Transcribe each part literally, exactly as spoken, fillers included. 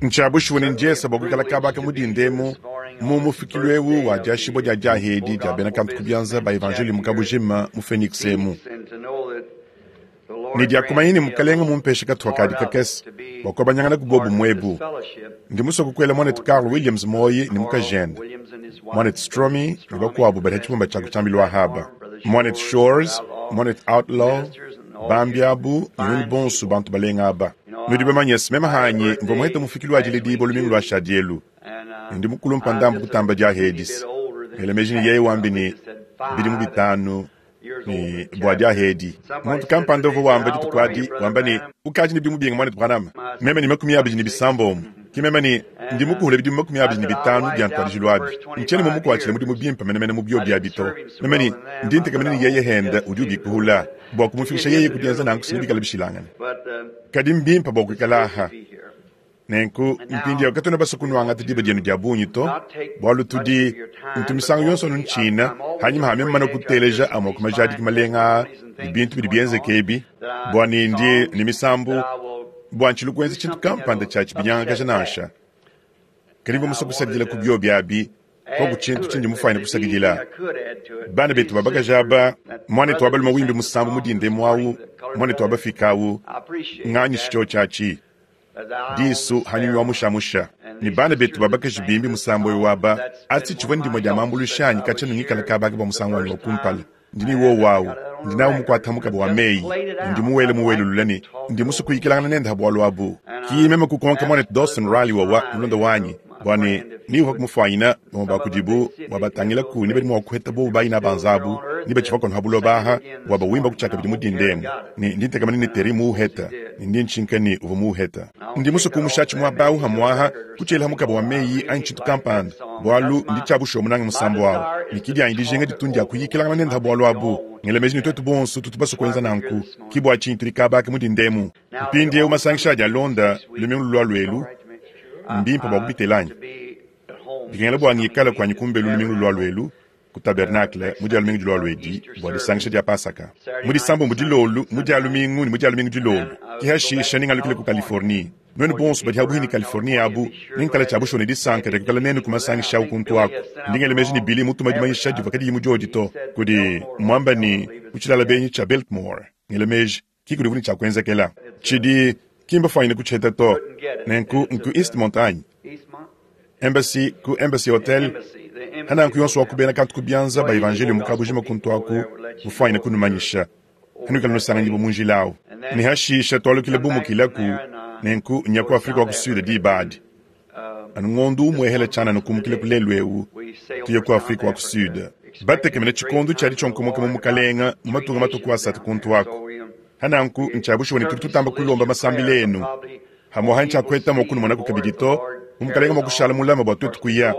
Ntshia bushuwa ne ndiesa bua kuikala kaba aka mu dinda emu mu mufikilu eu wa diashibua dia diahedi dia bena kantu ku bianza ba evanjeliyo mu kabujima mu Phoenix emu. Ne dia kumanya ne Mukalenga mumpeshe katupa kadi kakese bua kuabanyangana ku bobumue ebu. Ndi musue kukuela muanetu Carl Williams muoyi ne mukajende, muanetu Stromy ne bakuabu badi ha tshibumba tshia ku tshiambilu ahaba, muanetu Shores, muanetu Outlaw, bambi abu ne nuenu bonso bantu balenga aba. Nudi bamanye se, meme hanyi mvua muhete mufikilu wa diledibua lumingu lua shadi elu, ne ndi mukulumpa ndambu kutamba dia hedis. Ngela meji ne yeye wambi ne bidimu bitanu ne bua dia hedi. Muntu kampanda uvua wamba dituku adi, wamba ne, ukadi ne bidimu binga muanetu Branham? Meme ne makumi abidi ne bisambombo. Ki meme ne ndi mukuhule bidimu makumi abidi ne bitanu bia ntuadijilu abi. Ntshiena mumukuatshile mudimu bimpe menemene mu biobi abi to. Meme ne ndi ntekemena ne yeye henda udi ubikuhula bua kumufikisha yeye ku dienza nanku se nebikale bishilangane. Kadi mbimpe bua kuikala aha. Nenku mpindieu katuena basue kunuangata diba dienu dia bungi to, bualu tudi ntu misangu yonso anu ntshina hanyima ha meme mane kuteleja amue ku majadiki malenga aa ne bintu bidi bienzeka ebi, bua ne ndi ne misambu bua ntshilu kuenza tshintu kampanda tshia tshibinyangakaja nansha. Kadi mvua musue kusakidila ku biobi abi koku tshintu tshindi mufuanyine kusakidila. Bana betu ba bakaji aba, muanetu wa balume wimbe musambu mu dinda emu awu, muanetu wa bafika awu, nganyishi tshiotshi atshi. Disu hanyuma wa mushamusha ne bana betu ba bakaji bimbi musambu eu aba atshi tshivua ndimue dia mambuluisha anyi katshia nungikala kabaka bua musangu wanyi wa kumpala. Ndi ne wowu awu, ndi nawu mukuata mukaba wa meyi, ne ndi muwele muwelulula ne ndi musue kuyikilangana nende ha bualu abu. Ki meme kukonka muanetu Dawson Riley wawa mulonda wanyi bua ne ni uvua kumufuanyina bamue ba kudibu bua batangilaku ne badi mua kuheta bobu bayina banza abu ne batshivua kono ha buloba aha bua bawimba kutshia kabidi mu dinda emu. Ne ndi ntekamana ne Terry muuheta, ne ndi ntshinka ne uvua muuheta. Ndi musue kumusha muaba awu hamuaha kutshiela mukaba wa meyi anyi tshintu kampanda, bualu ndi tshia bushuwa munange musambu awu. Ne kidi anyi dijinga ditu ndia kuyikilangana nende ha bualu abu. Ngela meji ne tuetu bonso tutu basue kuenza nanku. Ki bua tshinyi tudi kabaka mu dinda emu. Mpindieu masangisha adi alonda lumingu lulua luelu, mbimpe bua kubitela anyi? Bikengela bua ngikale kuanyi kumbelu lumingu lulua luelu ku tabernacle mu dia lumingu dilua luedi bua disangisha dia Pasaka. Mu disambombo dilolu, mu dia lumingu ne mu dia lumingu dilolu. Ki hashisha ningalukile ku Californie. Nuenu bonso badi habuhi ne Californie abu, ninkala tshia bushuwa ne disanka dia kuikala nenu ku masangisha awu kuntu aku. Ndi ngela meji ne Billy mutuma dimanyisha divua kadiyi mu diodi to, kudi muamba ne ku tshilala benyi tshia Biltmore. Ngela meji ki kudi vuni tshia kuenzekela. Tshidi kimba fuanyine kutshiheta to. Nenku nku Eastmont anyi? Embassy ku Embassy Hotel. Hananku yonso wa kubena kantu ku bianza ba evanjeliyo mu kabujima kuntu aku mufuanyine kunumanyisha. Hanuikala nusanganyibua mu njila awu. Ne hashisha tualukile bumukilaku nenku nya ku Afrika wa ku Sud diba adi. Anu ngondu umue hela tshianana kumukila ku lelu eu tuye ku Afrika wa ku Sud. Batekemena tshikondo tshiadi tshionkomoka mu mukalenga mu matunga matuku asatu kuntu aku. Hananku ntshia bushuwa ne tudi tutamba kulomba masambila enu. Hamuaha ntshia kueta mua kunumonaku kabidi to, mu mukalenga mua kushala mulama bua tuetu kuya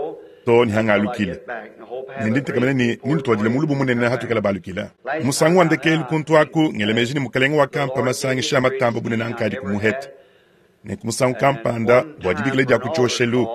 to ne hangalukile. Ne ndi ntekemena ne nintuadile mulubu munene hatuikala balukila. Musangu wa ndekelu kuntu aku ngela meji ne mukalenga wakampa masangisha a matamba bunene ankadi kumuheta. Nenku musangu kampanda bua dibikila dia ku tshioshelu.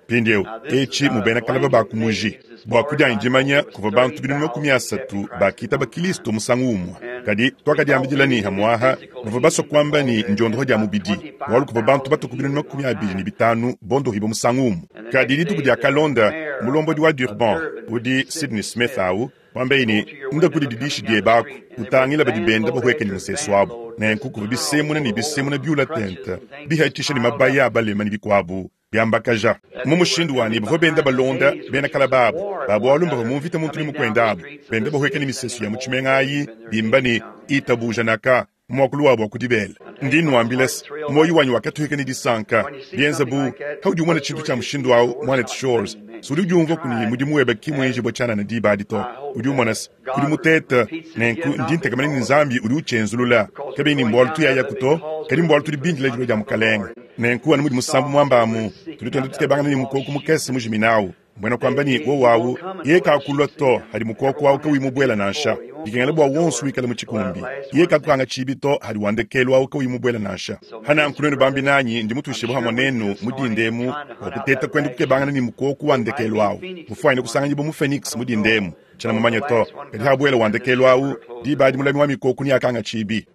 Mpindieu etshi mu bena kalaba ba kumuji. Bua kudianyi dimanya kuvua bantu binunu makumi asatu bakitaba Kristo musangu umue. Kadi tuakadiambidila ne hamuaha bavua basue kuamba ne ndiondoho dia mubidi, bualu kuvua bantu batuku binunu makumi abidi ne bitanu bondohibua musangu umue. Kadi dituku dia kalonda mulombodi wa Durban udi Sidney Smith awu wambaye ne nda kudi didishi diebe aku utangila badi benda bahueka ne musesu abu. Nenku kuvua bisemuna ne bisemuna biula tente bihatshisha ne mabaya a balema ne bikuabu biambakaja. Mu mushindu wa ne bavua benda balonda bena kalaba abu ba bualu mbavua mu mvita muntu ne mukuenda abu benda bahueka ne misesu ya mu tshimenga ayi bimba ne itabuja naka muakulu wabu wa kudibela. Ndi nuambila se moyo wanyi wakatuhika ne disanka bienza bu haudi umona tshintu tshia mushindu awu muanetu Shores. Sudi udiumvua kuni mudimu webe ki muenji bua tshianana diba adi to. Udi umona se kudi mutete nenku ndi ntekamana ne Nzambi udi utshenzulula. Kabiyi ne mbualu tuyayaku to, kadi mbualu tudi bindila dilua dia mukalenga. Nenku anu mudi musambu muamba amu, tudi tuenda tukebangana ne mukoko mukese mujimina awu. Mbwena kuamba ne wowu awu yeye kakulua to hadi mukoko awu kawi mubuela nansha. Dikengela bua wonso wikale mu tshikumbi. Yeye kakukanga tshibi to hadi wandekelu awu kawi mubuela nansha. Hananku nuenu bambi nanyi ndi mutuishibue hamue nenu mu dinda emu bua kuteta kuenda kukebangana ne mukoko wa ndekelu awu. Mufuanyine kusanganyibua mu Phoenix mu dinda emu. Tshiena mumanye to, kadi habuela wa ndekelu awu diba adi mulami wa mikoko ne akanga tshibi.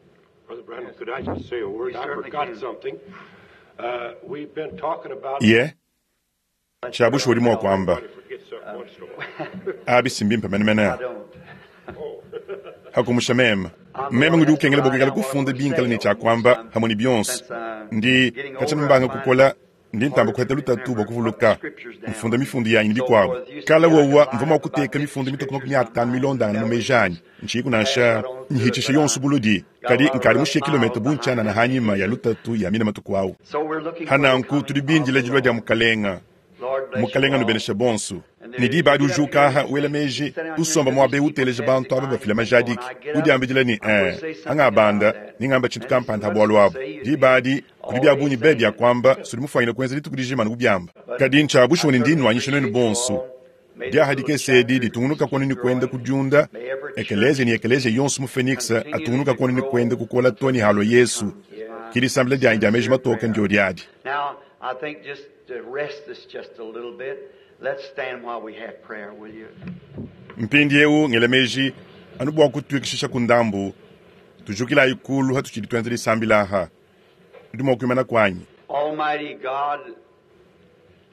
Brother Branham, could I just say a word? You I certainly forgot can. something. Ye tshiabusha udi mua kuamba abi simbimpe menemene hakumusha meme meme ngudi ukengela bua kuikala kufunda binkala ne tshiakuamba hamwe ne bionso ndi katshia mbanga kukola ndi ntamba kuheta lutatu bua kuvuluka mfunda mifundu yanyi ne bikuabu kala wowa mvua mua kuteka mifundu mitoke makumi atanu milondangana mu meji anyi ntshiyiku nansha nhitshisha yonso buludi kadi nkadi mushiye kilometa bu ntshianana hanyima ya lutatu ya mina matuku awu hananku tudi bindila dilua dia mukalenga mukalenga nubenesha bonso ne diba adi ujuka aha wela meji usomba muabe uteleja bantu aba bafila majadiki udiambidila ne eh angabanda ningamba tshintu kampanda bualu abu diba adi kudi bia bungi be bia kuamba sudi mufuanyine kuenza dituku dijima nukubiamba kadi ntshiabushuwa ne ndi nwanyisha nuenu bonso diaha dikese edi ditungunuka kuonu ni kuenda kudiunda ekelezia ni ekelezia yonso mu Phoenix atungunuka kuonu ni kuenda kukola to ni halo Yesu kilisambila dianyi dia meji matoke ndio diadi. Now, I think just to rest this just a little bit, let's stand while we have prayer, will you? Mpindi eu ngela meji anu bua kutuikishisha ku ndambu tujukilayi kulu hatutshidi tuenza disambila aha ndi mua kuimana kuanyi. Almighty God,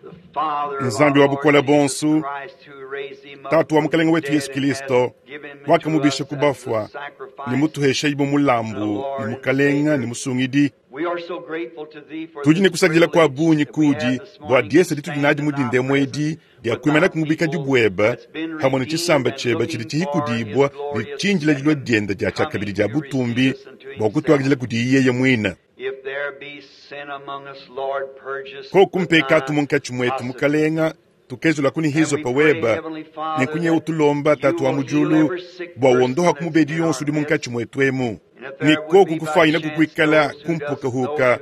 the Father of Nzambi our wa bukole Lord Jesus bonso Christ, who raised him up tatu wa from mukalenga the wetu dead Yesu and has Kristo given him to wakamubisha us ku as the bafwa sacrifice ni mutuhesha ibo mulambu ni mukalenga ni musungidi. We are so grateful to thee for Tudi ne this kusakidila kua privilege bungi that we have kudi this bua morning to diesa ditudi stand nadi in mu thy dindemo edi presence dia with kuimana thy kumubika people dibueba that's been hamwe ne redeemed tshisamba and tshieba tshidi looking for his tshihikudibua ne glorious tshinjila dilua second dienda dia coming tshiakabidi dia to receive butumbi us unto bua himself. kutuakidila kudi yeye muina. If there be sin among us, Lord, purge us Ko with kumpekatu thy munkatshi mwetu hyssop. mukalenga tukezula kuni And hizo we pray, paweba Heavenly Father, nenkunye that utulomba you tatu wa will heal mujulu every sick bua person wondoha that's kumubedi in yonso our udi midst. munkatshi mwetu emu And if ni there would koku be by kufuanyina chance kukuikala those who doesn't know kumpukahuka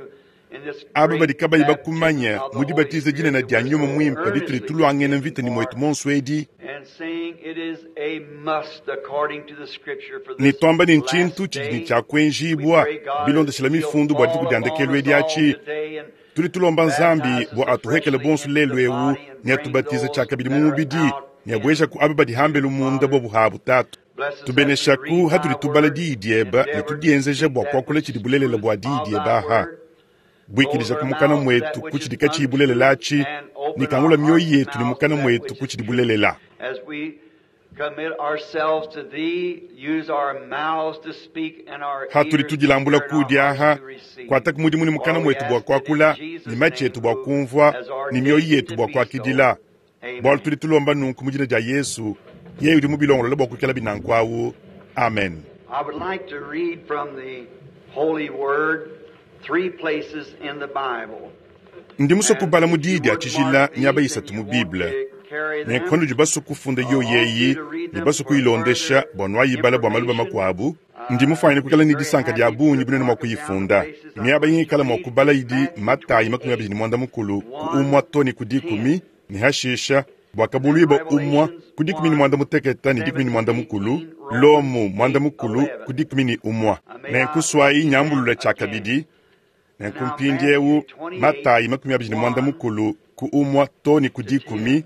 you in this aba badi great kabayi baptism bakumanya of the mu Holy dibatiza Spirit dinene that dia we're nyuma so mwimpe ditudi earnestly tulwangene contending mvita ni for mwetu monso edi and saying it is a must according to the scripture for ni this twamba ni last nchintu tshidi ni day. We tshiakuenjibwa pray God bilondeshela that He'll mifundu bua dituku fall dia upon ndekelu us edi all atshi today and tuli tulomba nzambi baptize us bua atuhekele afreshly bonso into lelu the ewu body and ne bring atubatize those tshiakabidi that mu are mubidi out ne abueja ku into aba badi hambelu munda Father. bua buhabu tatu Bless us as we tubeneshaku read thy hatudi tubala word diyi and dieba ne endeavor to tudienzeja speak bua that kuakula which tshidi is bulelela truth bua diyi of thy dieba aha word. Close buikidija our ku mukana mouths that mwetu which ku is tshidi katshiyi untruth bulelela atshi and ne open kangula our mioyo hearts and yetu ne mouths to mukana that mwetu which ku is tshidi truth. bulelela. As we commit ourselves to thee, use our mouths to speak and our Hatudi ears to tudilambula hear and our kudi hearts aha to receive. kuata ku mudimu ne mukana For we mwetu bua ask it in kuakula ne Jesus' matshi name, etu bua who kumvua has ne mioyo ordained it yetu to bua be so. kuakidila bualu Amen. tudi tulomba nunku mu dina dia Yesu yeye udi mubilongolola bua kuikala binanku awu amen. I would like to read from the Holy Word three places in the Bible. Ndi musue And kubala mu if diyi you dia would tshijila mark miaba these isatu and mu you want Bible to carry ne them, nkono udi basue kufunda I yo want you yeyi to read ne them basue for kuyilondesha further bua nuayibala bua maluba information. makuabu ndi Uh, mufuanyine be kuikala ne very disanka dia happy bungi to bunene mua mark them down the kuyifunda places I'm miaba going to ingikala mua read. kubala idi Matthew Matayi makumi abidi twenty-eight, ne muanda mukulu ku one umua to ne ku to dikumi ten. ne hashisha bua And then kabuluiba umua Revelations ku dikumi ne one, muanda muteketa ne dikumi ne seven to muanda mukulu eighteen, Romans Lomu muanda eight, mukulu ku eleven. dikumi ne umua Uh, may I nenkuswayi read them nyambulula again? tshiakabidi And nenku now mpindiewu Matthew twenty-eight, Matayi makumi abidi ne muanda one mukulu ku umua to ne ku to dikumi ten.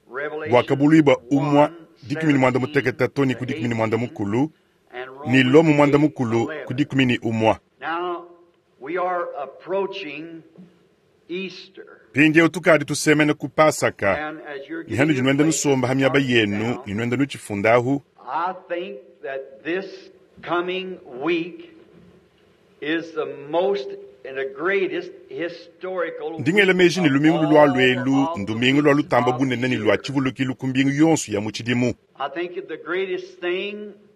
bua Revelations kabuluiba umua one, dikumi ne muanda seventeen muteketa to ne to ku dikumi ne muanda eighteen, mukulu and ni Romans Lomu muanda eight, mukulu ku eleven. dikumi ne umua. Now we are approaching Easter. Mpindiewu tukadi tusemene ku Pasaka And as you're ni getting hanu your dinuenda places nusomba ha miaba marked yenu down, ni nuenda nutshifundahu I think that this coming week is the most and the greatest historical ndingela week meji ne of lumingu lulua all luelu of the ndumingu lua weeks lutamba of the bunene ne lua year. tshivulukilu ku mbingu yonso ya mu tshidimu. I think the greatest thing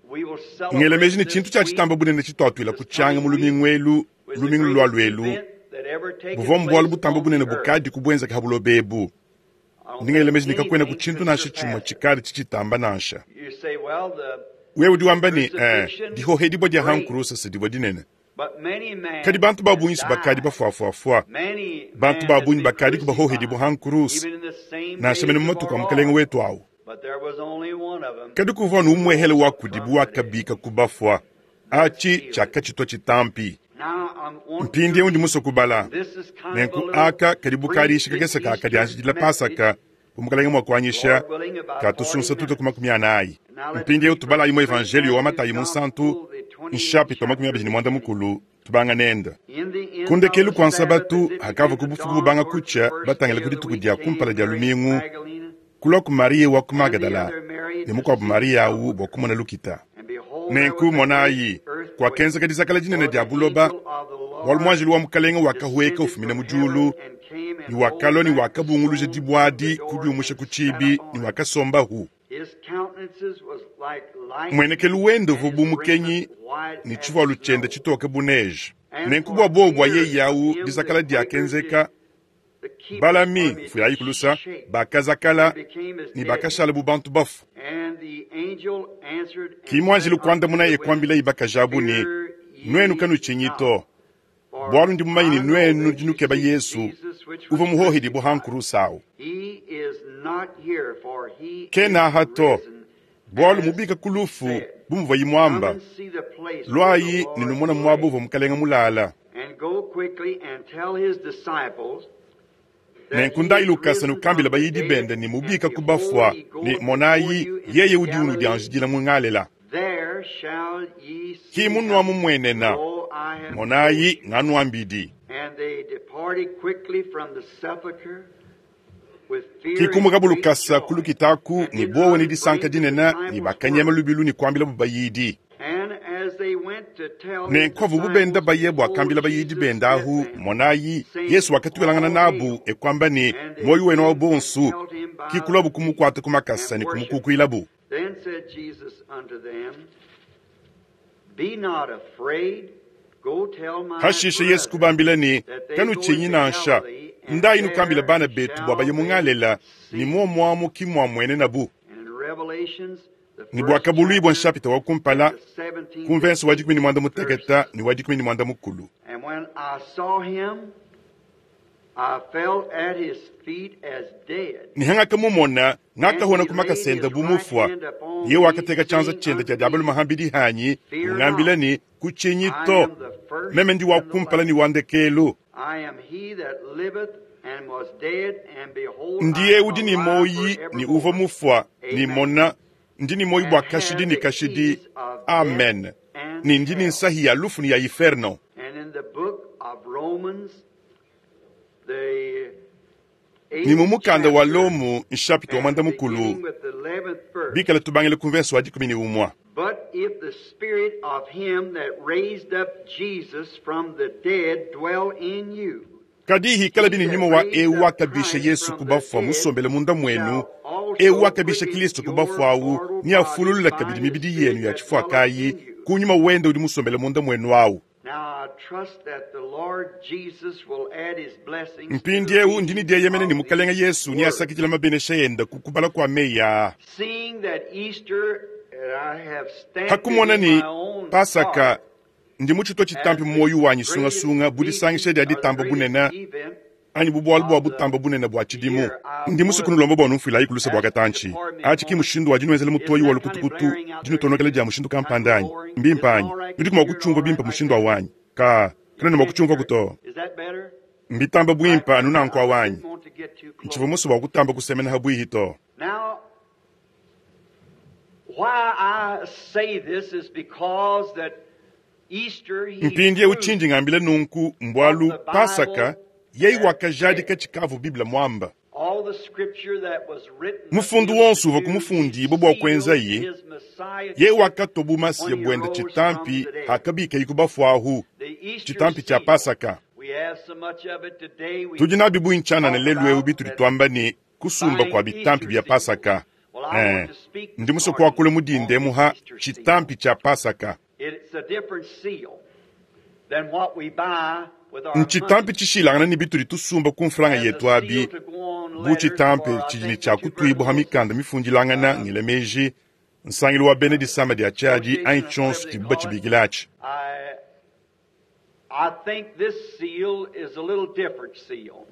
we will Ngela meji celebrate ne tshintu this tshia week, tshitamba bunene tshituatuila this ku tshianga coming mu week, lumingu elu was the lumingu lulua greatest luelu event that ever taken buvua mbualu place butamba on bunene the earth. bukadi kubwenzeka ha buloba ebu. I don't Ndingela think meji ne kakuena ku anything tshintu could nansha tshimue surpass it. tshikadi tshitshitamba nansha. You say, well, the Wewe udi wamba ne eh, crucifixion, dihohedibua dia great, hankurusa sidibua dinene but many kadi men bantu ba has bungi si bakadi died. bafuafuafua Many bantu men ba has bungi been bakadi kubahohedibua crucified, hankurusa even in the same nansha mene days mu of matuku a our mukalenge Lord. wetu awu But there was only one of them kadi kuvua numwehele who wa rose kudibu from the dead. wakabika kubafua That achi sealed it. tshiakatshitwa tshitampi. Now I want to Mpindiewu ndi read. musue kubala This is kind of a nenku little aka kadi bukadishi kakese pre-Easter kakadianjidila message. Pasaka umukalenge mua kuanyisha Lord willing, about forty katusunsa tute ku minutes. makumi anayi. Now let's Mpindiewu read from tubalayi mu Saint evangelio wa Matthew's Matayi munsantu Gospel, the twenty-eighth nshapita wa makumi chapter abidi ne muanda beginning mukulu Tubanga nende. Ku ndekelu kua Nsabatu, hakavua ku bufuku bubanga kutshia, batangila ku dituku dia kumpala dia lumingu, kulua ku Mariya wa ku Magadala ne mukuabu Mariya awu bua kumona lukita. Nenku monayi, kuakenzeka dizakala dinene dia buloba, bualu muanjelu wa Mukalenge wakahueka ufumina mu diulu, ne wakalua ne wakabunguluja dibue adi kudiumusha ku tshibi ne wakasombahu. Muenekelu wende uvua bu mukenyi ne tshivualu tshiende tshitoke bu neige. Nenku bua buowa bua yeye awu dizakala diakenzeka, balami mfuyayi kulusa bakazakala ne bakashala bu bantu bafue. Ki muanjelu kuandamunaye kuambilaye bakaji abu ne, nuenu kanutshinyi to, bualu ndi mumanye ne nuenu nudi nukeba Yesu uvua muhohedibue ha nkurusa awu. Kena aha to, bualu mubika ku lufu bu muvuaye muamba, luayi ne numona muaba uvua Mukalenge mulala. Nenku ndayi lukasa nukambila bayidi bende ne mubika ku bafua ne monayi yeye udi unudianjidila mu Ngalela. Ki munua mumuenena, monayi nganuambidi. Kikumuka lukasa ku lukita aku ne buowa ne disanka dinene ne bakanyema lubilu ne kuambila bu bayidi. Nenku avu bubenda baye bua kambila bayidi bende ahu, monayi Yesu wakatuilangana nabu e kuamba ne muoyo wenu wa bonsu, kikulabu kumukuata ku makasa ne kumukukuilabu. Then said Jesus unto them, Be not afraid, go tell my Hashishe Yesu kubambila ne kanutshinyi nansha, ndayi nukambila bana betu bua baye mu Ngalela ne muomuamu ki muamuenenabu. Ne bua kabuluibua nshapita wa kumpala ku mvenso wa dikumi ne muanda mutekete ne wa dikumi ne muanda mukulu. And when I saw him, I fell at his feet as dead. Ne hangakamumona ngakahona ku makasa bu mufua, ye wakateka tshianza tshiende tshia diabalu mahambidi hanyi, ungambila ne kutshinyi to, meme ndi wa kumpala ne wa ndekelu. I am he that liveth and was dead, and behold, Ndiye I am udi ne alive moyi ne uvua forevermore. mufua ne mona ndi ne moyi bua kashidi ne kashidi. Amen. Ne ndi ne nsahi ya lufu ne ya inferno. And in the book of Romans, the Ni mu mukanda wa eighth Lomu nshapita wa chapter, mwanda and mukulu beginning with the eleventh verse. bikala tubangile ku mverso wa dikumi ne umwa. But if the spirit of him that raised up Jesus from the dead dwell in you, Kadi hikala bini nyuma wa eu wakabisha Yesu kubafua musombele munda mwenu, eu wakabisha Kristo kubafua awu ni afululula kabidi mibidi yenu ya chifua kayi kunyuma wende udi musombele munda mwenu awu. Now I trust that the Lord Jesus will add his blessings to Mpindi the eu ndini reading dieyemene ne of Mukalenge these Yesu ni words. asakidila mabenesha yenda ku kubala kua meyi aa. Seeing that Easter, and I have stamped it Hakumona in ni my own Pasaka heart ndi mutshitua as tshitampi the muoyo wanyi greatest sungasunga bu meeting disangisha dia or the ditamba greatest bunene event anyi bu bualu bua of the butamba bunene bua tshidimu. year. I Ndi musu want to kunulomba bua numfuilayi ku lusa bua ask you to katantshi. pardon me a Atshi ki moment. mushindu wa dinuenzela Isn't mutoyi wa that kind of lukutukutu blaring out there dinutonokela too? dia mushindu Kind of kampanda anyi boring? Is mbimpe it anyi all right? nudi Can mua you hear it kutshiumva all right bimpe like mushindu that? wa wanyi ka You kana ne mua can't kutshiumva hear it. kuto Is that better? mbitamba Right. bwimpa anu nanku I awanyi didn't want to get too ntshivua close. musu bua kutamba kusemena habwihi to. Now, why I say this is because that Easter he Mpindi eu proved tshindi ngambile nunku what mbwalu the Pasaka Bible yeyi had wakajadika said. tshikavu Biblia mwamba. All the scripture that was written of Mufundu him to wonso uvua do, he kumufundibwa bua sealed kuenzaye his ye messiahship wakatoa bumasiya when he bwende rose from chitampi the dead. hakabikayi kubafuahu The Easter chitampi cha seal. Pasaka. We have so much of it today. We Tudi nabi buinchanana talk lelu eu about bitudi that twamba ne kusumba buying kwa bitampi Easter bya seals. Pasaka. Well, I Eh, want to speak ndi this musu morning kuakula on mudinde the muha Easter seal. chitampi cha Pasaka. It's a different seal than what we buy with our Nchitampi money. tshishilangana ne bitudi tusumba ku mfranga As a yetu seal abi to go on bu letters chitampi for, I tshidi ne think, the tshia kutuibwa ha tuberculosis mikanda mifundilangana uh, ngila meji nsangilu wa bena disama dia tshiadi anyi association or tshionso whatever they tshidibu call it. batshibikila atshi. I I think this seal is a little different seal.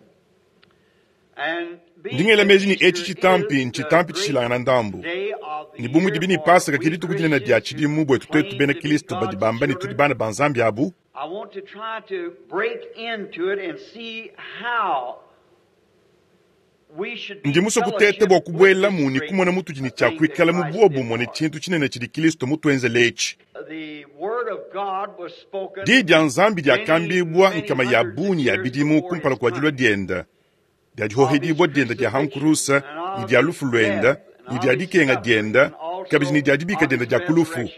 And being Ndingela that meji ni eci Easter chitampi is the nchitampi great tshishilangana ndambu. day of the Ni bu year mudi bini for Pasaka ke we dituku dinene dia Christians who tshidimu bwetu twetu claim bena to be Kristo badi God's bamba ne tudi children, bana ba Nzambi abu, I want to try to break into it and see how Ndi musue kuteta bua kubuelamu ne kumona mutudi ne tshia kuikala mu buobumue ne tshintu tshinene tshidi Kristo mutuenzele etshi. Diyi dia Nzambi diakambibua nkama ya bungi ya bidimu kumpala kua dilua diende, dia dihohedibua diende dia hankurusa ne dia lufu luende ne dia dikenga diende kabidi ne dia dibika diende dia ku lufu.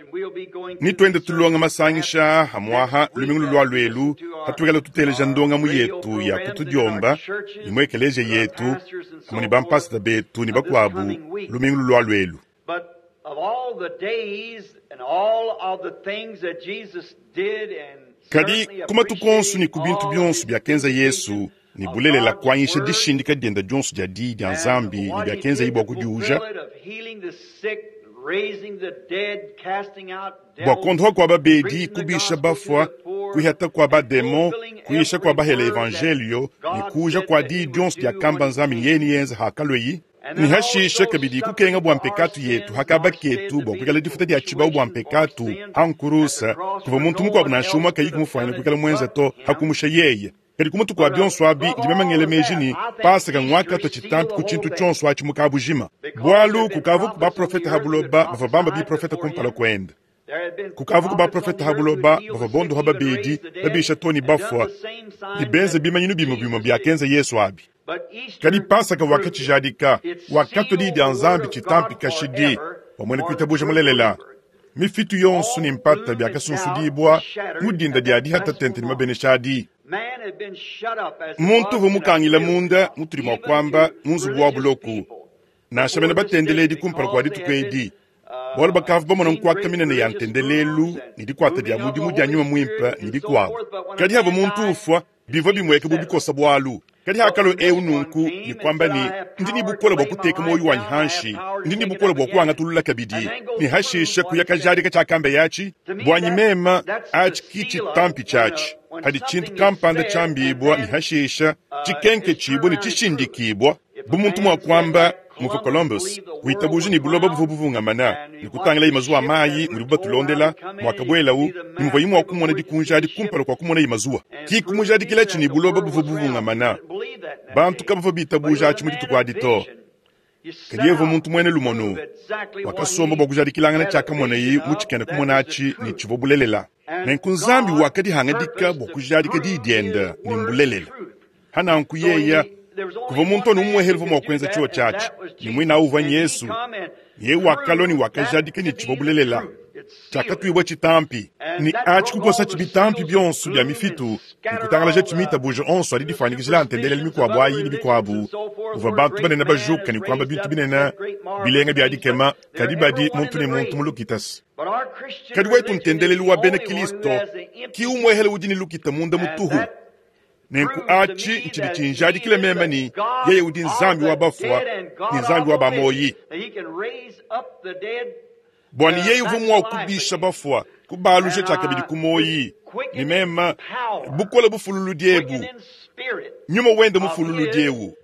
Ni tuende tulonga masangisha hamwaha lumingu lulua luelu hatuikala tuteleja ndongamu yetu ya kutudiomba ne mu ekeleziya yetu hamwe ne bampasita betu ne bakuabu lumingu lulua luelu. Kadi ku matuku onso ne ku bintu bionso biakenza Yesu ne bulelela kuanyisha dishindika diende dionso dia diyi dia Nzambi ne biakenzaye bua kudiuja, bua kuondoha kua babedi, kubisha bafua, kuihata kua bademo, kuyisha kua bahela evangelio ne kuuja kua diyi dionso diakamba Nzambi ne yeye niyenza hakalweyi, ne hashisha kabidi kukenga bua mpekatu yetu hakaba ketu bua kuikala difuta dia tshibau bua mpekatu hankurusa kuvua muntu mukuabu nansha umwe kayi kumufuanyina kuikala muenza to hakumusha yeye. Kadi ku mutuku wa bionso abi ndi memangele meji ni Pasaka ngwakatwa tshitampi ku tshintu tshionso atshi mukabujima, bualu kukavu ku baprofeta ha buloba bavua bamba biprofeta kumpala kuende, kukavu ku baprofeta ha buloba bavua bondoha babedi babisha to ne bafua ne benze bimanyinu bimue bimue biakenza Yesu abi. Kadi Pasaka wakatshijadika, wakatwa diyi dia Nzambi tshitampi kashidi bua muena kuitabuja mulelela. Mifitu yonso ne mpata biakasunsudibua mu dinda dia dihata tente ne mabenesha adi. Muntu uvua mukangila munda mutudi mua kuamba mu nzubu wa buloku, nansha bena batendeledi kumpala kua dituku edi, bualu bakavua bamona nkuaka minene ya ntendelelu ne dikuata dia mudimu dia nyuma muimpe ne bikuabu. Kadi havua muntu ufua bivua bimueka bu bikosa bualu. Kadi hakalo eu nunku ne kuamba ne ndi ne bukole bua kuteka muoyo wanyi hanshi, ndi ne bukole bua kuangatulula kabidi, ne hashisha kuya kajadika tshiakamba yatshi buanyi mema atshi ki tshitampi tshiatshi. Hadi tshintu kampanda tshiambibua ne hashisha tshikenke tshibua ne tshishindikibua bu muntu mua kuamba muvua Columbus kuitabuja ne buloba buvua buvungamana ne kutangila imazuwa mayi mudibu batulondela mwakabuelawu ne muvua imua kumona dikunja adi kumpala kua kumona imazuwa ki kumujadikila tshi ne buloba buvua buvungamana. Bantu kabavua bitabuja atshi mu dituku adi to. Kadi yevua muntu muene lumono wakasomba bua kujadikilangana tshiakamonaye mu tshikena kumona atshi ne tshivua bulelela. Nenku Nzambi wakadihangadika bua kujadika diyi diende ne mbulelela. Hananku yeya kuvua muntu anu umuehele uvua mua kuenza tshiwo tshiatshi ne muina uvua Yesu. Ye wakalua ne wakajadika ne tshivua bulelela tshiakatuibua tshitampi ne atshi kukosa tshibitampi bionso bia mifitu ne kutangalaja tshimitabuja onso adi difuanyikijila ntendelelu mikuabu ayi ne bikuabu uvua bantu banene bajuka ne kuamba bintu binene bilenga bia dikema kadi badi muntu ne muntu mu lukitasi. Kadi wetu ntendelelu wa bena Kristo ki umuehele udi ne lukita munda mutuhu. Nenku atshi ntshidi tshinjadikile meme ni yeye udi Nzambi wa bafua ne Nzambi wa bamoyi, bua ne yeye uvua mua kubisha bafua kubalusha tshiakabidi ku moyi ne meme bukole bufululu diebu nyuma wende mufululu diewu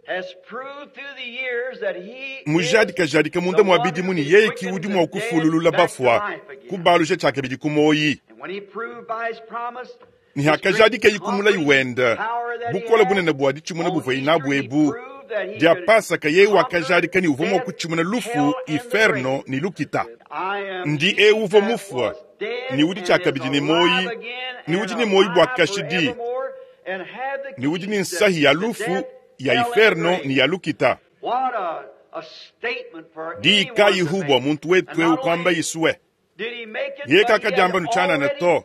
mujadikajadika munda mua bidimu ne yeye ki udi mua kufululula bafua kubalusha tshiakabidi ku moyi. Ni hakajadika yikumula iwenda bukole bunene bua ditshimuna buvua inabu ebu dia Pasaka yeye wakajadika ni uvua mua kutshimuna lufu inferno ni lukita. Ndi eu uvua mufua ni udi tshiakabidi ne moyi ni udi ne moyi bua kashidi ni udi ne nsahi ya lufu ya inferno ni ya lukita. Diyi kayihu bua muntu wetu eu kwamba Yisue ye kakadiamba nutshianana to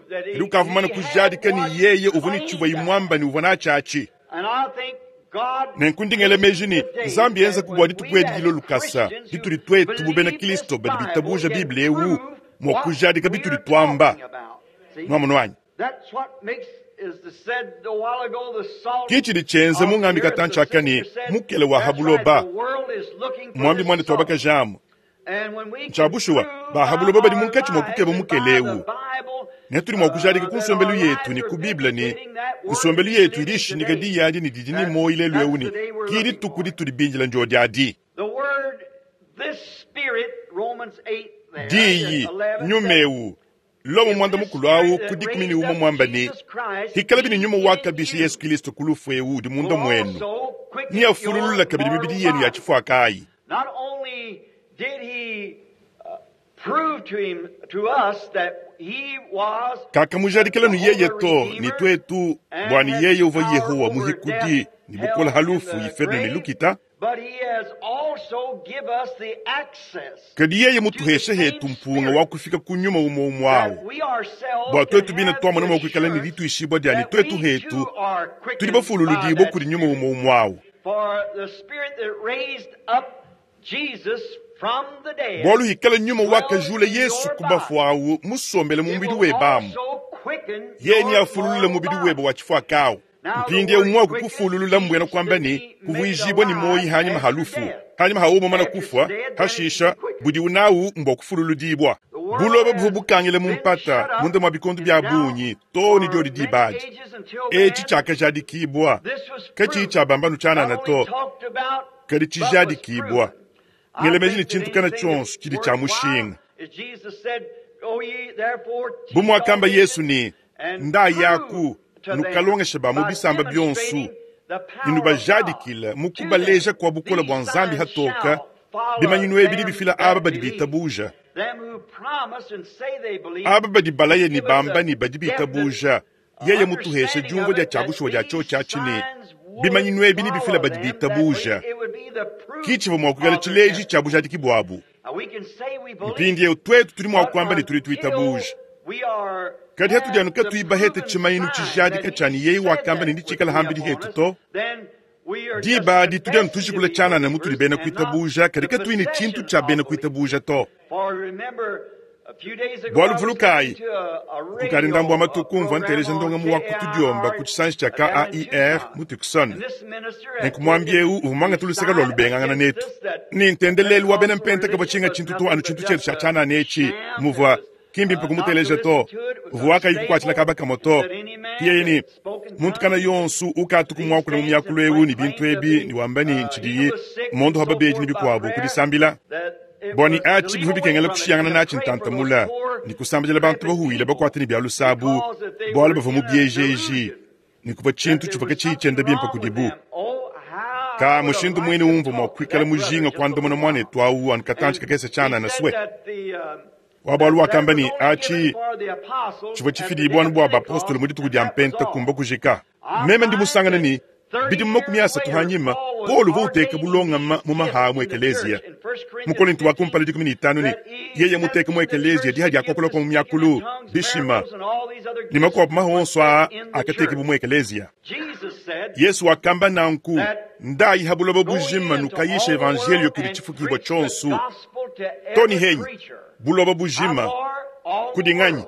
kadi ukavumana kujadika ni yeye uvua ne tshivua imwamba ni uvua natshiatshi. Nenku ndingele meji ni Nzambi yenza kubua dituku edi dilo lukasa ditudi twetu bu bena Kristo badi bitabuja Biblia eu mua kujadika bitudi twamba nwamunwanyi. Ki tshidi tshienza mungambi katantshiaka ni mukele wa habuloba mwambi mwane twabakajamu Nchabushuwa bahabuloba badi munkatshi mua kukeba mukele eu ne tudi mua kujadika ku nsombelu yetu ne ku Biblia ne nsombelu yetu idi ishindika diyi adi ne didi ne moyi lelu eu ne ki dituku ditudi binjila njo diadi. Diyi nyuma eu Lomo mwanda mukulu awu ku dikumi ne umwe mwamba ne hikala bini nyuma wakabisha Yesu Kristo ku lufu ewu udi munda mwenu niyafululula kabidi mibidi yenu ya chifuakayi. Not only did he uh, prove to him to us that he was kakamujadikila nu yeye to ni twetu bwani yeye uva Yehowa muhikudi ni bukola halufu ifedu ni lukita but he has also give us the access kadi yeye mutuheshe hetu mpunga wa kufika ku nyuma umo umo that awu we ourselves bwa twetu can bina have twamona the mwa kuikala ni assurance lituishibwa dyani that twetu we hetu too are quickened tuli by bafululudibwa that kuli nyuma umo umo awu. For the spirit that raised up Jesus from the dead bwalu hikala nyuma wakajula dwells in Yesu your ku bafu awu musombele mu It mubidi will webamu also quicken ye ni your afululula mortal mubidi body. webe wa chifuakawu mpindi umwe kukufululula mbwena kwamba ni kuvuijibwa ni moyi hanyuma halufu hanyuma haumo mana kufwa hashisha budi unawu mbwa kufululudibwa buloba buvu bukangile mumpata munda mwa bikondu bya bunyi to ni dyodi dibaji eci chakajadikibwa kaci chabambanu chanana to kadi cijadikibwa ngelemeji ni chintu kana chonso chili cha mushinga bumwakamba Yesu ni nda yaku nukalongesha ba mu bisamba byonsu ninubajadikila mukubaleja kwa bukola bwa nzambi hatoka bimanyinu ebi bifila aba badi bitabuja aba badi balaye ni bamba ni badi bitabuja yeye mutuheshe jumvo lya chabushuwa lya cho chachini bimanyinu ebi bifila badi bitabuja kichivo mwakukala chileji chabujadiki bwabu mpindi eu twetu tuli mwakwamba ni tuli tuitabuja kadi hatujanuka tuibahete chimayinu chijadika chani yeyi wakamba ni ndichikala hambili hetu to dibadi tudyanu tujikula chanana mutuli bena kuitabuja kadi katuini chintu cha bena kuitabuja to bwalu vulukayi kukali ndambu wa matuku mva nteleja ndonga mu wakutudyomba ku chisanji cha K A I R mu Tucson nenkumwambia eu uvumanga tuluseka lwa lubengangana netu ni ntendelelu wa bena mpenta kava chinga chintu to anu chintu chetu cha chanana echi muvwa kimbi mpe kumuteleja to vuwaka ikukwatila kaba kamoto kiyeyini muntu kana yonsu ukatu kumwakula mu myakulu ewu ni bintu ebi ni wamba ni nchidiyi mondo haba beji ni bikwabu kudisambila bwani achi bihu bikengela kushiyangana nachi ntantamula ni kusambila bantu bahuile bakwata ni byalusabu bwala bava mu byejeji ni kuva chintu chivaka chiichenda bimpa kudibu ka mushindu mwene umva mwa kwikala mujinga kwandamuna mwanetu awu anu katanchi kakese chana na swe wabwalu wakamba ni achi chivwa chifidibwanu bwa bapostolo mudituku dya mpenta kumba kujika meme ndi musangana ni bidi makumi asatu hanyima Paulo vouteka bulongama mu maha mu ekeleziya mu Korinto wa kumpala dikumi ni itanu ni yeye muteka mu ekeleziya diha diakokola kwa mu myakulu bishima ni makopo mahonso a akateke bu mu ekeleziya Yesu wakamba nanku ndayi habuloba bujima nukayisha evangelio kuli chifukibwa chonsu toni henyi buloba bujima kudinganyi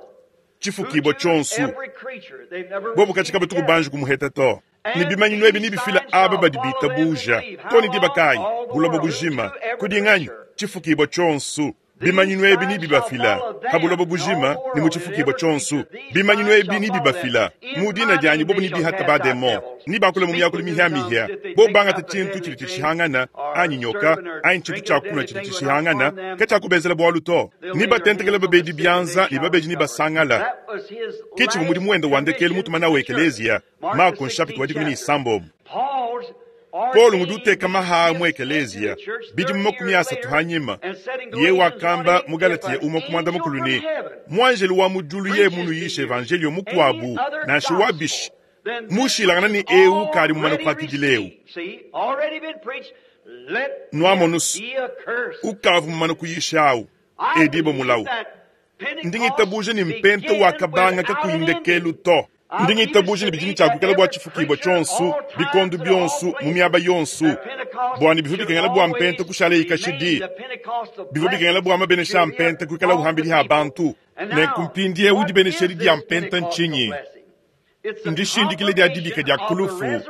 chifukibwa chonsu bobu kachika batuku banji kumuheta to ni bimanyinu ebi nibifila aba badi bitabuja toni dibakayi buloba bujima kudinganyi chifukibwa chonsu bimanyinu ebi nibibafila habuloba bujima ni muchifukibwa chonsu bimanyinu ebi nibibafila mudina dyanyi bobu nibihata bademo nibakula mu myakulu mihyamihya bo bangata chintu chili chishihangana anyi nyoka anyi chintu chakunwa chili chishihangana kachakubezela bwalu to nibatentekela babedi byanza ni babeji nibasangala kichivu mudi muwenda wandekelu mutuma nawe ekeleziya Marko nshapiti wa dikumi ni isambomu Paulo ngudi uteka maha mu ekeleziya bidi mu makumi asatu hanyima ye wakamba mu Galatiya umwe kumwanda mukulu ni mwanjelu wa mujulu ye munu yisha evangelio mukwabu nansha wabishi mushilangana ni eu kali mumana kuakidileu nwamonusu ukavu mumana kuyisha awu edibo mulawu ndingitabuja ni mpenta wakabanga kakuyindekelu to ndingitabuja ni bijini chakukela bwa chifukibwa chonsu bikondu byonsu mu myaba yonsu bwani bivu bikengela bwa mpenta kushala ikashidi bivu bikengela bwa mabenesha mpenta kuikala uhambili ha bantu nenkumpindi eu dibenesheli dia mpenta nchinyi ndishindikile dia dibika dia kulufu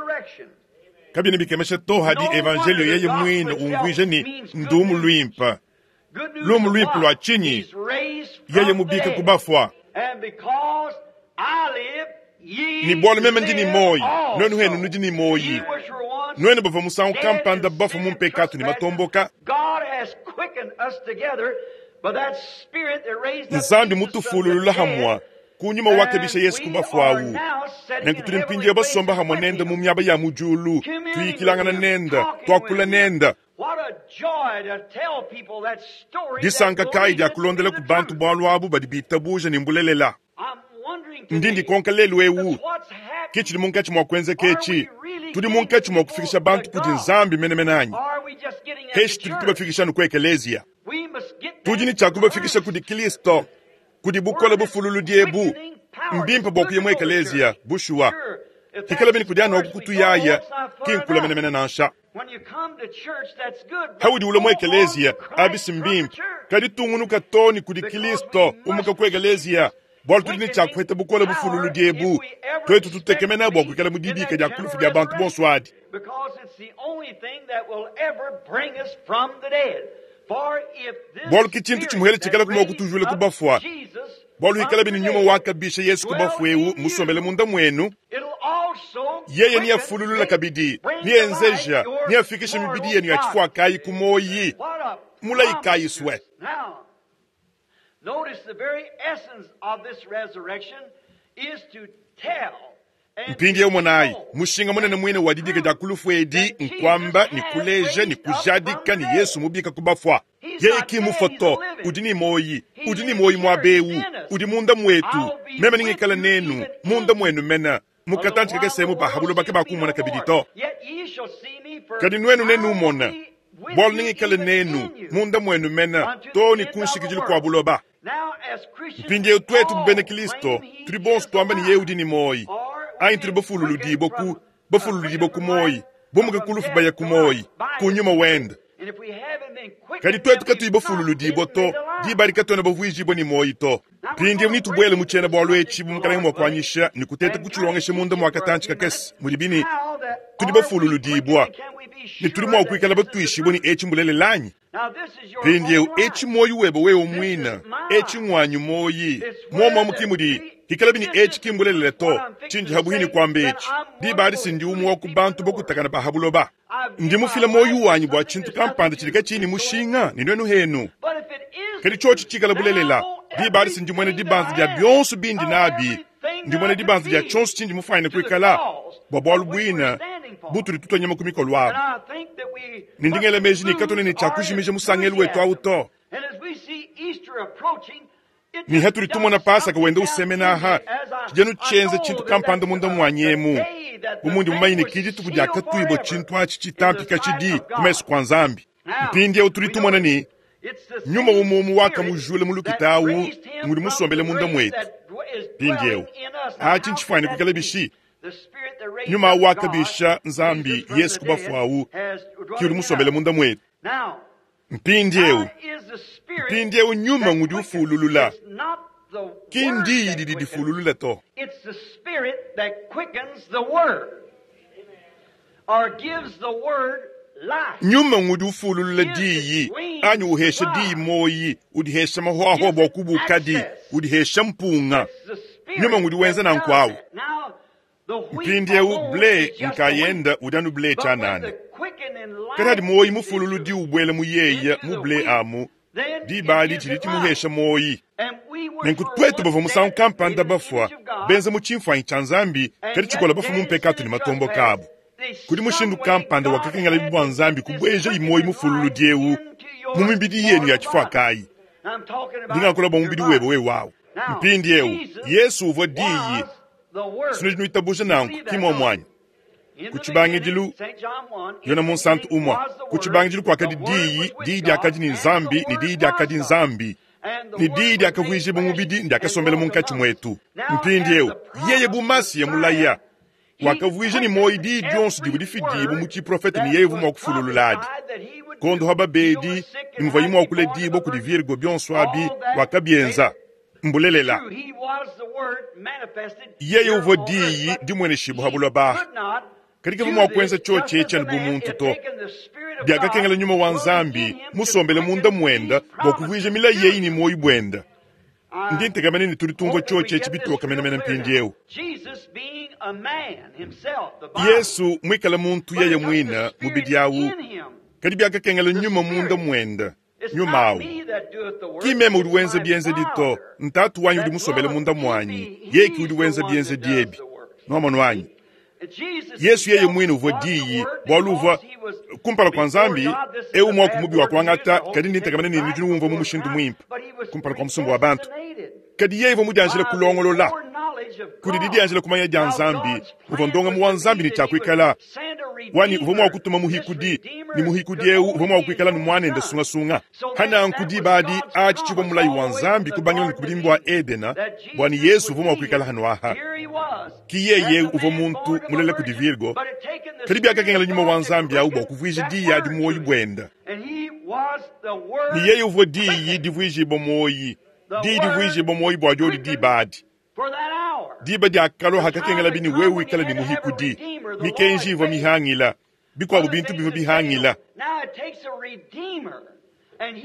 kabina bikemesha to hadi evangelio yeye mwine umvwije ni ndumu lwimpa lumu lwimpa lwa chinyi yeye mubika kubafwa ni bwalu meme ndi ni moyi nwenu henu nudi ni moyi nwenu bava musangu kampanda bafu mumpekatu ni matomboka Nzambi mutufululula hamwa kunyuma wakabisha Yesu kubafu awu. Nenku tuli mpindieu basomba hamwa nenda mu miaba ya mujulu, tuyikilangana nenda, twakula nenda. Disanka kayi dia kulondela ku bantu bualu abu badi bitabuja ne mbulelela. Ndi ndikonka lelu ewu, ke tshidi munkatshi mua kuenzeka etshi. Tudi munkatshi mua kufikisha bantu kudi Nzambi menemene anyi? Peshi tudi tubafikisha anu ku ekeleziya? Tudi ne tshia kubafikisha kudi Kristo, kudi bukole bufululudi ebu. Mbimpe bua kuya mu ekeleziya, bushuwa. Hikala bene kudi anu aku kutuyaya, ki nkula menemene nansha. Haudi ulua mu ekeleziya, abi si mbimpe, kadi tungunuka too ne kudi Kristo, umuka ku ekeleziya. Bualu tudi ne tshia kuheta bukole bufululudi ebu, twetu tutekemena bua kuikala mu dibika dia kulufu dia bantu bonso adi. Bualu ke tshintu tshimuhele tshikala kuma kutujula ku bafua. Bualu hikala bene nyuma wakabisha Yesu ku bafua ewu musombele munda muenu, yeye niafululula kabidi, nienzeja, niafikisha mibidi yenu ya tshifuakayi ku moyi, mulayi kayi swe. Notice the very essence of this resurrection is to tell. Mpindieu monayi, mushinga munene muine wa dibika dia kulufu edi nkwamba ne kuleja ne kujadika ne Yesu mubika ku bafua. Yeye ki mufua to, udi ne moyi, udi ne moyi muaba ewu, udi munda muetu. Meme ningikala nenu, munda muenu mena. Mukatanchi kakese mu bahabulo bake bakumona kabidi to. Kadi nuenu nenumona, bualu ningikala nenu, munda muenu mena, to ne kunshikidilu kua buloba. Mpindieu twetu bena Kristo, tudi bonso twamba ne yeye udi ne moyi. Anyi tudi bafululudibwa ku, bafululudibwa ku moyi, bumuka ku lufu baya ku moyi, ku nyuma wenda. Kadi twetu katuyi bafululudibwa to, diba adi katuena bavuijibwa ne moyi to. Mpindieu nitubwele mu tshiena bualu etshi bu mukalenge mua kuanyisha ne kuteta kutshilongesha munda mua katantshi kakese, mudibi ne tudi bafululudibwa ne tudi mua kuikala batuishibwe ne etshi mbulelela anyi? Mpindieu etshi moyi webe wewe muina, etshi ngwanyu moyi, muomua mukimudi hikala bini etshi kimbulelela to, tshindi habuhini kuamba etshi. Diba adi sindi umwe wa ku bantu bakutakana ba habuloba. Ndi mufila moyi wanyi bua tshintu kampanda tshidi katshini mushinga ne nuenu henu. Kadi tshotshi tshikala bulelela, diba adi sindi muena dibanza dia bionso bindi nabi, ndi muena dibanza dia tshionso tshindi mufuanyine kuikala, bua bualu buina butudi tutua nyama ku mikolo abu. Ne ndi ngela meji ne katuena ne tshia kujimija musangelu wetu awu to. Ne hatudi tumona Pasaka wenda usemena aha, tshijanu tshienza tshintu kampanda munda muanyi emu. Bu mundi mumanyi ne kidi dituku dia katuibua tshintu atshi tshitampika tshidi ku mesu kua Nzambi. Mpindieu tudi tumona ne nyuma umumu wakamujula mu lukita awu ngudi musombele munda muetu. Mpindieu atshi ntshifuanyine kuikala bishi? Nyuma wakabisha Nzambi Yesu ku bafu awu ki udi musombele munda muetu. Mpindieu, mpindieu nyuma ngudi ufululula, ki ndiyi didi difululula to. It's the Spirit that quickens the Word, or gives the Word life. Nyuma ngudi ufululula diyi, anyi uhesha diyi moyi, udihesha mahoahoa bua kubukadi, udihesha mpunga. Nyuma ngudi wenza nanku awu. Mpindieu ble nkayenda udi anu ble tshianana. Kadi adi moyi mufululudi ubwela mu yeye mu ble amu, diba adi tshidi tshimuhesha moyi. Nenku twetu bavua musangu kampanda bafua, benza mu tshimfuanyi tshia Nzambi, kadi tshikola bafua mu mpekatu ne matombo kabu. Kudi mushindu kampanda wakakengela bua Nzambi kubweja imoyi mufululudi ewu mu mibidi yenu ya tshifuakayi. Ndingakula bua mubidi webe wewe wawu. Mpindieu Yesu uvua diyi. Sino dinuitabuja nanku ki muomuanyi. Ku tshibangidilu, Yona Munsantu umua. Ku tshibangidilu kuakadi diyi, diyi diakadi ne Nzambi, ne diyi diakadi Nzambi. Ne diyi diakavuijibua mubidi ndiakasombela munkatshi muetu. Mpindieu yeye bu Masiya mulaya, wakavuija ne moyi diyi dionso divua difidibua mu tshiprofete ne yeye uvua mua kufululula adi. Kondo ha babedi, ne muvua yimua kuledibua kudi Virgo bionso abi wakabienza. Mbulelela. Yeye uvua diyi dimueneshibua ha buloba. Kadi kavua mua kuenza tshotshi etshi anu bu muntu to. Diakakengela nyuma wa Nzambi musombele munda muenda bua kuvuija milayi yeyi ne moyi buenda. Ndi ntekamene ne tudi tumvua tshotshi etshi bitoka menemene mpindieu. Yesu muikale muntu yeye muina mubidi awu, kadi biakakengela nyuma munda muenda. Nyuma awu. Ki meme udi wenza bienzedi to, n'Tatu wanyi udi musombele munda mwanyi, yeye ki udi wenza bienzedi ebi. Nwamonu anyi? Yesu yeye mwine uvwa diyi, bwalu uvwa kumpala kwa Nzambi, ewu mwaku mubi wa kuangata, kadi ndi ntekamana ne nudi nuwumvwa mu mushindu mwimpe kumpala kwa musumba wa bantu. Kadi yeye uvwa mudianjile kulongolola kudi didianjila kumanya dia Nzambi, uvwa ndongamu wa Nzambi ne tshiakuikala wanyi uvwa mwa kutuma muhikudi, ne muhikudi ewu uvwa mwa kuikala ne mwanende sungasunga. Hananku diba adi atshi tshivwa mulayi wa Nzambi kubangila ne ku budimi bua Edena, bua ne Yesu uvwa mwa kuikala hanu aha. Ki yeye uvwa muntu mulela kudi Virgo, kadi biakakengela nyuma wa Nzambi awu bua kuvuija diyi adi muoyi buenda. Ne yeye uvwa diyi divuijibua muoyi, diyi divuijibua muoyi bua diodi diba adi. Diba diakalua hakakengela bini wewe wikala ne muhikudi, mikenji ivua mihangila, bikuabu bintu bivua bihangila.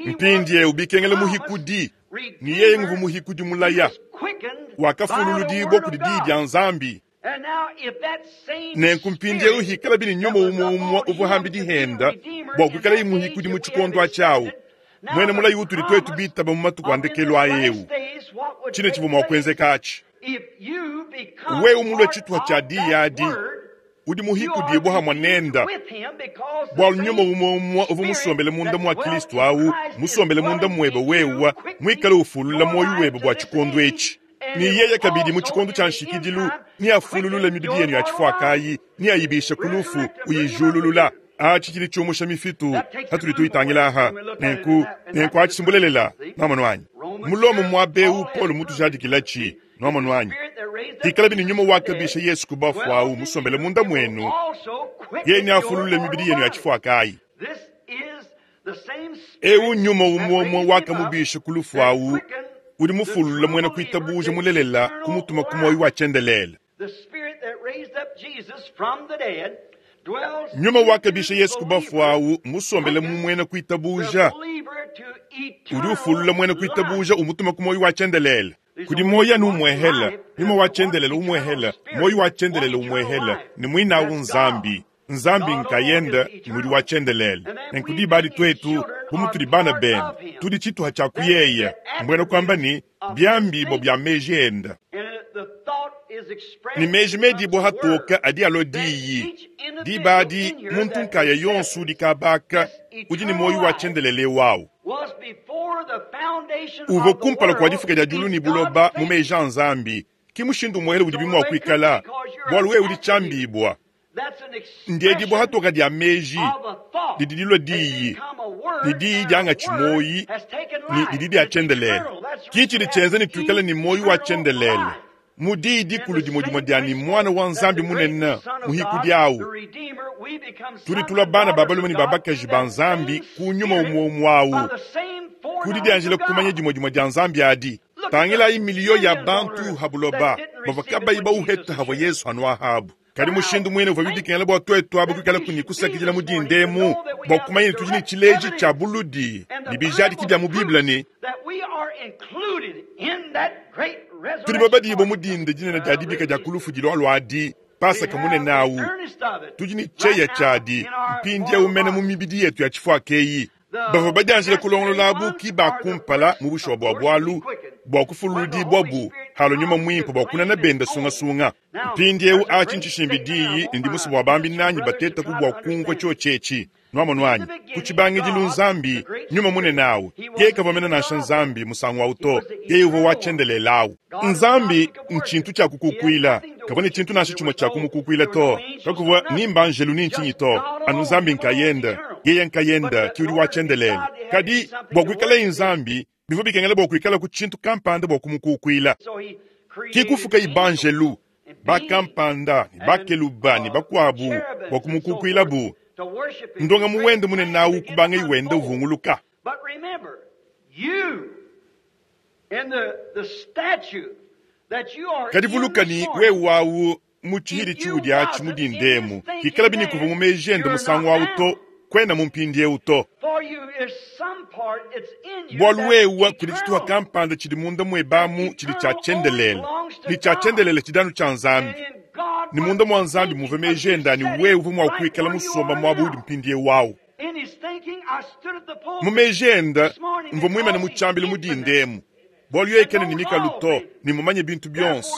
Mpindieu bikengela muhikudi, ne yeye nguvua muhikudi mulaya, wakafululudibua kudi diyi dia Nzambi. Nenku mpindieu hikala bini nyuma umue umue uvua hambidi henda bua kuikala muhikudi mu tshikondo atshiawu, mwene mulayi utudi twetu bitaba mu matuku a ndekelu a eu. Tshine tshivua mua kuenzeka atshi. Wewe mulue tshituha tshia diyi adi, udi muhikudibua hamwe nenda, bwalu nyuma umue umue uvua musombele munda mwa Kristo awu, musombele munda mwebe wewa, mwikale ufulula moyo webe bua tshikondo etshi. Ne yeye kabidi mu tshikondo tshia nshikidilu, neafululule mibidi yenu ya tshifuakayi, neayibishe ku lufu, uyijululula. Atshi tshidi tshiumusha mifitu hatudi tuyitangila aha. Nenku, nenku atshi simbulelela, nwamonu anyi? Mulomo muaba eu Paulo mutujadikilatshi, nwamonu anyi? Hikala bini nyuma wakabisha Yesu ku bafu awu musombele munda mwenu, yeye neafululule mibidi yenu ya tshifuakayi. Eu nyuma umue umue wakamubisha ku lufu awu, udi mufulula mwena kuitabuja mulelela kumutuma ku moyo wa tshiendelele. Nyuma wakabisha Yesu ku bafu awu musombele mu mwena kuitabuja, udi ufulula mwena kuitabuja umutuma ku moyo wa tshiendelele. Kudi moyo anu umwehela, nyuma wa tshiendelele umwehela, moyo wa tshiendelele umwehela, ne mwinawu Nzambi. Nzambi nkayenda ngudi wa tshiendelele. Nenku diba adi twetu bu mutudi bana bende, tudi tshituha tshia kuyeya, mbwena kuamba ne biambibo bia meji enda. Ne meji medibo hatoka adi alua diyi. Diba adi muntu nkaya yonso udi kabaka, udi ne moyo wa tshiendelele wawu. Uvua kumpala kua difuka dia diulu ne buloba mu meji a Nzambi, ki mushindu muele udi bimua kuikala, bualu wewe udi tshiambibua. Ndiedibua hatoka dia meji, didi dilua diyi, ne diyi diangatshi moyi, ne didi dia tshiendelele. Ki tshidi tshienza ne tuikale ne moyi wa tshiendelele. Mu diyi dikulu dimue dimue dia ne mwana wa Nzambi munene muhikudi awu, tudi tulua bana ba balume ne ba bakaji ba Nzambi ku nyuma umue umue awu, kudi dianjila kumanya dimue dimue dia Nzambi adi. Tangilayi miliyo ya bantu ha buloba bavua kabayi bauheta havua Yesu hanu ahabu. Kadi mushindu mwine uvua bibikengela bua twetu abo kuikala kuni kusakidila mu dindemu bua kumanya ne tudi ne tshileji tshia buludi ne bijadiki bia mu Bible ne tudi babadibua mu dinde dinene dia dibika dia kulufu dilualua adi Pasaka munene awu. Tudi ne tshieya tshiadi mpindieu mene mu mibidi yetu ya tshifuaka eyi. Bavua badianjile kulongolola abu ki ba kumpala mu bushuwa bua bualu bua kufululudibua bu halo nyuma mwimpe bua kunana benda sungasunga. Mpindieu atshi ntshishimbi diyi ndi musu bua bambi nanyi batetaku bua kumvua tshiotshetshi. Nwamonu anyi? Ku tshibangidilu Nzambi nyuma munene awu, yeye kavua mene nansha Nzambi musangu awu to, yeye uvua wa tshiendelele awu. Nzambi ntshintu tshia kukukuila, kavua ne tshintu nansha tshimue tshia kumukukuila to, kakuvua ni mbanjelu ni ntshinyi to, anu Nzambi nkayenda, yeye nkayenda ki udi wa tshiendelele. Kadi bua kuikalaye Nzambi, bivua bikengela bua kuikala ku tshintu kampanda bua kumukukuila. Ki kufuka ibanjelu bakampanda ne bakeluba ne bakuabu bua kumukukuilabu. Ndonga muwende munene awu kubanga iwenda uvunguluka. Kadi vuluka ne wewe awu mu tshihidi tshiudi atshi mu dindemu, hikala bini kuva mu meji ende musangu awu to, kwena mu mpindieu to. Bualu wewe kudi tshituha kampanda tshidi munda muebamu tshidi tshia tshiendelele, ne tshia tshiendelele tshidi anu tshia Nzambi. Ne munda mua Nzambi muve meji ende ani wewe uvua mua kuikala musomba muaba udi mpindieu awu. Mu meji ende, mvua muimane mu tshiambilu mu dinda emu, bualu yeye kena ne mikalu to, ne mmumanye bintu bionso.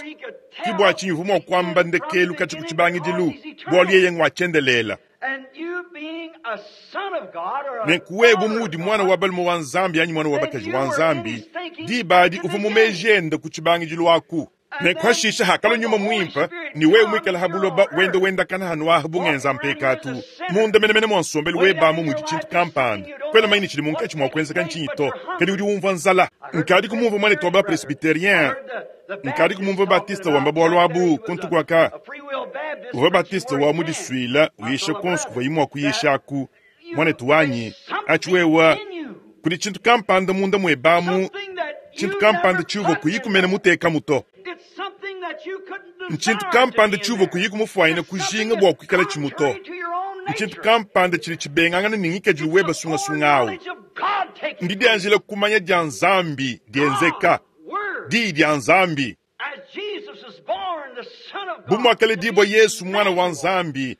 Ke bua tshinyi uvua mua kuamba ndekelu katshia ku tshibangidilu, bualu yeye ngua tshiendelele. Nenku wewe bu muudi muana wa balume wa Nzambi anyi muana wa bakaji wa Nzambi, diba adi uvua mu meji ende ku tshibangidilu aku. Nenku hashishe hakalua Nyuma Muimpe, ne wewe muikale ha buloba wenda wendakana hanu aha bu ngenza mpekatu, munda menemene mua nsombelu webe amu mudi tshintu kampanda, kuena mumanye ne tshidi munkatshi mua kuenzeka ntshinyi to, kadi udi umvua nzala. Nkadi kumumvua muanetu wa ba-presbyterien, nkadi kumumvua Baptiste wamba bualu abu kuntu kuaka. Uvua Baptiste wa mudisuila uyisha kuonso kuvuaye mua kuyisha aku, muanetu wanyi, atshi wewe, kudi tshintu kampanda munda muebe amu, tshintu kampanda tshiuvua kuyi kumena mutekamu to. Ntshintu kampanda tshiuvua kuyi kumufuanyina kujinga bua kuikala tshimu to. Ntshintu kampanda tshidi tshibengangana ne ngikadilu webe sungasunga awu. Ndidianjila kumanya dia Nzambi dienzeka, Diyi dia Nzambi. Bu muakaledibua Yesu Muana wa Nzambi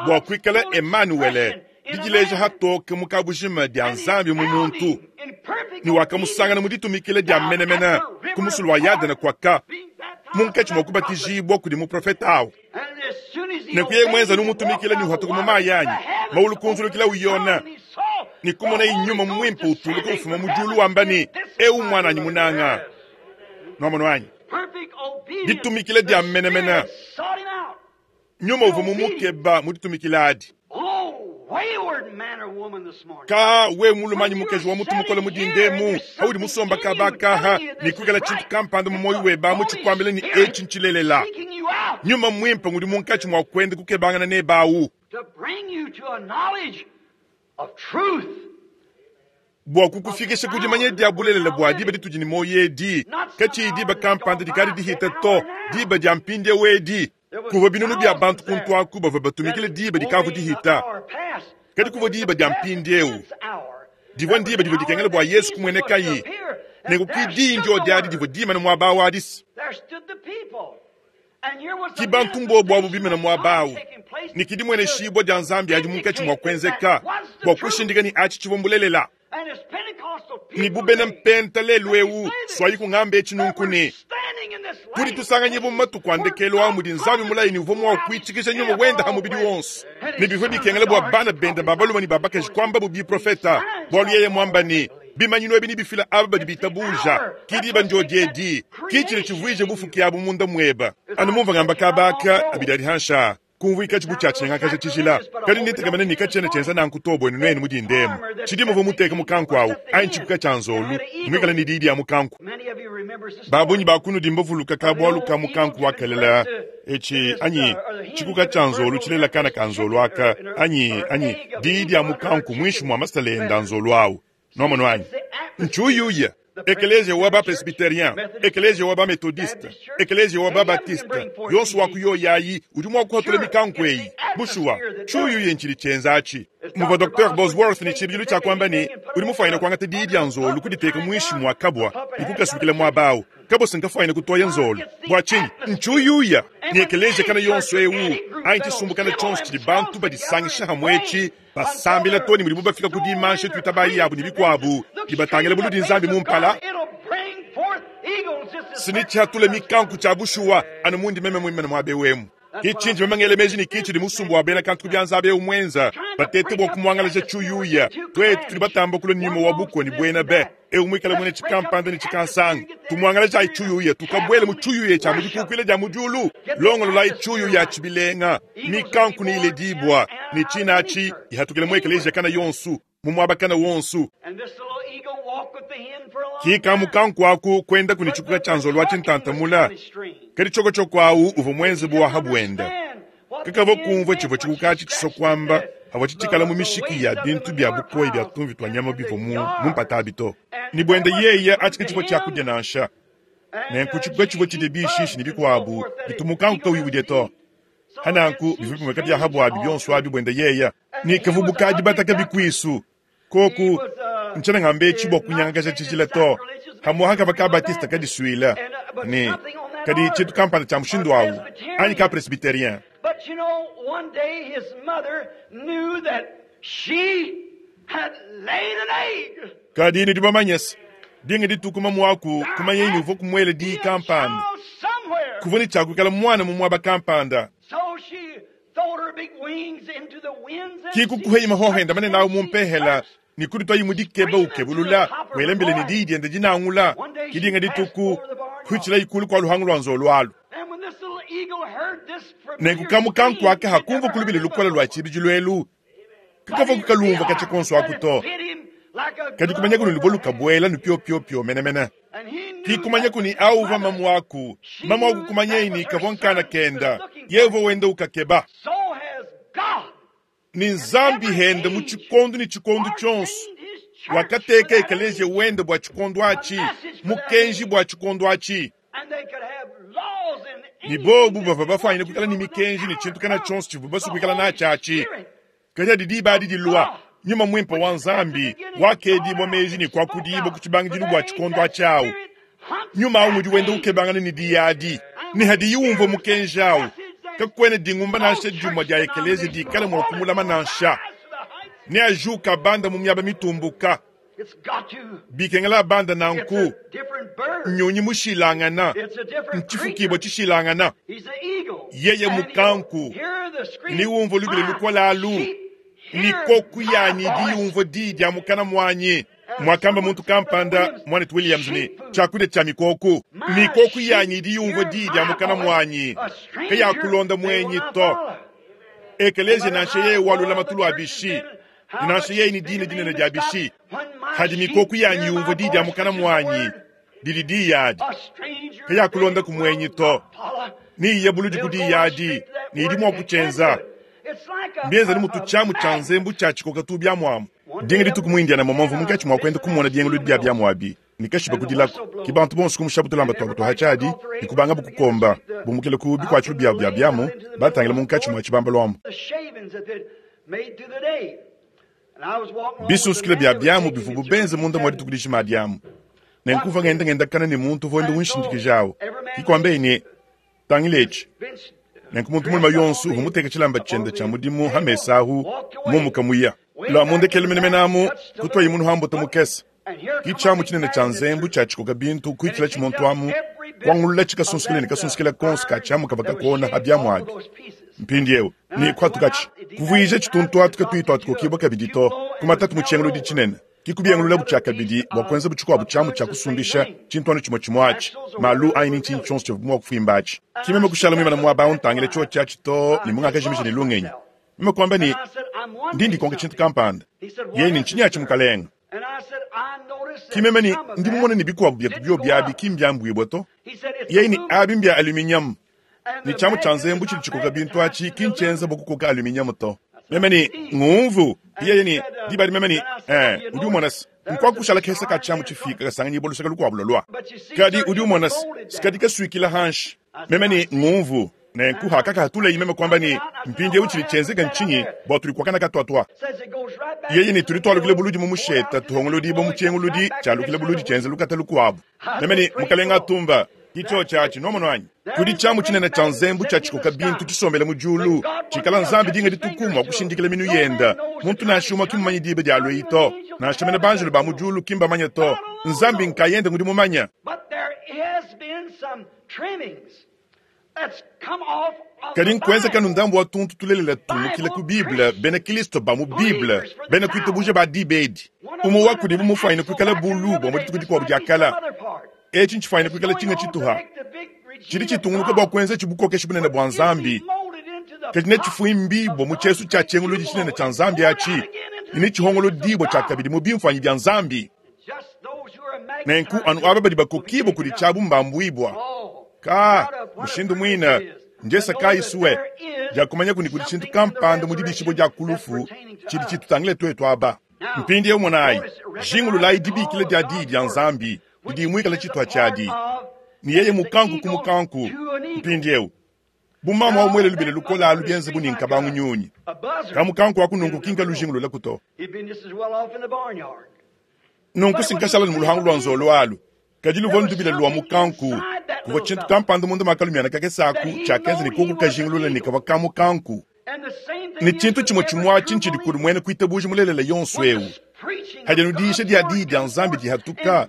bua kuikala Emanuele, didileja hatoke mu kabujima dia Nzambi mu muntu, ne wakamusangana mu ditumikila dia menemene ku musulu wa Yadene kuaka munkatshi mua kubatijibua kudi muprofete awu. Nenku yeye muenza numutumikila ne uhatuka mu mayi anyi, maulu kunzulukila uyona, ne kumonaye Nyuma Muimpe utuluka ufuma mu diulu wamba ne, Eu muananyi munanga. Nuamono anyi? Ditumikila dia menemene. Nyuma uvua mumukeba mu ditumikila adi. Ka wewe mulume anyi mukaji wa mutu mukole mu dinda emu, paudi musomba kaba kaha ne kuikala tshintu kampanda mu muoyo webe amu tshikuambila ne etshi ntshilelela, Nyuma Muimpe ngudi munkatshi mua kuenda kukebangana nebe awu bua kukufikisha ku dimanya dia bulelela bua diba ditudi ne muoyo edi, katshiyi diba kampanda dikadi dihita to, diba dia mpindieu edi. Kuvua binunu bia bantu kuntu aku bavua batumikile diba dikavua dihita, kadi kuvua diba dia mpindieu divua ndiba divua dikengela bua Yesu kumuenekaye. Nenku ki diyi ndio diadi divua dimane muaba awu adi. Ki bantu mbobu abu bimane muaba awu, ne ki dimueneshibua dia Nzambi adi munkatshi mua kuenzeka bua kushindika ne atshi tshivua mbulelela. Ne bu bena Mpenta lelu eu, suayiku ngamba etshi nunku ne, tudi tusanganyibua mu matuku a ndekelu a mudi Nzambi mulaye ne uvua mua kuitshikija nyuma wende ha mubidi wonso, ne bivua bikengela bua bana bende ba balume ne ba bakaji kuambabu biprofeta, bualu yeye muamba ne, bimanyinu ebi nebifile aba badi bitabuja. Ki diba ndiodi edi, ki tshidi tshivuije bufuki abu munda muebe. Anu mumvua ngamba kaba aka abidi adi hanshi aa, kumvuikatshi bu tshia tshinyangakaja tshijila, kadi nditekemena ne katshiena tshienza nanku to buenu nuenu mu dinda emu. Tshidi muvua muteke mukanku awu anyi tshikuka tshia nzolu, muikale ne diyi dia mukanku. Ba bungi ba kunudi mbavuluka ka bualu ka mukanku wa kalela etshi anyi tshikuka tshia nzolu tshilela kana ka nzolu aka anyi anyi diyi dia mukanku muinshi mua masala ende a nzolu awu. Nuamonu anyi? Ntshiuyuya. Ekeleziya wa ba-presbyterien, ekeleziya wa ba-methodiste, ekeleziya wa ba-baptiste, yonso wa ku yoyi ayi udi mua kuhatula mikanku eyi. Bushuwa, tshiuyuya ntshidi tshienza atshi. Muvua Docteur Bosworth ne tshibidilu tshia kuamba ne, udi mufuanyine kuangata diyi dia nzolu kuditeka muinshi mua kabua ne kukasukila muaba au. Kabua si nkafuanyine kutoya nzolu. Bua tshinyi? Ntshiuyuya. Ne ekeleziya kana yonso eu anyi tshisumbu kana tshionso tshidi bantu badisangisha hamue etshi, basambila too ne mudibu bafika ku dimansha tuitabayi yabu ne bikuabu, ne batangila buludi Nzambi mu mpala. Sini tshihatula mikanku tshia bushuwa anu mundi meme muimane muaba eu emu. Ke tshindi meme ngela meji ne ke tshidi musumba wa bena kantu ku bianza aba eu muenza, batete bua kumuangalaja tshiuyuya. Tuetu tudi batamba kulua ne nyuma wa bukua ne buena be eu muikale muena tshikampanda ne tshikansanga. Tumuangalajayi tshiuyuya, tukabuele mu tshiuyuya tshia mu dikukuila dia mu diulu. Longololayi tshiuyuya atshi bilenga, mikanku ne iledibua, ne tshina atshi ihatukile mu ekeleziya kana yonsu, mu muaba kana wonsu. Ki ka mukanku aku kuendaku ne tshikuka tshia nzolu wa tshintantamula, kadi tshiokotshoko awu uvua muenze bu wa ha buenda. Kakavua kumvua tshivua tshikuka atshi tshisua kuamba avua tshitshikala mu mishiki ya bintu bia bukoya bia tumvi tua nyama bivua mu mpata abi to. Ne buende yeye atshi ke tshivua tshiakudia nansha. Nenku tshikuka tshivua tshidia bishishi ne bikuabu bitu mukanku kauyi udia to. Hananku bivua bimueka bia ha buabi bionso abi buende yeye. Ne kavua bukadi bataka bikuisu. Koku ntshiena ngamba etshi bua kunyangakaja tshijila to. Hamuaha kava ka Baptiste kadisuila ne kadi tshintu kampanda tshia mushindu awu anyi ka Presbyterien. Kadi nudi bamanye se, dinga dituku mamu kumanya ne uvua kumuela diyi kampanda. Kuvua ne tshia kuikala mwana mu muaba kampanda. Kikukuhei mahohenda manene awu mumpehela ne kuditwayi mu dikeba ukebulula welembele ne diyi diende dinangula kidinga dituku kuitshila ikulu kwa luhangu lwa nzolo alu. Nenku kamukanku aka hakumva kulubile lukola lwa tshibidilu elu kakavua kukalumva katshia konso aku to. Kadi kumanya kuni luvua lukabuela nupiopiopio menemene. Kikumanya kuni awu uvua mamu aku mamu aku kumanyei ni kavua nkana kenda ye uvua wenda ukakeba. Ni nzambi henda mu tshikondo ni tshikondo tshionso wakateka ekeleziya wenda bua tshikondo atshi mukenji bua tshikondo atshi. Ni bobu bavua bafanyine kuikala ni mikenji ni tshintu kana tshionso tshivua basu kuikala natshi atshi. Kadi didi badi dilua nyuma mwimpe wa nzambi wakedibwa meji ni kuakudibwa ku tshibangidilu bua tshikondo atshi awu. Nyuma awu mudi wenda ukebangana ni diyadi ni hadi yumva mukenji awu. Kakwene dingumba nansha dimwa dia ekeleziya dikale mua kumulama nansha. Ne ajuka banda mu miaba mitumbuka. Bikengela banda nanku. Nyonyi mushilangana. Nchifukibwa tshishilangana. Yeye mukanku. Ni umva lubile lukola alu. Ni koku yanyi di umva di dia mukana mwanyi. Mwakamba muntu kampanda mwanetu Williams ni chakude cha mikoku. Mikoku yanyi di umva di dia mukana mwanyi. Kaya kulonda mwenyi to. Ekeleziya nansha yeye walula matulu abishi. Nansha yeye ni dini dinene dia bishi. Hadi mikoku yanyi umva di dia mukana mwanyi. Didi di yadi. Kaya kulonda kumwenyi to. Ni yebuludi kudi yadi. Ni idi mwa kuchenza. Mbienza ni mutu chamu cha nzembu cha chikoka tu bya mwamu. Dinga dituku mu Indiana momomvu munkatshi mwa kwenda kumona diengulu bya bya mwabi. Nikashiba kudilako kibantu bonso kumushabutulamba twabo tuhachadi nikubanga bukukomba bumukile ku bikwatshilo bya bya byamu batangila munkatshi mwa tshibamba lwambo. Bisusukile bya byamu bivubu benze munda mwa dituku dishima dyamu. Nenkuva ngenda ngenda kana ni muntu voenda unshindikijawo. Kikwambe ni tangilechi. Nenku muntu mulima yonso humuteka tshilamba tshenda tsha mudimu hamesahu mumukamuya. La mundekele menemenamu kutwayi munu hambuta mukesa. Kichamu tshinene tsha nzembu tsha tshikoka bintu kuitshila tshimuntu amu kwangulula tshikasunsikile ne kasunsikila konso ka tshamu kava kakona habyamu abi. Mpindi ewu ni kwatukachi kuvuija tshituntu atuka tuitu atukokibwa kabidi to kumatatu mutshienguludi tshinene. Kikubiengulula butshia kabidi bua kuenza butshikuabu tshiamu tshia kusumbisha tshintu tshimue tshimue atshi malu aini ntshinyi tshionso tshivua mua kufimba atshi. Kimeme kushala muimana muaba awu ntangile tshio tshiatshi to ne mungakajimija ne lungenyi. Meme kuamba ni ndi ndikonka tshintu kampanda. Yeye ni ntshinyi atshi mukalenga. Kimeme ni ndi mumone ni bikuabu bietu bio biabi kimbyambwibwa to. Yeye ni abi mbya aluminium. Ni tshiamu tsha nzembu tshidi tshikoka bintu atshi kinchenza bua kukoka aluminium to. Meme ni ngumvu. Yeye ni dibadi meme ni eh udi umona se nkwakushala kesa ka tshiamu tshifika kasanganyibwa lusaka lukuabu lolwa. Kadi udi umona se sikadi kasuikila hanshi. Meme ni ngumvu. Nenku hakaka hatulei meme kwamba ni mpindi ewu tshidi tshenzeka ntshinyi bua tuli kuakana katuatua. Yeye ni tuli twalukile buludi mu musheta tuhongolodi bo mutshienguludi tshialukile buludi tshienze lukata lukuabu. Meme ni mukalenga atumba kitshio tshiatshi nomono anyi. Kudi tshiamu tshinene tsha nzembu tsha tshikoka bintu tshisombele mu diulu tshikala nzambi dinga dituku mua kushindikila minu yenda. Muntu nansha umue kimumanye diba dia lweyi to. Nansha mene banjelu ba mu diulu kimbamanye to. Nzambi nkayende ngudi mumanya. Kadi nkuenza kanu ndambu wa tuntu tulelela tumukile ku Bible bena Kristo ba mu Bible bena kuitabuja ba dibedi. Umue wa kudibu mufanyine kuikala bulu bua mu dituku dikuabu dia kala. Etshi ntshifanyine kuikala tshinga tshituha. Tshidi tshitungunuka bua kuenza tshibukokesha bunene bua nzambi. Kadi ne tshifuimbibwa mu tshiesu tshia tshienguludi tshinene tsha nzambi atshi. Ni tshihongolodibwa tshia kabidi mu bimfuanyi bia nzambi. Nenku anu aba badi bakokibwa kudi tshiabu mbambuibwa. Ka mushindu mwina njesa kaisuwe jakumanya kuni kudi tshintu kampanda mu dibishibwa dia kulufu tshidi tshitutangile twetu aba. Mpindi ewu monayi jingululayi dibikila dia diyi dia nzambi didi muikala tshitwa tshiadi. Ni yeye mukanku ku mukanku. Mpindi ewu bumama wa mwele lubile lukola alu bienze bu ni nkabangu nyunyi. Kamukanku akununku kinka lujingulula kuto. Nunku sinkashala ni muluhangu lwa nzolo alu. Kadi luvua ndubile lwa mukanku. Kuvua tshintu kampanda munda makalumiana kakesaku tshiakenza ni kuku kajingulula ni kavua kamukanku. Ni tshintu tshimue tshimue atshi ntshidi kudi muena kuitabuja mulelela yonso ewu. Hadi nudiisha dia diyi dia Nzambi dihatuka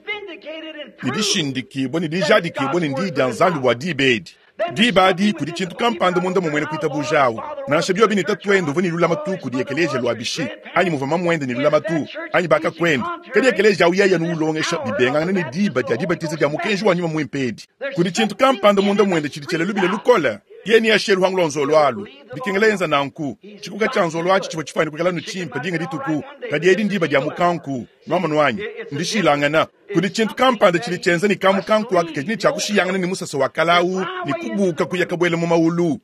ne dishindikibwa ne dijadikibwa ne ndiyi dia Nzambi bua diba edi. Diba adi kudi tshintu kampanda munda mumwene kuitabuja nansha biobi ne tatuende uvua ne lulamatu kudi ekeleziya lua bishi anyi muvua mamuende ne lulamatu anyi bakakuende kadi ekeleziya awu yeye nuulongesha bibengangana ne diba dia dibatiza dia mukenji wa nyuma muimpe edi. Kudi tshintu kampanda munda muende tshidi tshiela lubila lukola yeye ni ashe luhangu lwa nzolo alu bikengela yenza nanku tshikuka tshia nzolo atshi tshivua tshifuane kuikala nu tshimpe dinga dituku kadi edi ndiba dia mukanku nwamonu wanyi ndishilangana. Kudi tshintu kampanda tshidi tshienza ne kamukanku aka kadi ne tshiakushiyangana ne musasa wa kalawu ne kubuka kuya kabuela mu maulu.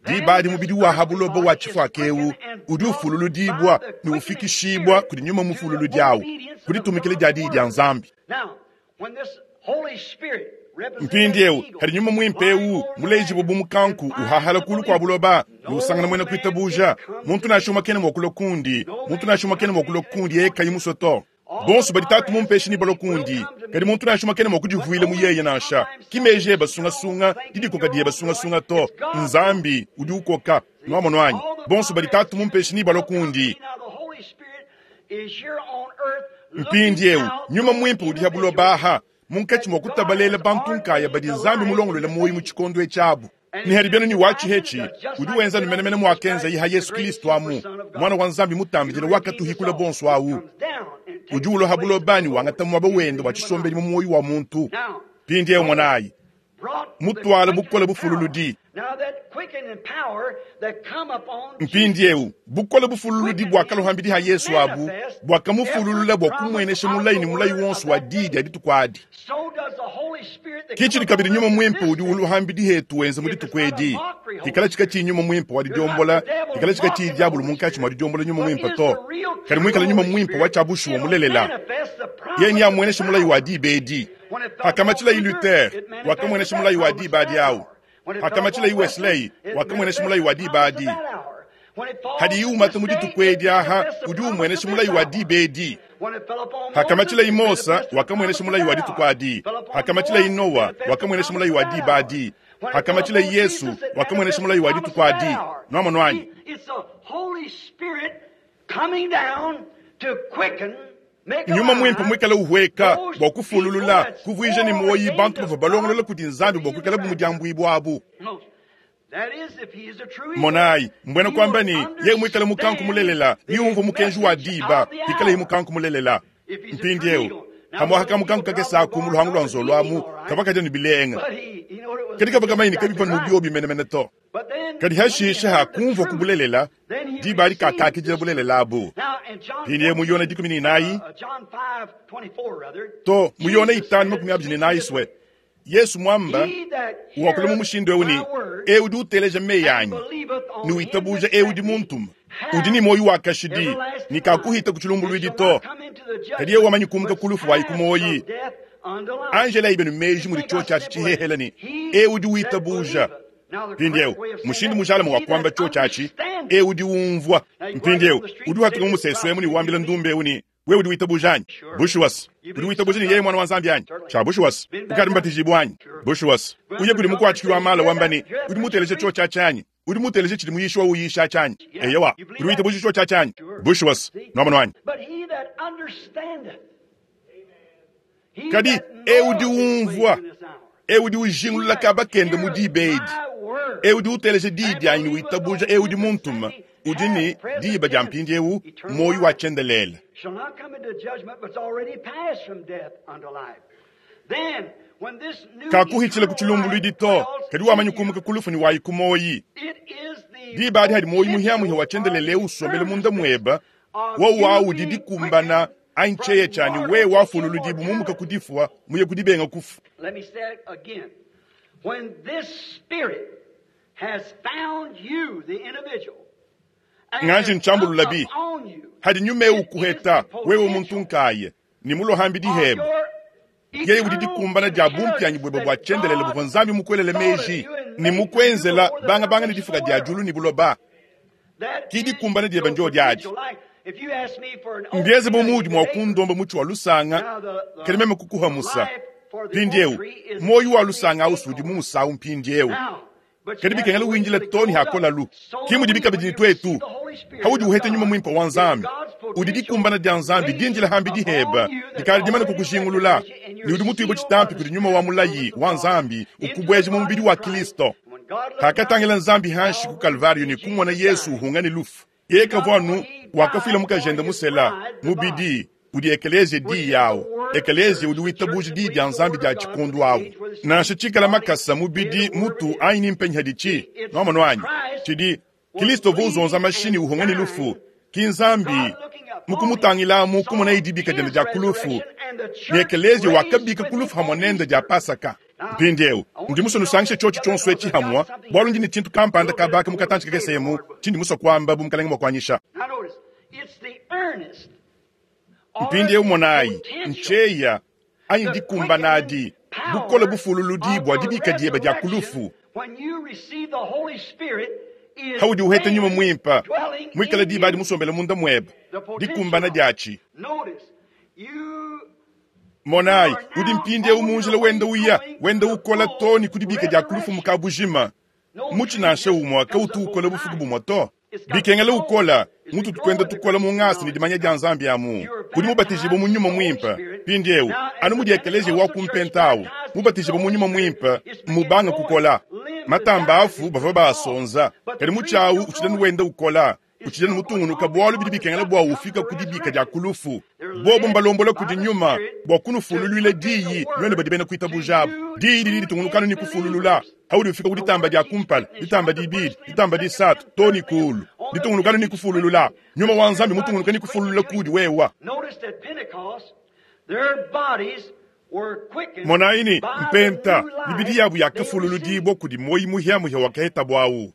Diba adi mubidi wa habuloba wa tshifuaka ewu udi ufululudibwa ne ufikishibwa kudi nyuma mufululudi awu kuditumikila dia diyi dia Nzambi. Mpindi ewu hadi nyuma muimpe ewu mulejibu bu mukanku uhahala kulu kwa buloba ne usangana mwena kuitabuja. Muntu nansha umwe kena mua kulua kundi, muntu nansha umwe kena mua kulua kundi yeye kayi musue to. Bonso badi tatu mumpeshi ni balo kundi, kadi muntu nansha umwe kena mua kudivuila mu yeye nansha. Kimeje basungasunga, didikoka diye basungasunga to. Nzambi udi ukoka, nwamonu wanyi. Bonso badi tatu mumpeshi ni balo kundi. Mpindi ewu nyuma muimpe udi ha buloba aha munkatshi mua kutabalela bantu nkaya badi Nzambi mulongolole moyo mu tshikondo etshi ni hadi byanu ni wachi hechi udi wenza numenemene mwakenza iha Yesu Kristo amu mwana wa Nzambi mutambidile wakatuhikula bonso awu udi uloha bulobani wangata mwaba wende wa tshisombeli mu moyo wa muntu. Pindi ewu mwanayi mutwala bukola bufululudi. Mpindi ewu bukola bufululudi bwakalohambidi ha Yesu abu bwakamufululula bwa kumwenesha mulayi ni mulayi wonso wa didi aditukwadi. Kichili kabidi nyuma mwimpe udi uluhambidi hetu wenza muditukwedi. Kikala chika chi nyuma mwimpe wa didiombola, kikala chika chi diabulu munkachi mwa didiombola nyuma mwimpe to. Kali mwikala nyuma mwimpe wa chabushu wa mulelela. Yeye ni amwenesha mulayi wa dibedi. Hakamachila yi Luther, wakamwenesha mulayi wa dibadi awu. Hakamachila yi Wesley, wakamwenesha mulayi wa dibadi. Hadi yuma muditukwedi aha, udi umwenesha mulayi wa dibedi. Hakamachila yi Mosa, wakamwenesha mulayi wa ditukwadi. Hakamachila yi Noa, wakamwenesha mulayi wa dibadi. Hakamachila yi Yesu, wakamwenesha mulayi wa ditukwadi. Nwamonu wanyi. Nyuma mwimpe mwikala uhweka bwa kufululula kuvuija ni moyi bantu bava balongolola kudi Nzambi bwa kuikala bu mudiambuibwa abu. Monayi mbwena kwamba ni ye mwikala mukanku mulelela ni umva mukenji wa diba ikala mukanku mulelela. Mpindi ewu hamwa haka mukanku kakesa ku mu luhangu lwa nzolo amu kabakaja ni bilenga kadi kava kamaini kabipa nubio bimenemene to. Kadi hashisha ha kumva kubulelela diba ali kakakijila bulelela abu. Pindi ewu muyona dikumi ni nayi to muyona itanu makumi abiri ni nayi swe. Yesu mwamba wakula mu mushindo ewu ni ewu di uteleja meyanyi ni uitabuja ewu di muntuma udi ni moyo wa kashidi ni kakuhita kuchilumbulwidi to. Kadi ewu wamanyi kumuka kulufu wa ikumoyi. Angela ibenu meji muri chocha chihehela ni ewu di uitabuja. Mpindi ewu mushindu mujala mu wakwamba chocha chi ewu di umvwa. Mpindi ewu udi hatuka mu museso emu ni wambila ndumbe ewu ni wewe udi uitabuja anyi? Bushuwas. Udi uitabuja ni yeye mwana wa Nzambi anyi? Cha bushuwas. Ukari mbatijibwa anyi? Bushuwas. Uye kudi mukwachikirwa mala wambani udi muteleje chocha chanyi. Udi muteleje chidi muyishwa uyisha chanyi. Eyewa. Udi uitabuja chocha chanyi? Bushuwas. Nwamonu wanyi. Kadi ewu di umvwa. Ewu di ujingulula kabakende mu dibedi. Ewu di uteleje didi anyi uitabuja ewu di muntuma. Udi ni diba dia mpindi ewu moyo wa chendelele. Shall not come into judgment, but already passed from death unto life. Then, when this new kakuhitshila kuchilumbulwidi to kadi wamanyi kumuka kulufu ni wayi kumoyi. Diba adi hadi moyi muhiamuhi wa chendelele usombele munda mweba wo wawu didi kumbana ancheye chani we wafululudibu mumuka kudifwa muye kudibenga kufu. Let me say it again. When this spirit has found you, the individual, Nganji nchambulula bi hadi nyume ukuheta wewe muntu nkaye ni mulohambi diheba yeye udi dikumbana dia bumpyanyi bwebe bwa chendelele buvua Nzambi mukwelele meji ni mukwenzela banga banga ni difuka dia julu ni buloba ki dikumbana diebe njo diadi. Mbieze bumudi mwa kundomba muchi wa lusanga kadi meme kukuha musa mpindi ewu moyo wa lusanga ausudi mu musawu mpindi ewu kadi bikengela winjila toni hakola lu kimudi bikabidi ni twetu haudi uhete nyuma mwimpa wa Nzambi Udi dikumbana dia Nzambi dindila hambi diheba dikala dimana kukujingulula ne udi mutuibue tshitampi kudi nyuma wa mulayi wa Nzambi ukubweja mu mubidi wa Kristo. Hakatangila Nzambi hanshi ku Kalvario ne kumona Yesu uhunga ne lufu. Yeye kavua wakafila mukajende musela mubidi udi ekelezia di yawo. Ekelezia udi witabuja di dia Nzambi dia tshikundu awu. Nansha tshikala makasa mubidi mutu anyi ni mpenyi hadichi nomono anyi tshidi Kristo vuzonza mashini uhunga ne lufu ki Nzambi mukumutangila kumona idibika diende dia kulufu ne ekelezia wakabika kulufu hamwe nende dia Pasaka. Mpindieu ndi musue nusangishe tshiotshi tshionso etshi hamwa bwalu ndi ne tshintu kampanda kabaka mukatanshi kakesemu tshindi musue kuamba bu mukalenge mwa kuanyisha. Mpindieu monayi ncheya anyi dikumbanadi bukole bufululudi bwa dibika dieba dia kulufu. Haudi uheta nyuma mwimpa mwikala diba adi musombele munda mweba dikumbana diatshi. Monayi udi mpindieu munjila wenda uya wenda ukola to ni kudibika dia kulufu mukabujima mutshi nansha umwa kautu ukola bufuku bumwa to bikengela ukola mutu tukwenda tukola mu ngasi ni dimanya dia Nzambi amu udi mubatijibwa mu nyuma mwimpa mpindieu anu mudi ekelezia wa kumpentawu mubatijibwa mu nyuma mwimpa mubanga kukola matamba afu bava basonza kadi mutshi utshidani wenda ukola utshidani mutungunuka bwalu bidi bikengela bwa ufika kudibika dia kulufu bobo mbalombola kudi nyuma bwa kunufululwile diyi nwene badi bena kuitabuja diyi didi ditungunukanu ni kufululula haudi ufika kuditamba dia kumpala ditamba dibidi ditamba disatu to ni kulu ditungunukanu ni kufululula nyuma wa Nzambi mutungunuka ni kufululula kudi wewa. Monaini mpenta mibidi yabu yakafululudibwa kudi moyi muhyamuhya wakaheta bwawu.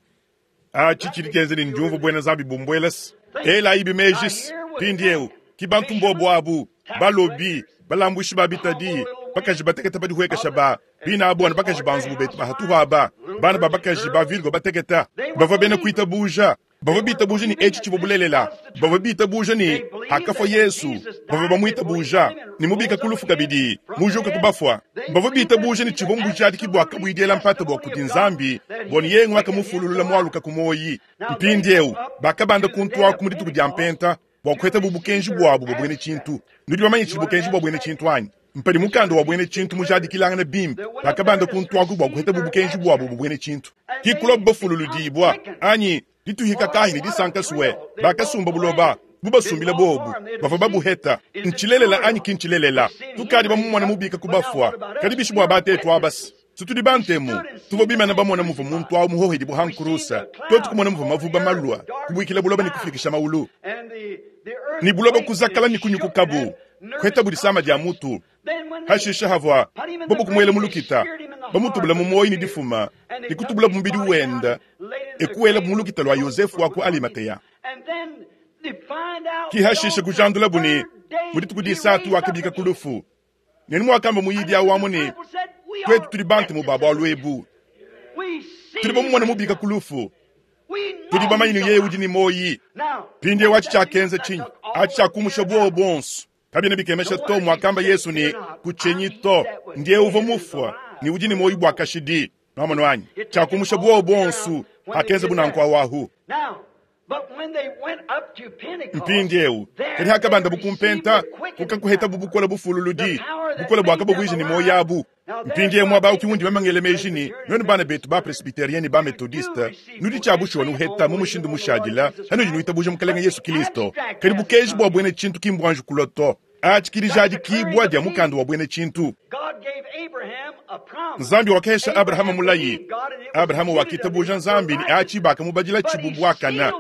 Achi chili kenze ni njumvu bwena Nzambi bumbwelas ela ibi mejis pindieu kibantu mbobo abu balobi balambwishi babitadi bakaji bateketa badihuekesha ba bina abu anu bakaji banzubu betu bahatuhu aba bana ba bakaji ba virgo bateketa bavua bena kuitabuja bavua bitabuja ni etshi tshivua bulelela bavua bitabuja ni hakafa Yesu bavua bamuitabuja ni mubika kulufu kabidi mujuka kubafwa bavua bitabuja ni tshivua mbujadiki bwa kabuidiela mpata bwa kuti Nzambi boni yengu akamufululula mwaluka kumoyi. Mpindieu bakabanda kuntwaku mu dituku dia mpenta bwa kuheta bubukenji bwabu bwa bwene tshintu. Nudi bamanye tshidi bukenji bwa bwene tshintu anyi? Mpadi mukanda wa bwene tshintu mujadikilangana bimpe bakabanda kuntwaku bwa kuheta bubukenji bwabu bwa bwene tshintu. Kikula bafululudibwa anyi dituhika kahi ni disanka suwe bakasumba buloba bubasumbila bobu bava babuheta nchilelela anyi kinchilelela tukadi bamumona mubika kubafwa kadi bishi bwa batetu abasi situdi bantemu tuvo bimana bamona muva muntu awu muhohedi buhankurusa totu kumona muva mavuba malwa kubwikila buloba ni kufikisha maulu ni buloba kuzakala ni kunyukukabu kuheta budisama dia mutu hashisha havwa bobo kumwele mulukita bamutubula mumoyi ni difuma ni kutubula mubidi wenda ekuwela mulukita lwa Yosefu wako Alimateya. Kihashisha kujandula buni mudituku disatu wakabika kulufu neni mwakamba muyidi awu ni twetu tuli bantu mu baba lwebu tuli bamumona mubika kulufu tuli bamanyi yeye udi ni moyi pindie wachi chakenza chinyi achi chakumusha bwo bonso kabina bikemesha to mwakamba Yesu ni kuchenyi to ndiye uvo mufwa ni udi ni moyi bwa kashidi nomono anyi chakumusha bwo bonso akenza bunankwa wahu. Mpindieu kadi hakabanda bukumpenta kukakuheta bubukola bufululudi bukola bwakabo bwiji ni moyi abu. Mpindieu mwaba ukiwundi bamangele mejini nwenu bana betu ba presbyterienne ba methodiste nudi chabushwa nuheta mu mushindu mushadila hanudi nuitabuja mukalenga Yesu Kristo kadi bukeji bwa bwene tshintu kimbwanju kuloto achikilijadi kibwa dia mukanda wa bwene tshintu. Nzambi wakesha Abrahamu mulayi Abrahamu wakitabuja Nzambi ni achi bakamubadila tshibubwakana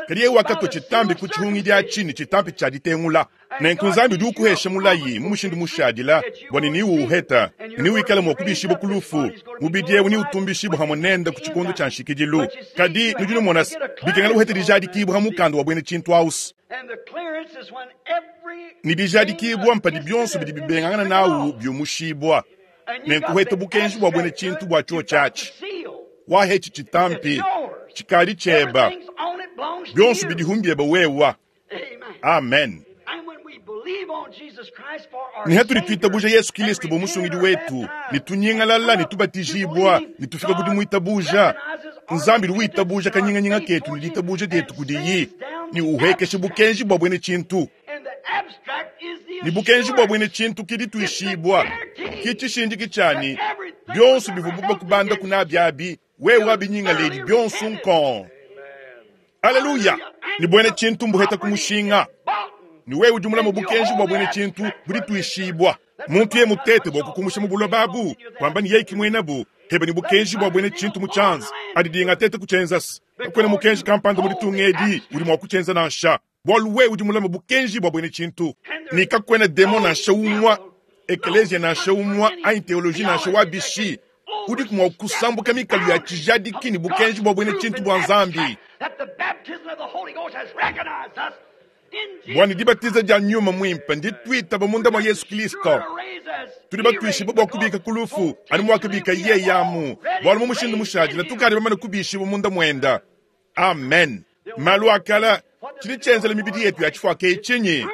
kadi yeye wakatwa tshitambi ku tshihungi dia tshini tshitambi tshia ditengula nenku Nzambi udi ukuhesha mulayi mu mushindu mushadila bwani ni uuheta ni wikala mwa kubishibwa kulufu mubidi ewu ni utumbishibwa hamwe nenda ku tshikondo tshia nshikidilu kadi nudi numona bikengela uheta dijadikibwa ha mukanda wa bwene tshintu ausi ni bijadikibwa mpadi byonso bidi bibengangana nawu byumushibwa nenkuheta bukenji bwa bwene tshintu bwa tsho tshatshi wahetshi tshitampi tshikali tsheba byonso bidihumbieba wewa. Amen. Ni hatuli tuitabuja Yesu Kristo bo musungidi wetu nitunyingalala nitubatijibwa nitufika kudi muitabuja Nzambi luitabuja kanyinganyinga ketu nilitabuja dietu kudiyi Ne uhekesha bukenji bwa bwene tshintu. Ne bukenji bwa bwene tshintu ki dituishibwa ki tshishindiki tshiani bionso bivua bakubanda kuna byabi wewe wabinyingaleli bionso nkon. Haleluya! Ni bwene tshintu mbuheta kumushinga. Ni wewe udi mulama bukenji bwa bwene tshintu budituishibwa. Muntu ye mutete bwa kukumusha mu buloba abu kwamba ni yeye kimwenabu heba ni bukenji bwa bwene tshintu mu tshianza adidinga tete kuchenzasa kwene mukenji kampanda mu ditungedi udi mwa kuchenza nansha bwalu wewe udi mulama bukenji bwa bwene tshintu ni kakwena demo nansha umwa eklesia nansha umwa anyi teologie nansha wabishi udi kumwa kusambuka mikalu ya tshijadiki ni bukenji bwa bwene tshintu bwa nzambi. Bwana dibatiza dia nyuma mwimpe nditwita bamunda mwa Yesu Kristo tuli batwishiba bwa kubika kulufu ani mwakubika ye yamu bwali mu mushindu mushajila tukali bamane kubishiba munda mwenda. Amen. Malu akala chili chenzela mibidi yetu ya chifwa ke chinyi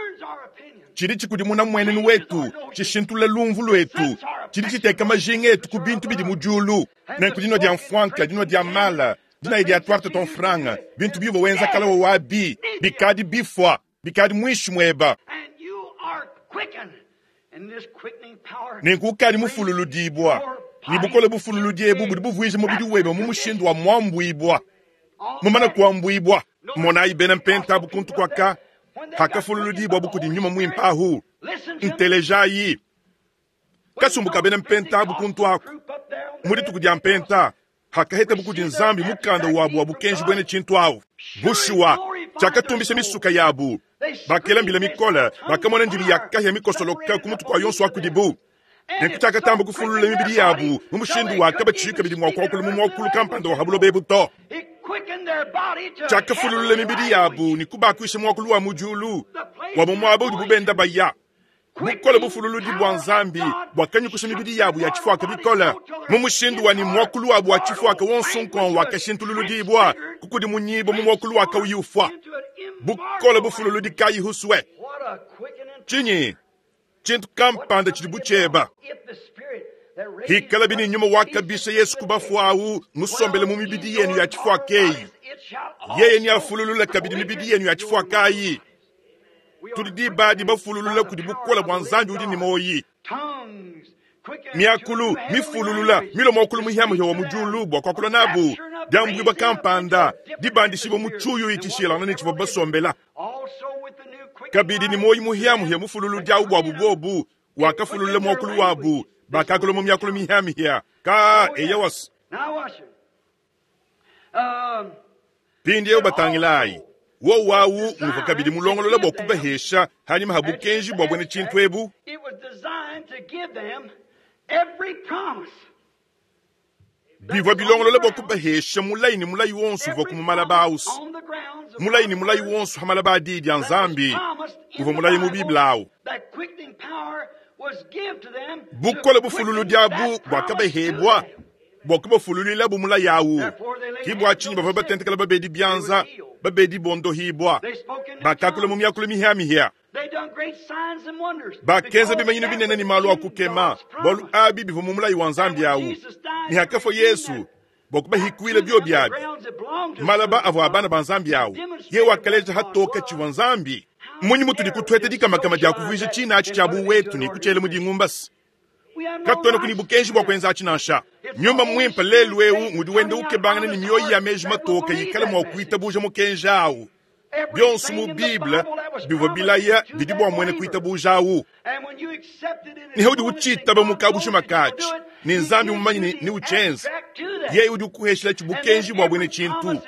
chili chikudimuna mwenenu wetu chishintula lumvu lwetu chili chiteka majinga etu ku bintu bidi mujulu nenkudinwa dia mfwanka dinwa dia mala dina idi atwarte ton franga bintu bivo wenza kala wabi bikadi bifwa bikadi mwishi mweba nenkukadi mufululudibwa ni bukole bufululudiebu budi buvwije mubidi webe mu mushindu wa mwambwibwa mumana kuambwibwa monayi bena mpenta bukuntu kwaka hakafululudibwa bukudi nyuma mwimpahu ntelejayi kasumbuka bena mpenta bukuntu aku mudituku dia mpenta hakaheta bukudi nzambi mukanda wabu wa bukenji bwene tshintu awu bushuwa tshiakatumbisha misuka yabu bakelambila mikola bakamona ndimi ya kahya mikosoloka ku mutu kwa yonso akudibu nenkutshiakatamba kufulula mibidi yabu mu mushindu wakaba tshika bidi mwakuakulu mu mwakulu kampanda wa habulo bebu to tshiakafululula mibidi yabu ni kubakuisha mwakulu wa mujulu wa mumwaba udi bubenda baya bukola bufululudi bwa nzambi bwakanyukusha mibidi yabu ya tshifuaka bikola mu mushindu wa ni mwakulu wabu wa tshifuaka wonsonkon wakashintululudibwa kukudi munyibo mu mwakulu wakauyufwa bukola bufululudi kayihuswe tshinyi tshintu kampanda tshidi butsheba hikala bini nyuma wakabisha Yesu kubafuawu musombele mu mibidi yenu ya tshifuakeyi yeye ni afululula kabidi mibidi yenu ya tshifuakayi tudi dibadi bafululula kudi bukola bwa nzambi udi ni moyi miakulu mifululula milomo okulu muhiamuhia wa mujulu bwa kwakula nabu diambwibwa kampanda dibandishibwa mu tshuyu itshishilana ne tshivua basombela kabidi ni moyi muhiamuhia mufululu diawu bwabu bobu wakafululula mwakulu wabu bakakula mu miakulu mihiamihia ka eyawas pindi eu batangilayi wo wawu muva kabidi mulongolola bwa kubahesha hanyuma habukenji bwa bwene tshintu ebu bivua bilongolola bwa kubahesha mulayi ni mulayi wonso uvua kumumala bausi mulayi ni mulayi wonso hamala ba didi ya nzambi uvua mulayi mu biblia awu bukola bufululu diabu bwakabahebwa bwa kubafululila bu mulayi awu kibwa tshinyi bavua batentekela babedi byanza babedi bondohibwa bakakula mu miakulu mihiamihia bakenza bimanyinu binene ni malu akukema bwalu abi bivua mu mulayi wa nzambi awu ni hakafua Yesu bwa kubahikwila bio byabi malaba avua abana ba nzambi awu ye wakaleja hatoka tshivua nzambi munyi mutudi kutwete dikamakama dia kuvuija tshina atshi tshia buwetu ni kutshiela mu dingumbasi katwena kuni bukenji bwa kuenza atshi nansha nyumba mwimpe lelu eu ngudi wende ukebangana ni mioyo ya meji matoka yikale mwa kuitabuja mukenji awu bionso mu Bible bivua bilaya bidi bua mwene kuitabuja awu ni haudi utshitaba mukabushi makatshi ni nzambi mumanyi ni uchenza yeye udi ukuheshela tshibukenji bwa bwene tshintu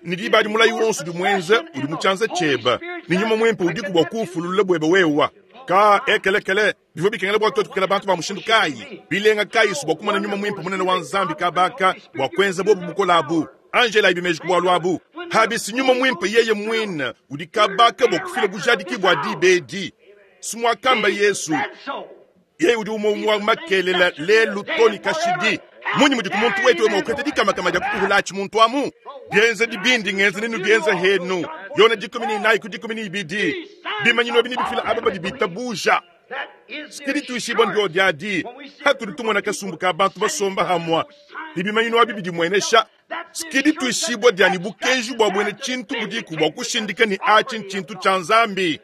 ni dibadi mulayi wonso udi mwenza udi mutshianza tshieba ni nyuma mwempe udiku bua kufulula bwebe wewa ka ekelekele bivua bikengela bua tuetu kukela bantu ba mushindu kayi bilenga kayisu bua kumana nyuma mwimpe munene wa nzambi kabaka bua kuenza bobu bukola abu angela ibimeji kubwalu abu habisi nyuma mwimpe yeye mwina udi kabaka bua kufila bujadiki bua dibedi simwakamba Yesu yeye udi umwe makelela lelu toni kashidi munyi mudi kumuntu wetu wema ukwete dikamakama dia kukuhula atshi muntu amu bienza dibindi ngenza ninu bienza henu yona dikumi ni inayi ku dikumi ni ibidi bimanyino bini bifila aba badi bitabuja sikidi tuishibwa ndio diadi hatuli tumona kasumbu ka bantu basomba hamwa ibimanyino abi bidi mwenesha Sikidi tuishibwa dyani bukenji bwa bwene tshintu budiku bwa kushindika ni achi nchintu cha Nzambi.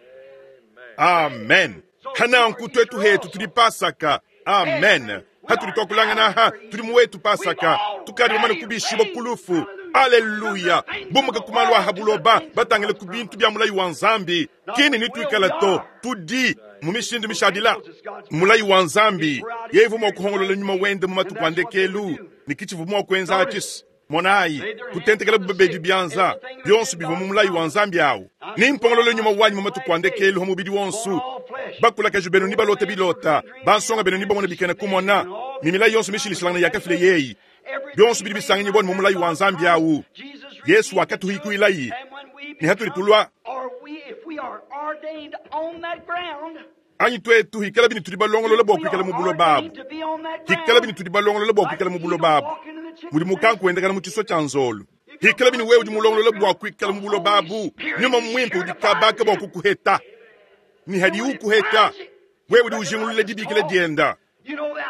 Amen. Hananku twetu hetu tuli Pasaka. Amen. Hatuli twakulangana ha tuli muwetu Pasaka tukali bamane kubishibwa kulufu. Aleluya. Bumuka kumalwa ha buloba batangile ku bintu bya mulayi wa Nzambi. Kini nitwikala to tudi mu mishindu mishadila mulayi wa Nzambi yevu mwa kuhongolola nyuma wende mu matuku andekelu nikichivu mwa kwenza achisi monayi kutentekela bubebedi byanza byonso bivwa mu mulayi wa Nzambi awu nimpongolola nyuma wanyi mu matuku andekelu ha mubidi wonsu bakulakaji benu ni balota bilota bansonga benu ni bamona bikena kumona ni milayi yonso mishilishilangana yakafile yeyi byonso bidi bisanganyi bwani mu mulayi wa Nzambi awu Yesu wakatuhikuilayi ni hatuli tulwa anyi twetu hikala bini tudi balongolola bwa kuikala mu buloba abu hikala bini tudi balongolola bwa kuikala mu buloba abu mudi mukanku wendekana mu tshiso tshia nzolu hikala bini wewe udi mulongolola bwa kuikala mu buloba abu nyuma mwimpe udi kabaka bwa kukuheta ni hadi ukuheta wewe udi ujingulula dibikila dienda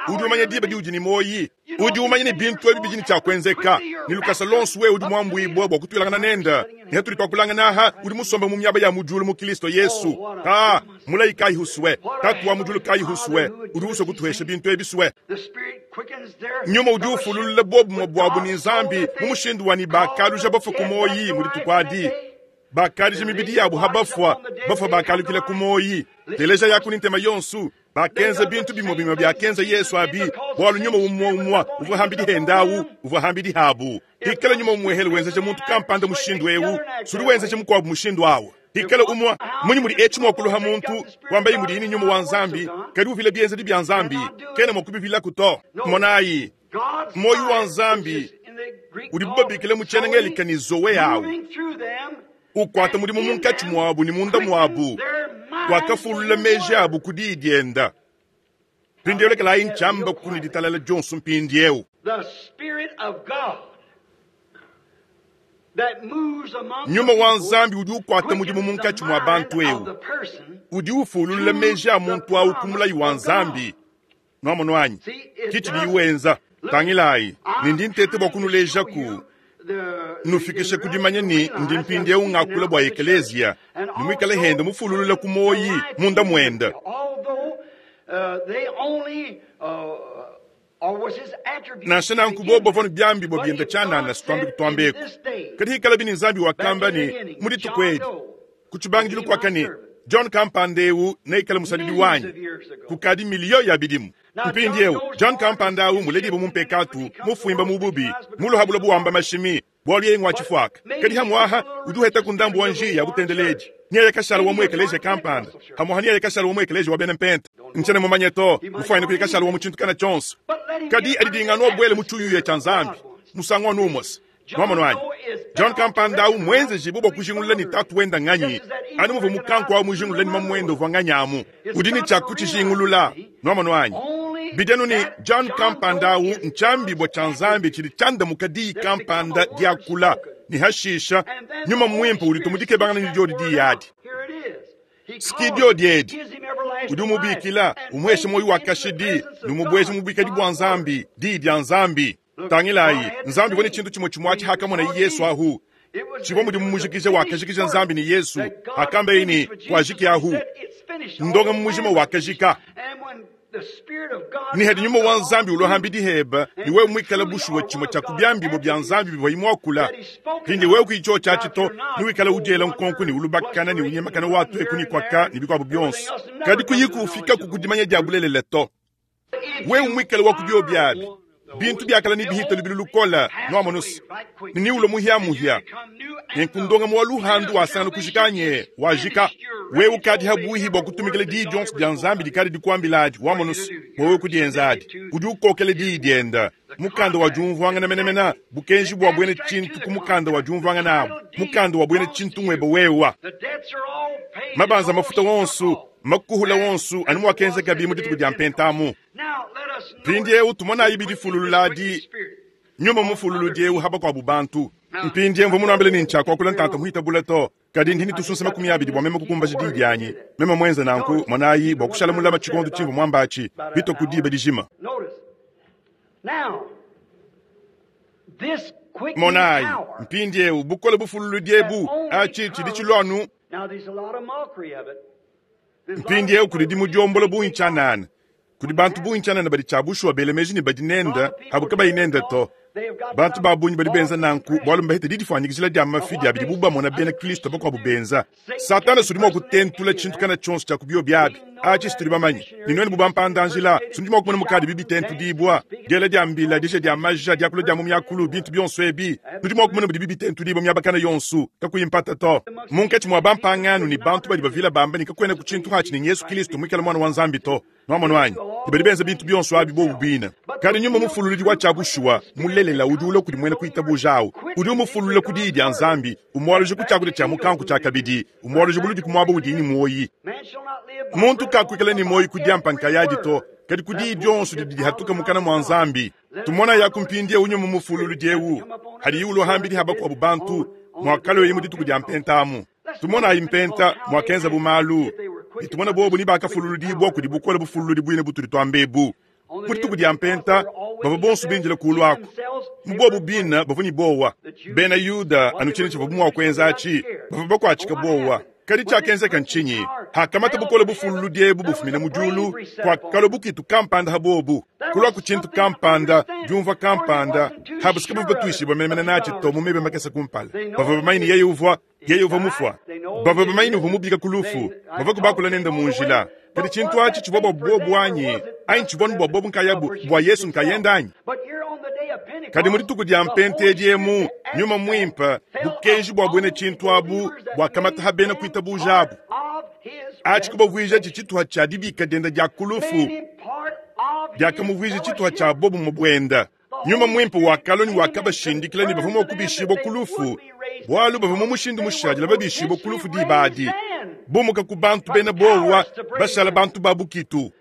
udi umanya diba diudi ni moyi udi umanya ni bintu ebi bidini tshia kuenzeka ni lukasa lonso wewe udi muambuibwa bwa kutwilangana nenda ni hatuli twakulangana aha udi musombe mu miaba ya mujulu mu Kristo Yesu ta mulayi kayi huswe tatu wa mujulu kayi huswe udi uswe kutuhesha bintu ebi swe nyuma udi ufululula bobu bwabu ni Nzambi mu mushindu wani bakaluja bafa ku moyi mudi tukwadi bakalija mibidi yabu habafwa bafwa bakalukila ku moyi teleja yaku ni ntema yonsu bakenza bintu bimwe bimwe byakenza Yesu abi bwalu nyuma umwa umwa uvwa hambidi hendawu uvwa hambidi habu hikala nyuma umwehele wenzeje muntu kampanda mushindu ewu suli wenzeje mukwabu mushindu awu hikala umwa munyi muli echi mwakuluha muntu wambayi muli ini nyuma wa Nzambi kadi uvile byenzedi bya Nzambi kena mwakubivila kuto monayi moyo wa Nzambi udi bubabikile muchenengelika ni zowe yawu ukwata mudimu munkatshi mwabu ni munda mwabu wakafulula meji abu kudi dienda mpindieu lekelayi ntshiamba kuni ditalala dionso mpindieu nyuma wa Nzambi udi ukwata mudimu munkatshi mwa bantu ewu udi ufulula meji a muntu awu ku mulayi wa Nzambi nwamono anyi kitshi diwenza tangilayi nindi ntete bwa kunulejaku nufikishe kudimanya ni ndi mpindieu ngakula bwa ekeleziya nimwikale hende mufululula ku moyi munda mwenda nansha nanku bobo vanu byambi bwa byenda tshanana sitwambi kutwambeku kadi hikala bini Nzambi wakamba ni mudituku edi kutshibangidilu kwaka ni John Kampandeu neikale musadidi wanyi kukadi miliyo ya bidimu mpindieu John Kampandau muledibu mumpekatu mufuimba mububi muluhabula buwamba mashimi bwalu yeye ngwa tshifuaka kadi hamwaha udi uheta ku ndambu wa njiya butendeledi niye kashala wa muekeleje kampanda hamwaha niye kashala wa muekeleje wa bena mpenta nchene mumanye to mufuaine kuye kashala wa muchintu kana chonso kadi adidingana obwele muchuyuye cha Nzambi musango wa numosi mwamono anyi John Kampanda mwenze jibu bwa kujingulula ni tatu wenda nganyi anu muvu mukanku awu mujingulula ni mamwendo vwa nganyamu udi ni tshia kuchijingulula mwamono anyi bidenu ni John Kampanda awu nchambi bwa cha Nzambi chili chandamuka diyi kampanda diakula ni hashisha nyuma mwimpe uli tumudike bangana ni dyodi diyadi sikidio diedi udi umubikila umuheshe moyo wa kashidi numubweshe mubikadi bwa Nzambi diyi dya Nzambi tangilayi Nzambi vone chintu chimwe chimwachi hakamona Yesu ahu chivwa mudi mumujikije wakajikija Nzambi ni Yesu hakamba ini kwajiki ahu ndonga mumujima wakajika ni hadi nyuma wa Nzambi ulohamba diheba ni wewe mwikala bushuwa chimwe cha kubyambi bya Nzambi bivwa imwakula hindi wewe kuicho cha chito ni wikala udyela nkonko ni ulubakana ni unyemakana watu ekuni kwaka ni bikwabo byonso kadi kuyiku ufika kukudimanya dya bulelele to wewe mwikala wa kubyo byabi bintu byakala ni bihita lubili lukola nwamonusi niniulo muhyamuhya nenkundonga muwa luhandu wasangana kujikanye wajika wewe ukadi habuhi bwa kutumikila diyi dionso dya Nzambi dikadi dikuambiladi wamonusi wewe kudienzadi udi ukokela diyi dienda mukanda wa diumvuangana menemena bukenji bwa bwene tshintu ku mukanda wa diumvuangana abu mukanda wa bwene tshintu ngwebe wewa mabanza mafuta wonsu makuhula wonsu anu mwakenzeka bimu dituku dya mpentamu mpindiewu tumonayi bidifulululadi nyuma mufululudi ewu haba kwabu bantu mpindie mvua munuambile ni ntshiakuakula ntanta muhitabula to kadi ndini tusunsa makumi abidi bua meme kukumbaja diyi dianyi meme muenze nanku monayi bua kushala mulama tshikondo tshimvua muambatshi bito ku diba dijima Monayi mpindieu bukole bufululudi ebu atshi tshidi tshilua anu. Mpindieu kudi dimudiombola bungi tshianana, kudi bantu bungi tshianana badi tshia bushuwa bela meji ne badi nenda abu kabayi nenda to. Bantu ba bungi badi benza nanku bualu mbahete didifuanyikijila dia mafi dia bidibu bamona bena Kristo bakuabu benza. Satana sudi mua kutentula tshintu kana tshionso tshia ku biabi. Atshi situdi bamanye ne nuenu bu bampandanjila sudi mua kumona mukadi bibitentudibua diela dia mbila disha dia maja diakula dia mu miakulu bintu bionso ebi nudi mua kumona bidi bibitentudibua miaba kana yonso kakuyi mpata to. Munkatshi mua bampangano ne bantu badi bavila bamba ne kakuena ku tshintu hatshi ne Yesu Kristo muikale mwana wa Nzambi to. Nwamonu anyi badi benza bintu bionso abi bobu bina. Kadi nyuma mufululudi wa tshia bushuwa mulelela udi ulua kudi muena kuitabuja awu udi umufulula ku diyi dia Nzambi umwaluje ku tshiakudia tshia mukanku tshia kabidi umwaluje buludi ku muaba udi ni muoyi. Muntu kakuikala ni muoyi kudiampa nkayadi to kadi ku diyi dionso didi dihatuka mukana mwa Nzambi. Tumona ya kumpindie unyuma mufululudi ewu hadi ulua hambidi habakuabu bantu mwakaloyi mu dituku dia mpentamu. Tumona impenta mwakenza bumalu itumona bobu ni bakafululudibwa kudi bukole bufululudi bwine butudi twambebu. Mu dituku dia mpenta bava bonso binjila kulu ako mubobu bina bavua ni bowa. Bena Yuda anu tshine tshivua mua kuenza atshi bavua bakuatshika bowa. Kadi tshiakenzeka ntshinyi? Hakamata bukole bufululudi ebu bufumina mu diulu kuakalo bukitu kampanda habobu kulua ku tshintu kampanda diumvua kampanda habusika bavua batuishibua menemene natshi to mu mebe makese kumpala. Bavua bamanye ne yeye uvua yeye uvua mufua. Bavua bamanye ne uvua mubika ku lufu. Bavua kubakula nende mu njila. Kadi tshintu atshi tshivua bua bobu anyi anyi tshivua bua bobu nkayabu bua Yesu nkayenda anyi? Kadi mu dituku dia mpenta edi emu nyuma mwimpe bukenji bua bwene tshintu abu bwakamata ha bena kuitabuja abu. Atshi kubavuija tshituha tshia dibika dienda dia kulufu diakamuvwija tshituha tshia bobu mu bwenda. Nyuma mwimpe wakalua ne wakabashindikila ne bavua mua kubishibua ku lufu bualu bavua mu mushindu mushadila babishibua ku lufu dibadi bumuka ku bantu bena bowa bashala bantu ba bukitu.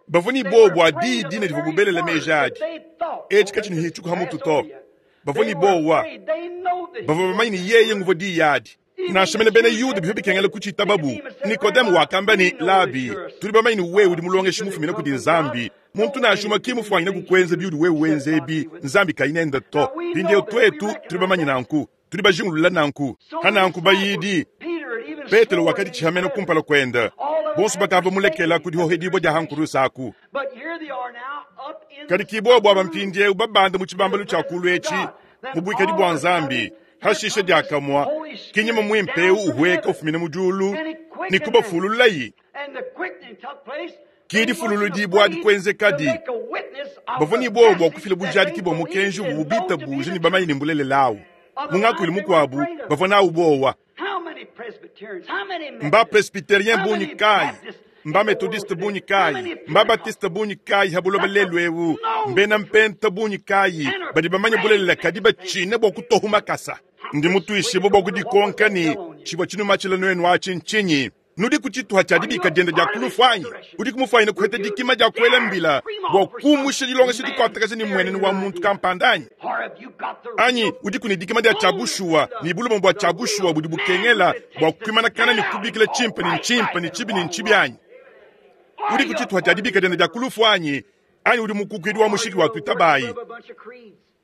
Bavua ni bowa bua diyi dine divua bubelela meji adi etshi katshini hitshikuha mutu to. Bavua ni bowa bavua bamanye ne yeye nguvua diyi adi. Nansha mene bena Yuda bivua bikengela kutshita babu. Nikodemu wakamba ne Labi, tudi bamanye ne wewe udi mulongeshi mufumina kudi Nzambi. Muntu nansha umue ki mufuanyine kukwenza biudi wewe wenza ebi Nzambi kayinenda to. Mpindieu twetu tudi bamanye nanku, tudi bajingulula nanku. Hananku bayidi Petelo wakadi tshihamena kumpala kwenda bonso bakava mulekela kudi hohedibwa dia hankurusa aku. Kadi kibobo aba mpindieu babanda mu tshibambalu tshia kulu etshi mu buikadi bua Nzambi hashisha diakamwa kinyima mwimpe uhueka ufumina mu diulu ne kubafululayi. Kidi fululudibwa dikwenzekadi bavua ni bobo bua kufila bujadiki bua mukenji bubita buje ne bamanye ne mbulelelawu. Mungakuili mukuabu bavua nawu bowa. Mba presbyterien bungi kayi, mba methodiste bungi kayi, mba baptiste bungi kayi habuloba lelu ewu, mbena mpenta bungi kayi badi bamanye bulelela kadi batshine bua kutohu makasa. Ndi mutuishibue bua kudikonka ne tshivua tshinuma tshila nuenu atshi ntshinyi? Nudi ku tshituha tshia dibika dienda dia kulufu anyi? Udi kumufuanyina kuheta dikima dia kuela mbila bua kumusha dilongesha dikuatakaja ne mmuenenu wa muntu kampanda anyi? Anyi udi ku ne dikima dia tshia bushuwa ne bulume bua tshia bushuwa budi bukengela bua kuimanakana ne kubikila tshimpe ne ntshimpe ne tshibi ne ntshibi anyi? Udi ku tshituha tshia dibika dienda dia kulufu anyi? Anyi udi mukukuidi wa mushiki wa tuitabayi?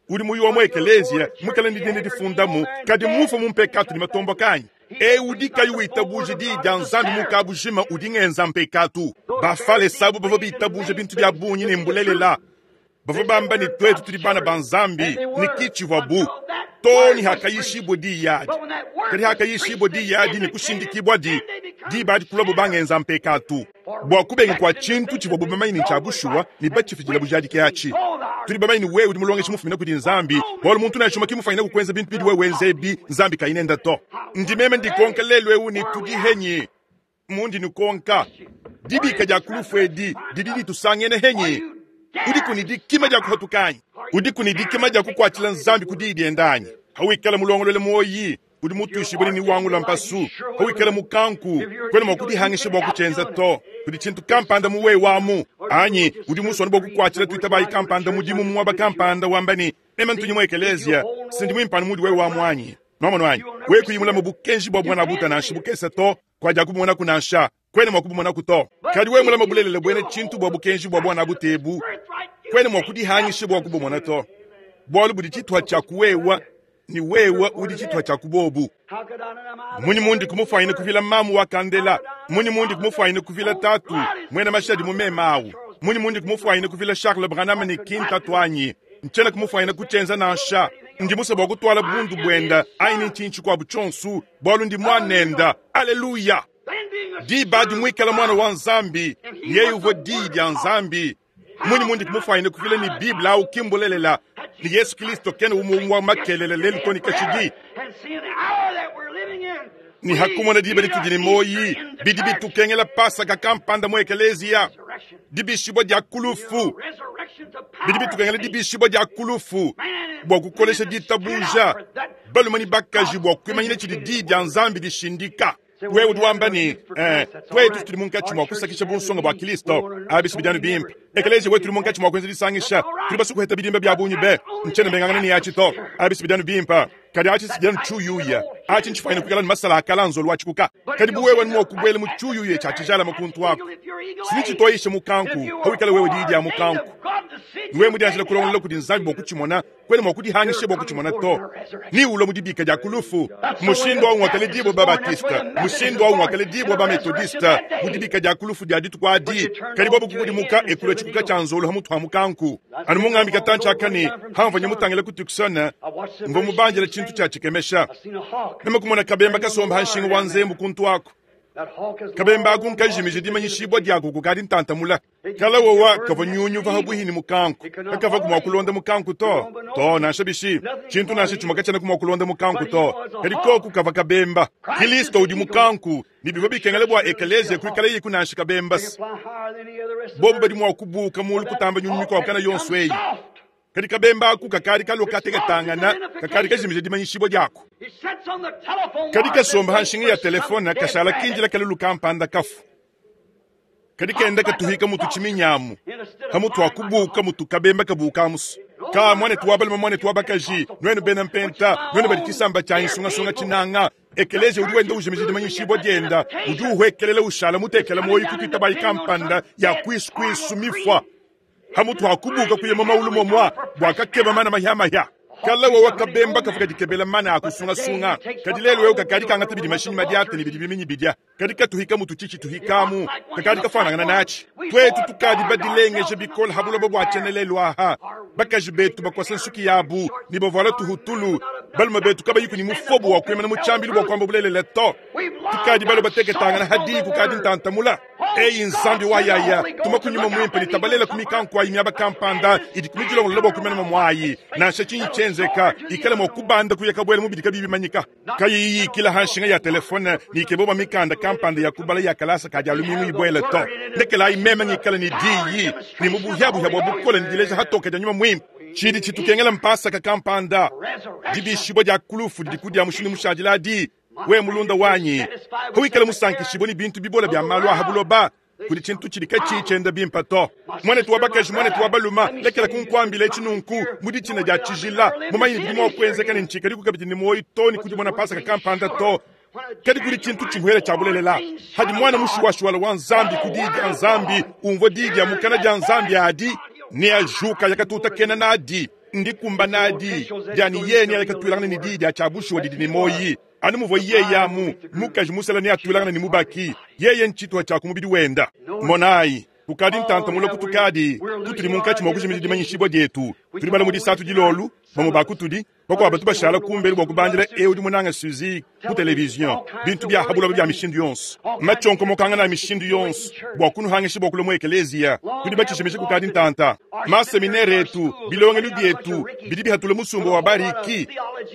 Udi muyi wa mu ekelezia mukala ne dine difundamu kadi mufu mu mpekatu ne matomboka anyi? E udi kayi witabuja diyi dia Nzambi mukabujima udi ngenza mpekatu. Bafalesa abo bavua bitabuja bintu bia bungi ne mbulelela. Bavua bamba ne twetu tudi bana ba Nzambi ne kitshivua bu to ni hakayishibwe diyi adi. Kadi hakayishibwe diyi adi ne kushindikibwa di diba adi kulua bo bangenza mpekatu bua kubenga kwa tshintu tshivua bo bamanye ne tshia bushuwa ne batshifidila bujadiki atshi. Tudi bamanye ne wewe udi mulongeshi mufumina kudi Nzambi bualu muntu nansha umue ki mufuanyine kukwenza bintu bidi wewe wenza ebi Nzambi kayinenda to. Ndi meme ndikonka lelu ewu ne tudi henyi mundi nikonka dibika dia kulufu edi didi ditusangene henyi. Udi kuni dikima dia kuhatuka anyi? Udi kuni dikima dia kukuatshila Nzambi ku diyi dienda anyi? Hawikala mulongolole muoyi udi mutuishibue ni wangula mpasu. Hawikala mukanku kwena mua kudihangisha bua kutshienza to. Kudi tshintu kampanda muwe wamu anyi udi musone bua kukuatshila tuitabayi kampanda mudimu muaba kampanda wamba ni meme ntunyi mu ekelezia sindi mwimpano mudi wewe wamu anyi? Nwamonu anyi wewe kuyimula mu bukenji bua bwana buta nansha bukese to kwaja kubumona kunansha kwene mwa kubumona kuto. Kadi wewe mulama bulelele bwene tshintu bua bukenji bua bwana butebu kwene mwa kudihangisha bua kubumona to. Bualu budi tshituha tshia kuwewa ni wewa udi tshituha tshia kubobu. Munyi mundi kumufanyina kuvila mamu wa kandela, munyi mundi kumufanyina kuvila tatu mwena mashadi mu memawu, munyi mundi kumufanyina kuvila Charles Branham ni kinta twanyi, nchena kumufanyina kuchenza nansha. Ndi musa bwa kutwala bundu bwenda aini nchinchi kwa buchonsu bwalu ndi mwanenda. Haleluya. Di badi mwikala mwana wa Nzambi, yeye uvo di dia Nzambi. Munyi mundi kumufanyina kuvila ni Biblia au kimbulelela ni Yesu Kristo kene umuwa makelele lelu toni kashidi. Ni hakumona diba litudi ni moyi bidi bitukengela pasaka kampanda mu ekelezia dibishibwa dia kulufu bidi bitukengela dibishibwa dia kulufu bwa kukolesha ditabuja balumani bakaji bwa kuimanyina tshidi di dia Nzambi dishindika. Wewe udi ni eh, twetu tuli munkatshi mwa kusakisha bunsonga bwa Kristo abisi bijanu bimpe ekelezia wetu tuli munkatshi mwa kuenza disangisha tuli basukuheta bidimba bya bunyi be nchene mbengangana ni yachi to abisi bijanu bimpa kadi achi sijanu chuyuya achi nchifaina kukala ni masala akala nzolu wachikuka kadi buwewe ni mwakubwele mu chuyuya chachijala makuntu wako sinichitoishe mukanku hawikala wewe didi ya mukanku niwe mudianjila kulongolela kudi Nzambi bwa kuchimona kwene mwa kudihangishe bwa kuchimona to ni ulo mudibika dia kulufu mushindo wa ngwakale dibo ba Batista mushindo wa ngwakale dibo ba Methodista mudibika dia kulufu dia ditu kwa adi kadi bobu kukudimuka ekula chikuka cha nzolo hamutu hamukanku anu mungambi katancha akani hamva nyamutangela kutukusona mvo mubanjela chintu cha chikemesha namakumona kabemba kasomba hanshinga wa nzembu kuntu wako kabemba akunka dimanyishibwa diako kukadi ntantamula kala wowa kava nyunyu vaha bwihini mukanku kakava kumwa kulonda mukanku to to nansha bishi chintu nansha chumaka chana kumwa kulonda mukanku to kadi koku kava kabemba Kristo udi mukanku ni bivo bikengele bwa ekelezia kuikala yiku nansha kabemba bobu badi mwa kubuka mulu kutamba nyunyu kwa kana yonso eyi kadi kabemba aku kakadi kaloka teketangana kakadi kajimije dimanyishibwa diako kadi kasomba hanshinga ya telefone kashala kinjila kalulu kampanda kafu kadi kenda katuhika mutu chiminyamu hamutu akubuka mutu kabemba kabuka musu ka mwane tuwabalima mwane tuwabakaji nwenu bena mpenta nwenu badi kisamba cha insungasunga chinanga ekelezia udi wenda ujimije dimanyishibwa dienda udi uhwekelela ushala mutekela moyi kukwita bayi kampanda ya kwisukwisu mifwa hamutu akubuka kuyema maulu momwa bwakakeba mana mahya kala wewe kabemba kafuka dikebela mana akusungasunga kadi lelo wewe kakadi kangata bidi mashinyi madiate ni bidi biminyi bidya kadi katuhika mutu chichi tuhikamu kakadi kafanangana nachi twetu tukadi badilengeje bikola habulobo bwachenelelwa aha bakaji betu bakwasa nsuki yabu ni bavola tuhutulu balume betu kabayiku ni mufobo wa kwemana muchambilu bwa kwamba bulelele to tukadi balo bateketangana hadi kukadi ntantamula eyi Nzambi wa yaya tumakunyuma mwimpe litabalela kumikanku ayi myaba kampanda idi kumijilongolola bwa kwemana mamwayi nansha chinyi chenzeka ikala mwa kubanda kuyaka bwele mubidi kabibi manyika kayiyi kila hanshinga ya telefone ni ikebo mikanda kampanda ya kubala ya kalasa kadi alumingu ibwele to ndekela imema ngikala ni diyi ni mubuhyabuhya bwa bukola ndileja hatoka janyuma mwimpe chidi chitukengela mpasa kakampanda dibishibwa dia kulufu dikudia mushini mushadila di we mulunda wanyi huikala musankishibwa ni bintu bibola bya malu ahabuloba kuli chintu chili kachichenda bimpa to mwane tuwabakaji mwane tuwabaluma lekela kunkwambila echinunku mudi china dia chijila mumanyi bidi mwa kuenzeka ni nchika likukabidi ni moyi to ni kudi mwana pasa kakampanda to kadi kuli chintu chimuhela chabulelela hadi mwana mushuwashuwala wa Nzambi kudidi ya Nzambi umvo didi ya mukana dia Nzambi adi ni ajuka yakatuta kena nadi ndikumba nadi diani yeni yakatwilangana ni didi achabushuwa didi ni moyi anu muvo yeye amu mukaji musala ni atwilangana ni mubaki yeye nchitwa cha kumubidi wenda monayi kukadi ntantamula kutukadi kutuli munkatshi mwa kujimija dimanyishibwa dietu tuli bala mu disatu dilolu bamwe bakutudi bakwaba tubashala kumbeli bwa kubandila ewu di munanga Suzy ku television bintu bya habuloba bya mishindu yonso machonkomokanga na mishindu yonso bwa kunuhangisha bwa kulomwa ekelezia tudi bachishimisha kukadi ntanta maseminere etu bilongelu bietu bidi bihatula musumba wa bariki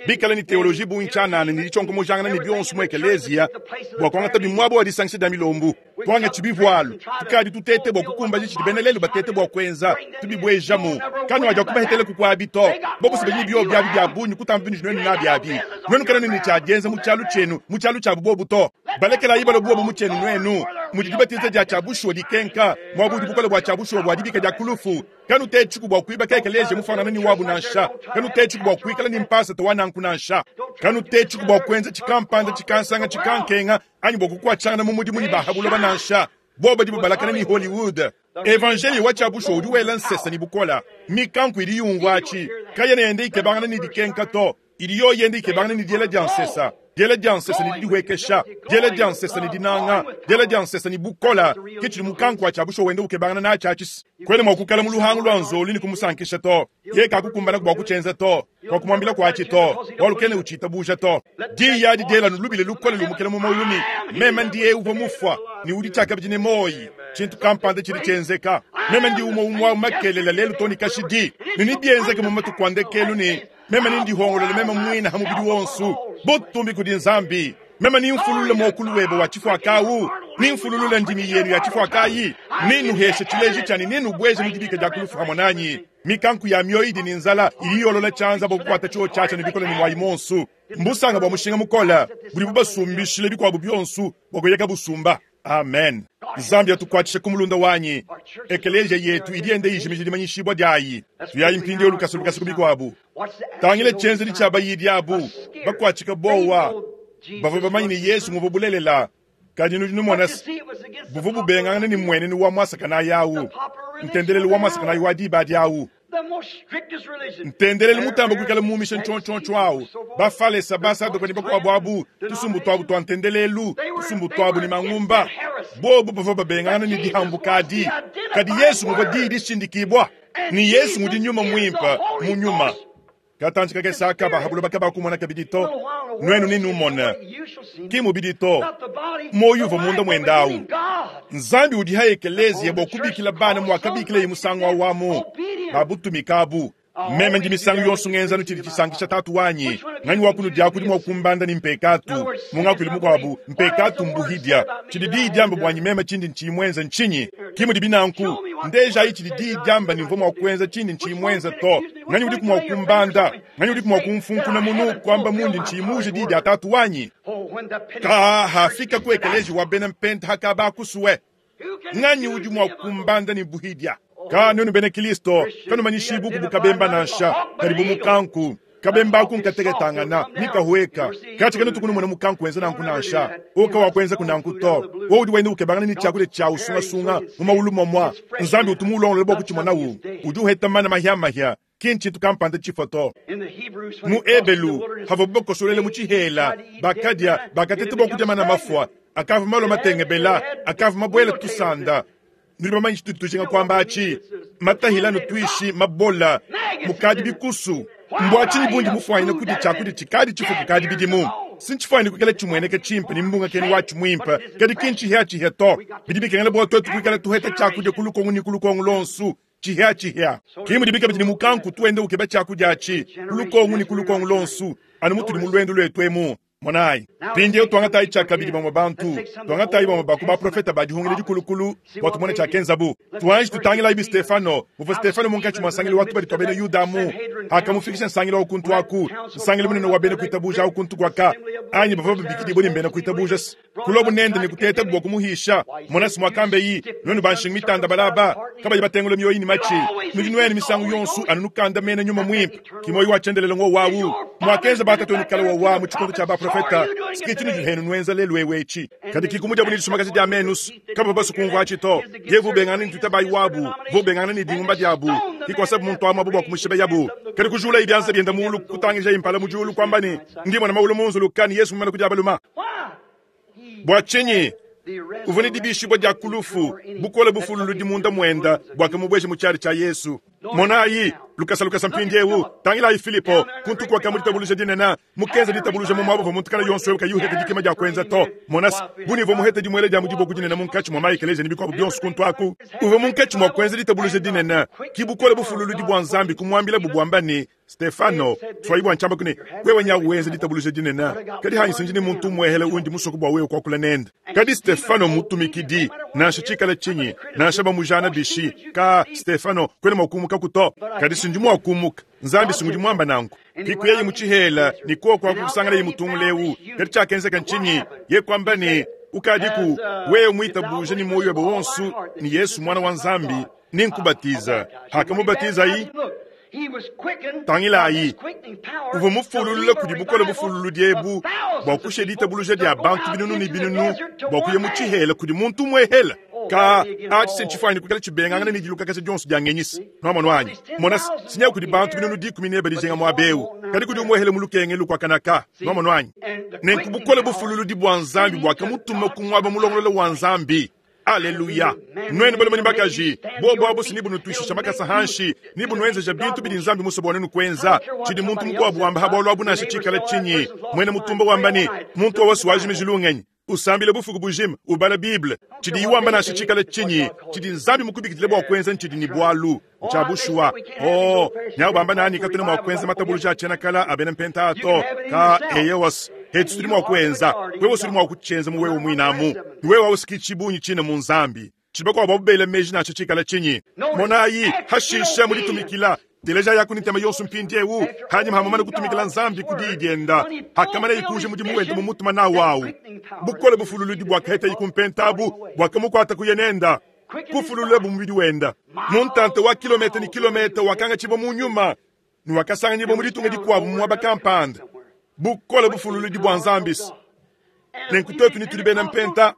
bikala ni teoloji bunchanana ni dichonkomojangana ni bionso mu ekelezia bwa kwangata bimwabo wa disangisha dia milombu twanga chibivwalu tukadi tutete bwa kukumba jichi benelelu batete bwa kwenza tubibwejamu kanu aja kubahetele kukwabito bobo sibenyi bio bya bya bunyu kutamba binyu nwenu na byabi nwenu kana ni chajenza mu chalu chenu mu chalu cha bubobu to balekela ibalo bubobu mu chenu nwenu mujidibatiza dia chabushwa dikenka mwabudu bukola bwa chabushwa bwa dibika dia kulufu kanu techiku bwa kuiba kekeleje mufanana ni wabu nansha kanu techiku bwa kuikala ni mpasa tawana nkunansha kanu techiku bwa kwenza chikampanda chikansanga chikankenga anyi bwa kukwachana mu mudimu ni bahabulo banansha boba dibu balakana ni Hollywood Evanjeliyo wa tshiabushuwa udi wela nsesa ne bukola. Mikanku idi yumvua atshi kayena yenda ikebangana ne dikenka to, idi yoyi yenda ikebangana ne diela dia nsesa. Diela dia nsesa ne didihuekesha, diela dia nsesa ne dinanga, diela dia nsesa ne bukola. Ke tshidi mukanku wa tshiabushuwa wenda ukebangana natshi atshi. Kwena mua kukala mu luhangu lua nzolu ne kumusankisha to. Ye kakukumbana bua kutshienza to, kwa kumuambila kuatshi to, bualu kena utshitabuja to. Diyi adi diela nulubile lukole lumukela mu muoyo ne meme ndiye uvua mufua ne udi tshiakabidi ne muoyo. Tshintu kampanda tshidi tshienzeka. Meme ndi umue umue wa makelela lelu to ne kashidi. Ne nebienzeke mu matuku a ndekelu ne meme nindihongolole meme muine ha mubidi wonso. Butumbi kudi Nzambi. Meme nimfululule muokulu webe wa tshifuakawu, nimfululule ndimi yenu ya tshifuakayi, ninuheshe tshileji tshianyi, ninubweje mu dibika dia kulufu hamwe nanyi. Mikanku ya mioyo idi ne nzala idi yolola tshianza bua kukuata tshio tshiatsha ne bikole ne muayi monso. Mbusanga bua mushinga mukola budi bubasumbishile bikuabu bionso bua kuyeka busumba. Amen. Nzambi atukuatshishe ku mulunda wanyi. Ekeleziya yetu idi yenda ijimija dimanyishibua diayi. Tuyayi mpindieu lukasa lukasa ku bikuabu. Tangile tshienzedi tshia bayidi abu bakuatshika bowa. Bavua bamanye ne Yesu nguvua bulelela, kadi nudi numona se buvua bubengangana ne mmuenenu wa muasakanayi awu, ntendelelu wa muasakanayi wa diba adi awu. Ntendelelu mutamba kuikala muumisha ntshontshontshio awu. Bafalesa, basadoka ne bakuabu abu, tusumbu tuabu tua ntendelelu, tusumbu tuabu ne mangumba, bobu bavua babengangana ne dihambuka adi. Kadi Yesu nguvua diyi dishindikibua, ne Yesu ngudi nyuma muimpe mu nyuma. Katantshi kakese aka bahabuloba kabakumona kabidi to, nuenu ninumona. Ki mubidi to, muoyo uvua munda muenda awu. Nzambi udi ha ekeleziya bua kubikila bana muakabikileye musangu awu amu babutumika abu. Meme ndi misangu yonso ngenza tshidi tshisankisha tatu wanyi. Nganyi wa kunudia kudi mua kumbanda ne mpekatu. Mu ngakuilu mukuabu, mpekatu mbuhidia. Tshidi diyi diamba buanyi meme tshindi ntshiyi muenza ntshinyi? Ki mudi binanku. Ndejayi tshidi diyi diamba ne mvua mua kuenza tshindi ntshiyi muenza to. Nganyi udiku mua kumbanda? Nganyi udiku mua kumfunkuna munu kuamba mundi ntshiyi muje diyi dia tatu wanyi? Ka hafika ku ekeleziya wa bena mpenta hakaba kusue. Nganyi udi mua kumbanda ne buhidia? Ka nuenu bena Kristo kanumanyishibu ku bukabemba nansha, kadi bu mukanku. Kabemba ku nkateketangana, nikahueka. Katshi kanu tukunumona mukanku wenza nanku nansha. Oka wa kuenza kunanku to. Wewe udi wenda ukebangana ne tshiakudia tshia usungasunga mu maulu momwa. Nzambi utu mulongolole bua kutshimona wu. Udi uheta mana mahia-mahia. Ki ntshintu kampanda tshifua to. Mu Ebelu, havua bakosolele mu tshihela, bakadia, bakateta bua kudia mana mafua. Akava malo matengebela, akava mabuela tusanda. Nudi bamanye tshitudi tujinga kuamba atshi. Matahila nutuishi mabola, mukadi bikusu. Mbua tshinyi bundi mufuanyine kudia tshiakudia tshikadi tshifuku kadi bidimu? Sintshifuanyine kuikala tshimueneka tshimpe ne mbunga kenu watshi muimpe, kadi ki ntshihia-tshihia to. Bidi bikengela bua tuetu kuikala tuheta tshiakudia ku lukongu ne ku lukongu lonsu, tshihia-tshihia. Ki mudi bikabidi ne mukanku tuende ukeba tshiakudia atshi ku lukongu ne ku lukongu lonsu, anu mutudi mu luendu luetu emu. Monayi, mpindieu tuangatayi tshiakabidi bamue bantu, tuangatayi bamue ba ku baprofeta ba dihungila dikulukulu bua tumone tshiakenzabu. Tuanji tutangilayi bi Stefano, muvua Stefano munkatshi mua nsangilu wa tubadi tua bena Yuda mu akamufikisha nsangilu wa kuntu aku, nsangilu munene wa bena kuitabuja au kuntu kuaka, anyi bavua babikidibue ne mbena kuitabuja. Kulobu nende ne kutetabu bua kumuhisha. Monasi muakambeyi, nuenu banshingu mitanda balaba, kabayi batengula mioyo ne matshi. Nudi nuenu misangu yonso anu nukanda mena nyuma muimpe, ki muoyo wa tshiendelele ngo wawu. Muakenza batatu kala wawa mu tshikondo tshia baprofeta, sikiti nudi henu nuenza lelu ewu etshi. Kadi ki kumudia buni disumakaja dia menus, kaba basu kumvua atshi to. Ye vubengana ne tutabayi wabu, vubengana ne dingumba diabu. Ki kuasabu muntu amu abu bua kumushiba yabu. Kadi kujula ibianza bienda mulu kutangija impala mu diulu kuamba ne, ndi mwana maulu munzulu kani Yesu mumana kudia baluma. Bua tshinyi uvua ne dibishibua dia kulufu, bukole bufululudi munda muenda buakamubueja mu tshiadi tshia Yesu. Monayi lukasa lukasa mpindieu, tangilayi Filipo kuntu kuaka ditabuluja dinene, mukenza ditabuluja mu muaba uvua muntu kala yonso ewu kayuheta dikema dia kuenza to. Monasi buni uvua muheta dimuele dia mudiboku dinene munkatshi mua maekeleziya ne bikuabu bionso kuntu aku. Uvua munkatshi mua kuenza ditabuluja dinene, ki bukole bufululudi bua Nzambi kumuambila bubuamba ne Stefano, twayi bua ntshiamba kune, wewe nya wenza ditabuluja dinene, kadi hanyi sinji ne muntu muehele undi musoko bua wewe kuakula nende. Kadi Stefano mutumikidi, nansha tshikala tshinyi, nansha bamujana bishi, ka Stefano kwena mua kumuka kuto. Kadi sinji mua kumuka, Nzambi singudi muamba nanku. Kikuyeye mu tshihela, ni koko akusangala ye mutunguleu. Kadi tshiakenzeka ntshinyi? Ye kwamba ne ukadiku wewe muitabuje ni moyo webe wonso ni Yesu mwana wa Nzambi, ninkubatiza. Hakamubatizayi tangilayi uvua mufululule kudi bukole bufululudi ebu bua kusha ditabuluja dia bantu binunu ne binunu bua kuya mu tshihela kudi muntu umuehela. Ka atshi se ntshifwanyi kuikala tshibengangana ne dilukakaja dionso dia ngenyisi. Nwamonu wanyi. Mona sinya kudi bantu binunu dikumi ne badijenga muaba eu. Kadi kudi umwehele mu lukenge lukwakanaka. Nwamonu wanyi. Nenku bukole bufululudi bwa Nzambi bwakamutuma ku mwaba mulongolola wa Nzambi. Aleluya. Nwenu balume ne bakaji, bobo abu si nibunutwishisha makasa hanshi, nibunwenzeja bintu bidi Nzambi musue bua nwenu kuenza. Tshidi muntu mukuabu wamba ha bualu abu nansha tshikala tshinyi. Mwena mutumba wamba ne, muntu wa wasu wajimiji lungenyi. Usambile bufuku bujima, ubala Bible. Tshidi iwamba nansha tshikala tshinyi, tshidi Nzambi mukubikidile bua kuenza ntshidi ni bualu. Ntsha bushuwa. Oh, nyawu bamba nani katuna mua kuenza matabuluja a tshienakala a bena mpenta ato. Ka eyewas. Hetu tudi mua kuenza. Wewe usudi mua kutshienza mu wewe muinamu. Wewe ausiki tshibunyi tshina mu Nzambi. Tshidi bakuabu babela meji nansha tshikala tshinyi. Monayi, hashisha muditumikila. Teleja yako ni ntema yonso mpindiewu. Hanyuma hamamana kutumikila Nzambi ku diyi dienda. Hakamana ikuja mudimu wenda mu mutuma nawu awu. Bukole bufululudi bwakaheta ikumpentabu, bwakamukwata kuyenenda. Kufululula bumubidi wenda. Muntante wa kilometa ni kilometa wakanga tshibo mu nyuma. Ni wakasanganyibwa mu ditunga dikuabu mu mwaba kampanda. Bukole bufululudi bwa Nzambi. Nenku twetu ni tuli bena mpenta.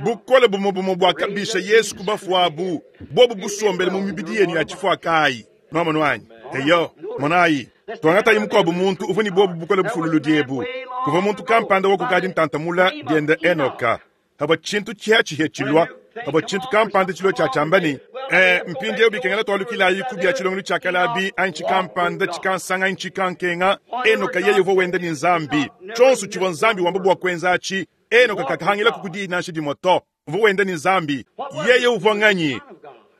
Bukole bumo bumo bwakabisha Yesu kubafuabu. Bobu busombele mu mibidi yenu ya tshifwakayi. Nwamonu wanyi. Eyo, monayi. Twangatayi mukuabu muntu uvua ni bobu bukole bufululudi ebu. Kuva muntu kampanda wakukadi ntantamula dienda Enoka. Haba tshintu tshiha tshilwa. Haba tshintu kampanda tshilwa tshia tshiamba ni, eh, mpindiewu bikengela twalukilayi ku bia tshilongelo tshia kalabi, anyi tshikampanda, tshikansanga, anyi tshikankenga. Enoka yeye uvua wenda ni Nzambi. Tshionso tshivua Nzambi wamba bua kuenza atshi. Enoka kakahangila ku diyi nansha dimue to. Uvua wenda ni Nzambi. Yeye uvua nganyi?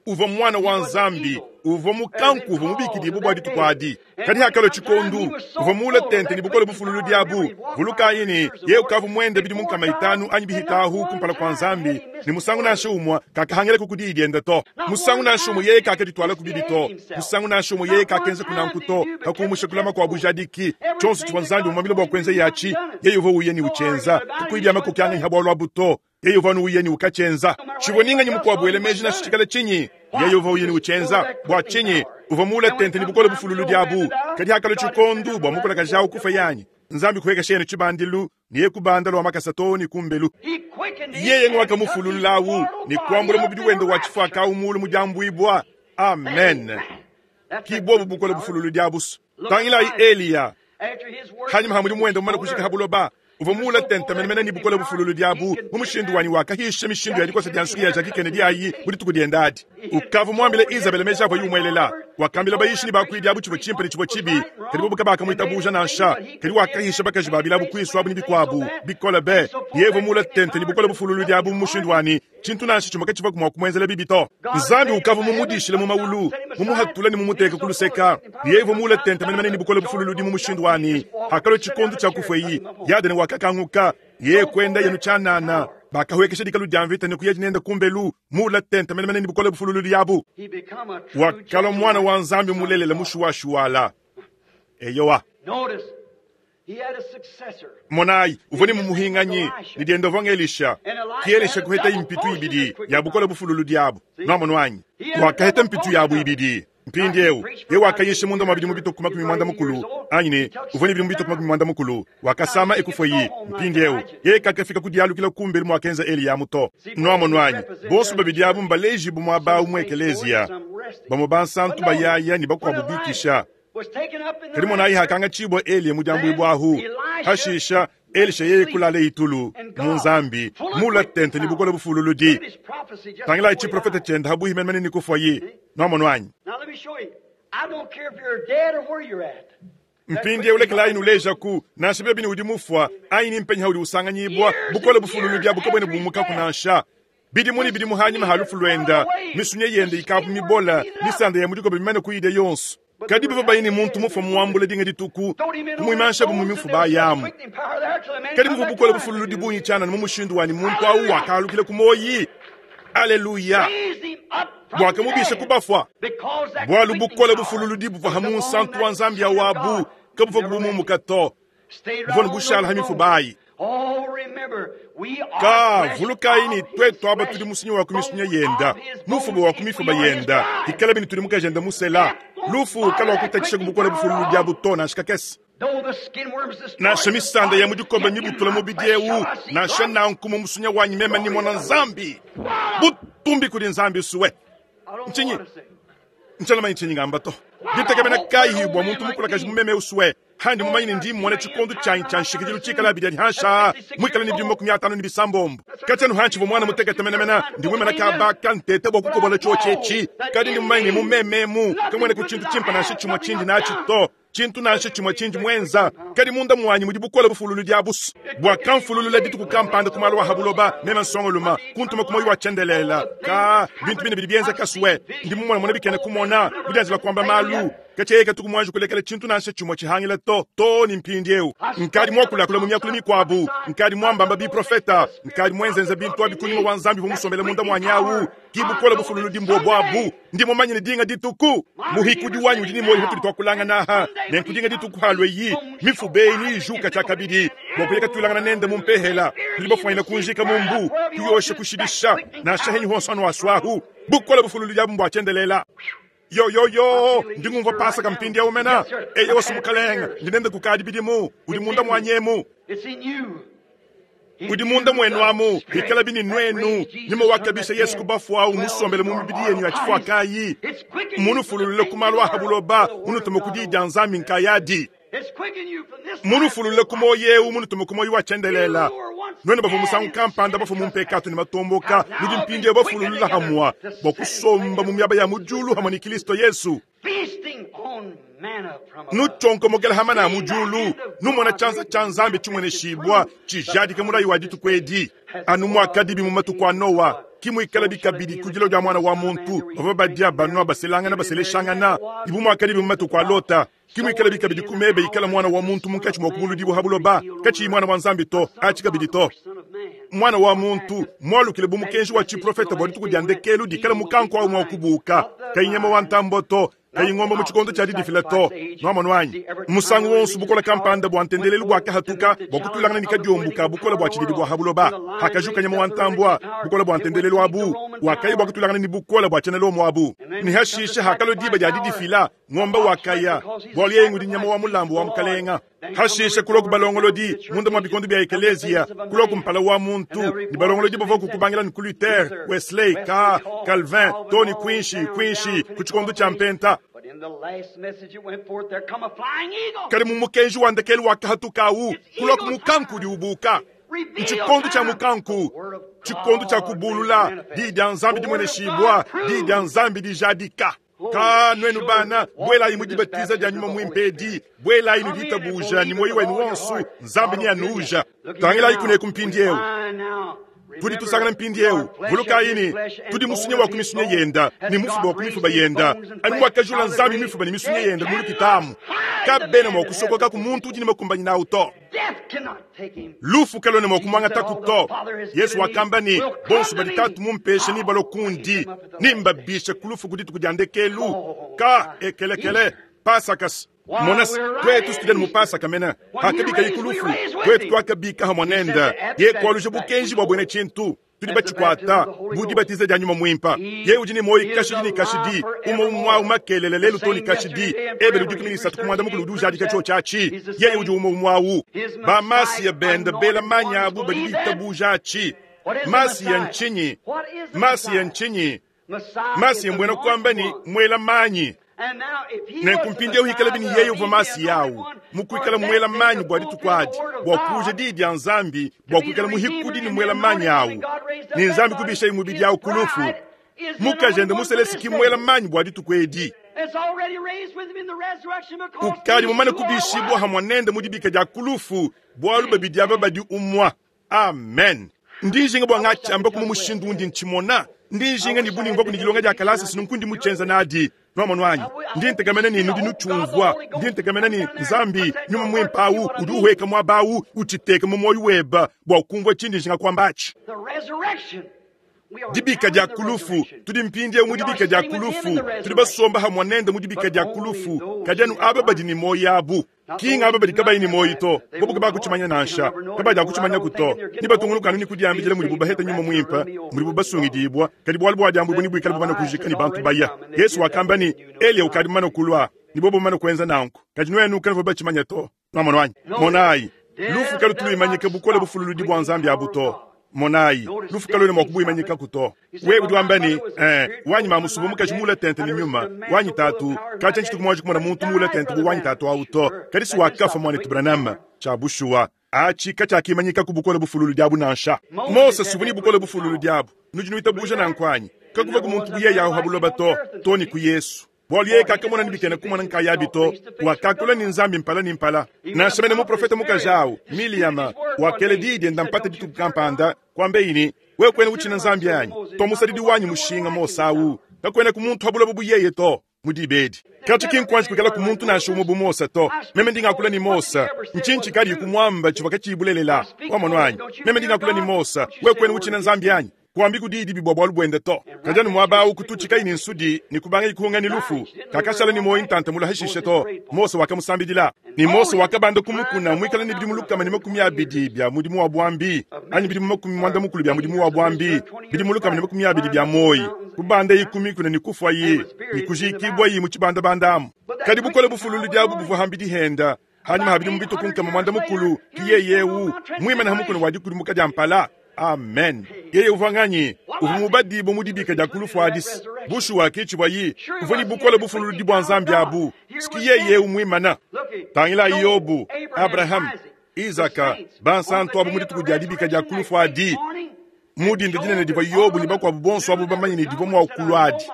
Uvua mwana wa Nzambi. Uvua mukanku, uvua mubikidibue bua dituku adi. Kadi hakalo tshikondu, uvua mule tente ni bukole bufululudi abu. Vulukayi ni, yeye ukavu mwende bidimu nkama itanu anyi bihitahu kumpala kwa Nzambi. Ni musangu nansha umwe kakahangila ku diyi dienda to. Musangu nansha umwe yeye kakaditwala ku bibi to. Musangu nansha umwe yeye kakenza kunanku to. Kakumusha kulama kwa bujadiki. Tshonso tshivua Nzambi umwambile bua kuenza yachi. Yeye uvua uye ni uchenza. Kukuidia makoki angi habwa lwa buto. Yeye uvua uye ni ukachenza. Tshivua ninganyi mukuabu ele meji na tshikala chinyi. Yeye uvua uye ni uchenza. Bua chinyi uvua mule tente ni bukole bufululudi abu. Kadi hakalo tshikondu bua mukola kajawu kufa yanyi. Nzambi kuweka shene tshibandilu, niye kubanda lwa makasa to ni kumbelu. Yeye ngwakamufululawu, ni kuambula mubidi wenda wa tshifwaka umulu mujambwibwa. Amen. Ki bobu bukole bufululudi abusu. Tangilayi Eliya. Hanyuma hamuli mwenda mumana kushika habuloba. Uvua mule tente menemene ni bukole bufululudi abu. Mu mushindu wanyi wakahisha mishindu ya dikosa dia nsuki ya Jackie Kennedy ayi mu dituku dienda adi. Ukavu mwambile Isabel meja avua yumwelela. Wakambila bayishi ni bakuidi abu tshivua tshimpe ne tshivua tshibi. Kadi bobu kabakamwitabuja nansha. Kadi wakahisha bakaji babili abu kuisu abu ni bikuabu. Bikole be. Yeye mule tente ni bukole bufululudi abu mu mushindu wanyi. Tshintu nansha tshimue katshivua mua kumuenzela bibi to. Nzambi ukavu mumudishile mu maulu, mumuhatula ni mumuteka kuluseka. Yeye mule tente menemene ni bukole bufululudi mu mushindu wanyi. Hakalo tshikondu tshia kufweyi. Yadene wakakanguka. Yeye kwenda yenu chanana. Bakahwekesha dikalu dia mvita ni kuya nenda kumbelu. Mula tente menemene ni bukole bufululudi abu. Wakalo mwana wa Nzambi mulelela mushuwashuwala. Eyowa. Monayi, uvua ni mumuhinganyi, ni dienda uvua Elisha. Ki Elisha kuheta impitu ibidi ya bukole bufululudi abu. Nwamonu wanyi. Wakaheta mpitu yabu ibidi. Mpindiewu, ye wakayisha munda mwa bidimu bituku makumi mwanda mukulu. Anyi ne, uvua ni bidimu bituku makumi mwanda mukulu. Wakasama ekufweyi. Mpindiewu, ye kakafika ku dialukila kumbelu mwakenza Eliya muto. Nwamonu wanyi, bonso babidi abu mbaleji bu mwaba umwe ekelezia. Bamwe bansantu bayaya ni bakuabu bikisha. Kadi monayi hakanga tshibwa Eliya mujambwibwa ahu. Hashisha, Elisha yeye kulala itulu mu Nzambi, mula tente ni bukole bufululudi. Tangilayi tshiprofeta tshienda habuhi menemene ni kufwayi. Nwamonu wanyi. Mpindiewu ulekelayi nuleja ku, nansha bebe ni udi mufwa, anyi ni mpenyi haudi usanganyibwa, bukole bufululudi abu kabwene bumuka kunansha. Bidimu ni bidimu hanyuma halufu lwenda, misunye yende ikapu mibola, misanda ya mudikobe bimane kuyide yonso. Kadi bava bayini muntu mufa muambula dinga dituku, kumuimansha bu mumifu bayamu. Kadi muvu bukole bufululudi bunyi tshana mu mushindu wani muntu awu wakalukile ku moyi. Aleluya. Bwakamubisha kubafwa. Bwalu bukole bufululudi buvua hamu nsantu wa Nzambi ya wabu, kabuva kubumumuka to. Buvua nubushala hamifu bayi. Ka vulukayi ni twetu aba tudi musinyi wa kumisunya yenda, mufuba wa kumifuba yenda, ikala bini tudi mukajenda musela. Lufu kalwa kutatshisha kubukole bufululudi abu to nansha kakese. Nansha misanda ya mu dikomba mibutula mubidi eu, nansha nanku mu musunya wanyi meme nimona Nzambi. Butumbi kudi Nzambi suwe. Ntshinyi? Ntshala ntshinyi ngamba to. Ditekemena kayi bua muntu mukulakaji mu meme usuwe. Handi mumanyi ne ndi mmona tshikondo tshianyi tshia nshikidilu tshikala abidi adi hansha muikale ne bidimu makumi atanu ne bisambombo. Katshianu hantshi vua mwana mutekete menemene, ndi muimana kaba ntete bua kukobola tshiotshi etshi. Kadi ndi mumanyi ne mu mememu kamuena ku tshintu tshimpe nansha tshimue tshindi natshi to. Tshintu nansha tshimue tshindi mwenza. Kadi munda muanyi mudi bukole bufululu dia busu. Bua kamfululula dituku kampanda ku malu a habuloba, meme nsongoluma, kuntuma ku moyo wa tshiendelela. Ka bintu bine bidi bienza kasuwe. Ndi mumona mona bikene kumona, bidianzila kuamba malu. Katshiye tuku mwanji kulekela tshintu nansha tshimue tshihangila to, to ni mpindi eu. Nkadi mwakulakula mu miakulu mikuabu, nkadi mwambamba biprofeta, nkadi mwenzenza bintu abi kunyuma wa Nzambi vumusombela munda mwanyawu. Ki bukole bufululu dimbo bwabu. Ndi mumanye ne dinga dituku. Muhikudi wanyu udi ni moyo hutuli twakulangana aha. Ne nkudinga dituku halwe yi. Mifube ni ijuka tshia kabidi. Bwa kuyeka tulangana nende mu mpehela. Tudi bafwanyina kunjika mu mbu. Kuyosha kushidisha. Nansha henyi honso anu aswahu. Bukole bufululu diabu mbwa tshiendelela. Yo yo yo, ndi ngumva pasaka mpindi ya umena. Eye wasu mukalenga, ndi nende kukadi bidimu, udi munda mwanyemu. Udi munda mwenu amu, ikala bini nwenu, nyuma wakabisha Yesu kubafu au musombele mu mibidi yenu ya chifua kayi. Munufululule ku malu a habuloba, munutuma ku diyi dia Nzambi nkayadi. Munufululule ku moyo eu, munutuma ku moyo wa tshiendelela. Nwenu bavua musangu kampanda bafua mu mpekatu ne matomboka, nudi mpindi bafululula hamwa, bua kusomba mu miaba ya mu diulu hamwe ni Kristo Yesu. Nuchonkomokela hamana mu diulu, numona tshianza tshia Nzambi tshimweneshibwa, tshijadika mulayi wa dituku edi. Anu mwakadibi mu matuku a Noa, kimuikala bikabidi kudilo dia mwana wa muntu, bavua badia banua baselangana baseleshangana, ibu mwakadibi mu matuku a Lota. Kimuikala bikabidi kumebe ikala mwana wa muntu munkatshi mwa kubuludibu habuloba, katshiyi mwana wa Nzambi to, atshi kabidi to. Mwana wa muntu mwalukile bu mukenji wa tshiprofeta bua dituku dia ndekelu dikala mukanku awu mwa kubuka, kayi nyama wa ntambo to, kayi ngombe mu tshikondo tshia didifila to. Nwamonu anyi? Musangu wonso bukola kampanda bua ntendelelu bua kahatuka, bua kutulangana ne kadiombuka bukola bua tshididi bua habuloba. Hakajuka nyama wa ntambua, bukola bua ntendelelu abu, wakayi bua kutulangana ne bukola bua tshiena abu. Ne hashisha hakalo diba dia didifila, ngombe wakaya, bualu yeye ngudi nyama wa mulambu wa mukalenga. Hashisha kuloku balongolodi, munda mwa bikondo bia ekelezia, kuloku mpala wa muntu, ni balongolodi bavua kukubangila ni ku Luther, Wesley, Ka, Calvin, Tony Quincy, Quincy, ku tshikondo tshia mpenta. Kadi mu mukenji wa ndekelu wa kahatuka awu, kuloku mukanku udi ubuka. Tshikondo tshia mukanku, tshikondo tshia kubulula, diyi dia Nzambi dimweneshibwa, diyi dia Nzambi dijadika. Ka nwenu bana, bwelayi mu dibatiza dia nyuma mwimpedi, bwelayi nu ditabuja ni moyo wenu wonso, Nzambi ni anuja. Tangilayi kuneku mpindi eu. Tudi tusangana mpindi eu, vulukayi ni, tudi musunya wa kumisunya yenda, ni mufuba wa kumifuba yenda. Anu wakajula Nzambi mifuba ni misunya yenda mu lukitamu. Kabena mwa kusokoka ku muntu udi ne makumbanyi nawu to. Lufu kalone mwa kumwangata ku to. Yesu wakamba ni, bonso badi tatu mumpeshe ni balokundi, nimbabishe kulufu ku dituku dia ndekelu. Ka ekelekele, pasakas. Monas, twetu studeni mupasa kamena. Hakabika ikulufu, twetu twakabika hamwanenda. Ye kwaluja bukenji bwa bwene tshintu. Tudi batshikwata, budi batiza dia nyuma mwimpa. Ye udi ne moyo kashidi ne kashidi, umo umwa umakelele lelu to ne kashidi. Ebe ludi kumi nisatu kumwanda mukulu udi ujadika tsho tshiatshi. Ye udi umo umwawu. Ba masiya benda bela manya abu badi bitabuja atshi. Masiya ntshinyi? Masiya ntshinyi? Masiya mbwena kwamba ni mwela manyi. Nenkumpindie uhikala bini yeye uvua masi yawu, mukuikala mwela manyi bua dituku adi, bua kuja diyi dia Nzambi, bua kuikala muhikudi ni mwela manyi awu. Ni Nzambi kubisha imubidi yawu kulufu. Mukajende muselesi ki mwela manyi bua dituku edi. Ukadi mumane kubishibwa hamwa nende mu dibika dia kulufu, bualu babidi aba badi umwa. Amen. Ndi njinga bua ngatshiamba kuma mushindu undi ntshimona. Ndi njinga ni buni ngwaku ni dilonga dia kalasa sinunkundi mutshenza nadi. Nwamonu anyi? Ndi ntekamena ni nudi nutshumvua. Ndi ntekamena ni Nzambi nyuma mwimpa awu, udi uhweka mwaba awu, utshiteka mu moyo weba, bua kumvua tshindi njinga kwambatshi. Dibika dia kulufu, tudi mpindie mu dibika dia kulufu, tudi basomba hamwa nende mu dibika dia kulufu, kadi anu aba badi ni moyo abu. Kinga aba badi kabayi ni moyo to, bobo kabakuchimanya nansha, kabadi akuchimanya kuto. Ni batunguluka ni kudiambijela muri bubaheta nyuma mwimpa, muri bubasungidibwa, kadi bwali bwa diambu buni bwikala bubana kujika ni bantu baya. Yesu wakamba ni Elia ukadi mana kulwa, ni bobo mana kuenza nanku. Kadi nwenu kanvo bachimanya to. Nwamonu anyi? Monayi, lufu kalutu luimanyika bukole bufululudi bwa Nzambi abu to. Monayi, lufu kaluena mwa kubuimanyikaku to. Wewe udi wamba ne, eh, wanyi mamu uvua mukaji muule tente ne nyuma, wanyi tatu, katshia ntshituku muanji kumona muntu muule tente bu wanyi tatu awu to. Kadi si wakafa mwanetu Branham. Tshia bushuwa, atshi katshiakimanyikaku bukole bufululudi abu nansha. Mose si uvua ne bukole bufululudi abu. Nudi nuitabuja nanku anyi? Kakuvaku muntu bu yeye awu ha buloba to, to ne ku Yesu. Bualu yeye kakamona ne bikena kumona nkayabi to, wakakula ne Nzambi mpala ne mpala. Nansha mene muprofete mukaji awu, Miliyama, wakela diyi dienda mpata dituku kampanda, kuambeyi ne, wewe kuena utshina Nzambi anyi? Tua musadidi wanyi mushinga Mose awu, kakuena ku muntu ha buloba bu yeye to. Mu dibedi. Katshi ki nkuanji kuikala ku muntu nansha umue bu Mose to. Meme ndi ngakula ne Mose, ntshinyi tshikadi kumuamba tshivua katshiyi bulelela? Wamonu anyi? Meme ndi ngakula ne Mose, wewe kuena utshina Nzambi anyi? Kuambi ku diyi dibi bua bualu buende to. Kadi anu muaba awu kututshikayi ne nsudi ne kubangayi kuhunga ne lufu. Kakashala ne muoyo ntanta mula hashishe to. Mose wakamusambidila. Ne Mose wakabanda ku mukuna muikale ne bidimu lukama ne makumi abidi bia mudimu wa buambi, anyi bidimu makumi muanda mukulu bia mudimu wa buambi, bidimu lukama ne makumi abidi bia muoyo. Kubandayi ku mikuna ne kufuayi, ne kujikibwayi mu tshibandabanda amu. Kadi bukole bufululudi abu buvua hambidi henda. Hanyuma ha bidimu bituku nkama muanda mukulu, ki yeye ewu, muimane ha mukuna wa dikudumuka dia mpala. Amen. Yeye uvua nganyi? Uvua mubadibue mu dibika dia ku lufu adisi. Bushuwa ke tshivua yi, uvua ne bukole bufululudi bua Nzambi abu. Siki yeye ewu muimana. Tangila Yobu, Abraham, Isaka, bansantu abu mu dituku dia dibika dia ku lufu adi. Mu dinda dinene divua Yobu ne bakuabu bonso abu bamanye ne divua mua kulua adi.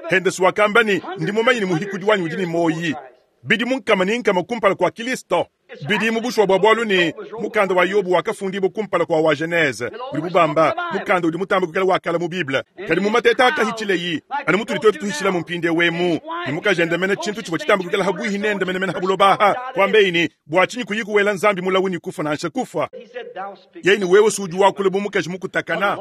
Hendesu wakamba ne, ndi mumanye ne muhikudi wanyi udi ne moyi. Bidi mu nkama ne nkama kumpala kua Kristo. Bidi mu bushuwa bua bualu ne mukanda wa Yobu wakafundibua kumpala kua wa Genese. Udi bubamba mukanda udi mutambe kuikala wa kala mu Bible. Kadi mu mateta akahitshileyi, anu mutudi tuetu tuhitshila mu mpindieu emu, ne mukajende mene tshintu tshivua tshitambe kuikala habuihi nende mene mene ha buloba aha. Kuambeyi ne, bua tshinyi kuyi kuwela Nzambi mulawu ne kufa nansha kufa? Yeye ne wewe si udi wakula bu mukaji mukutakana.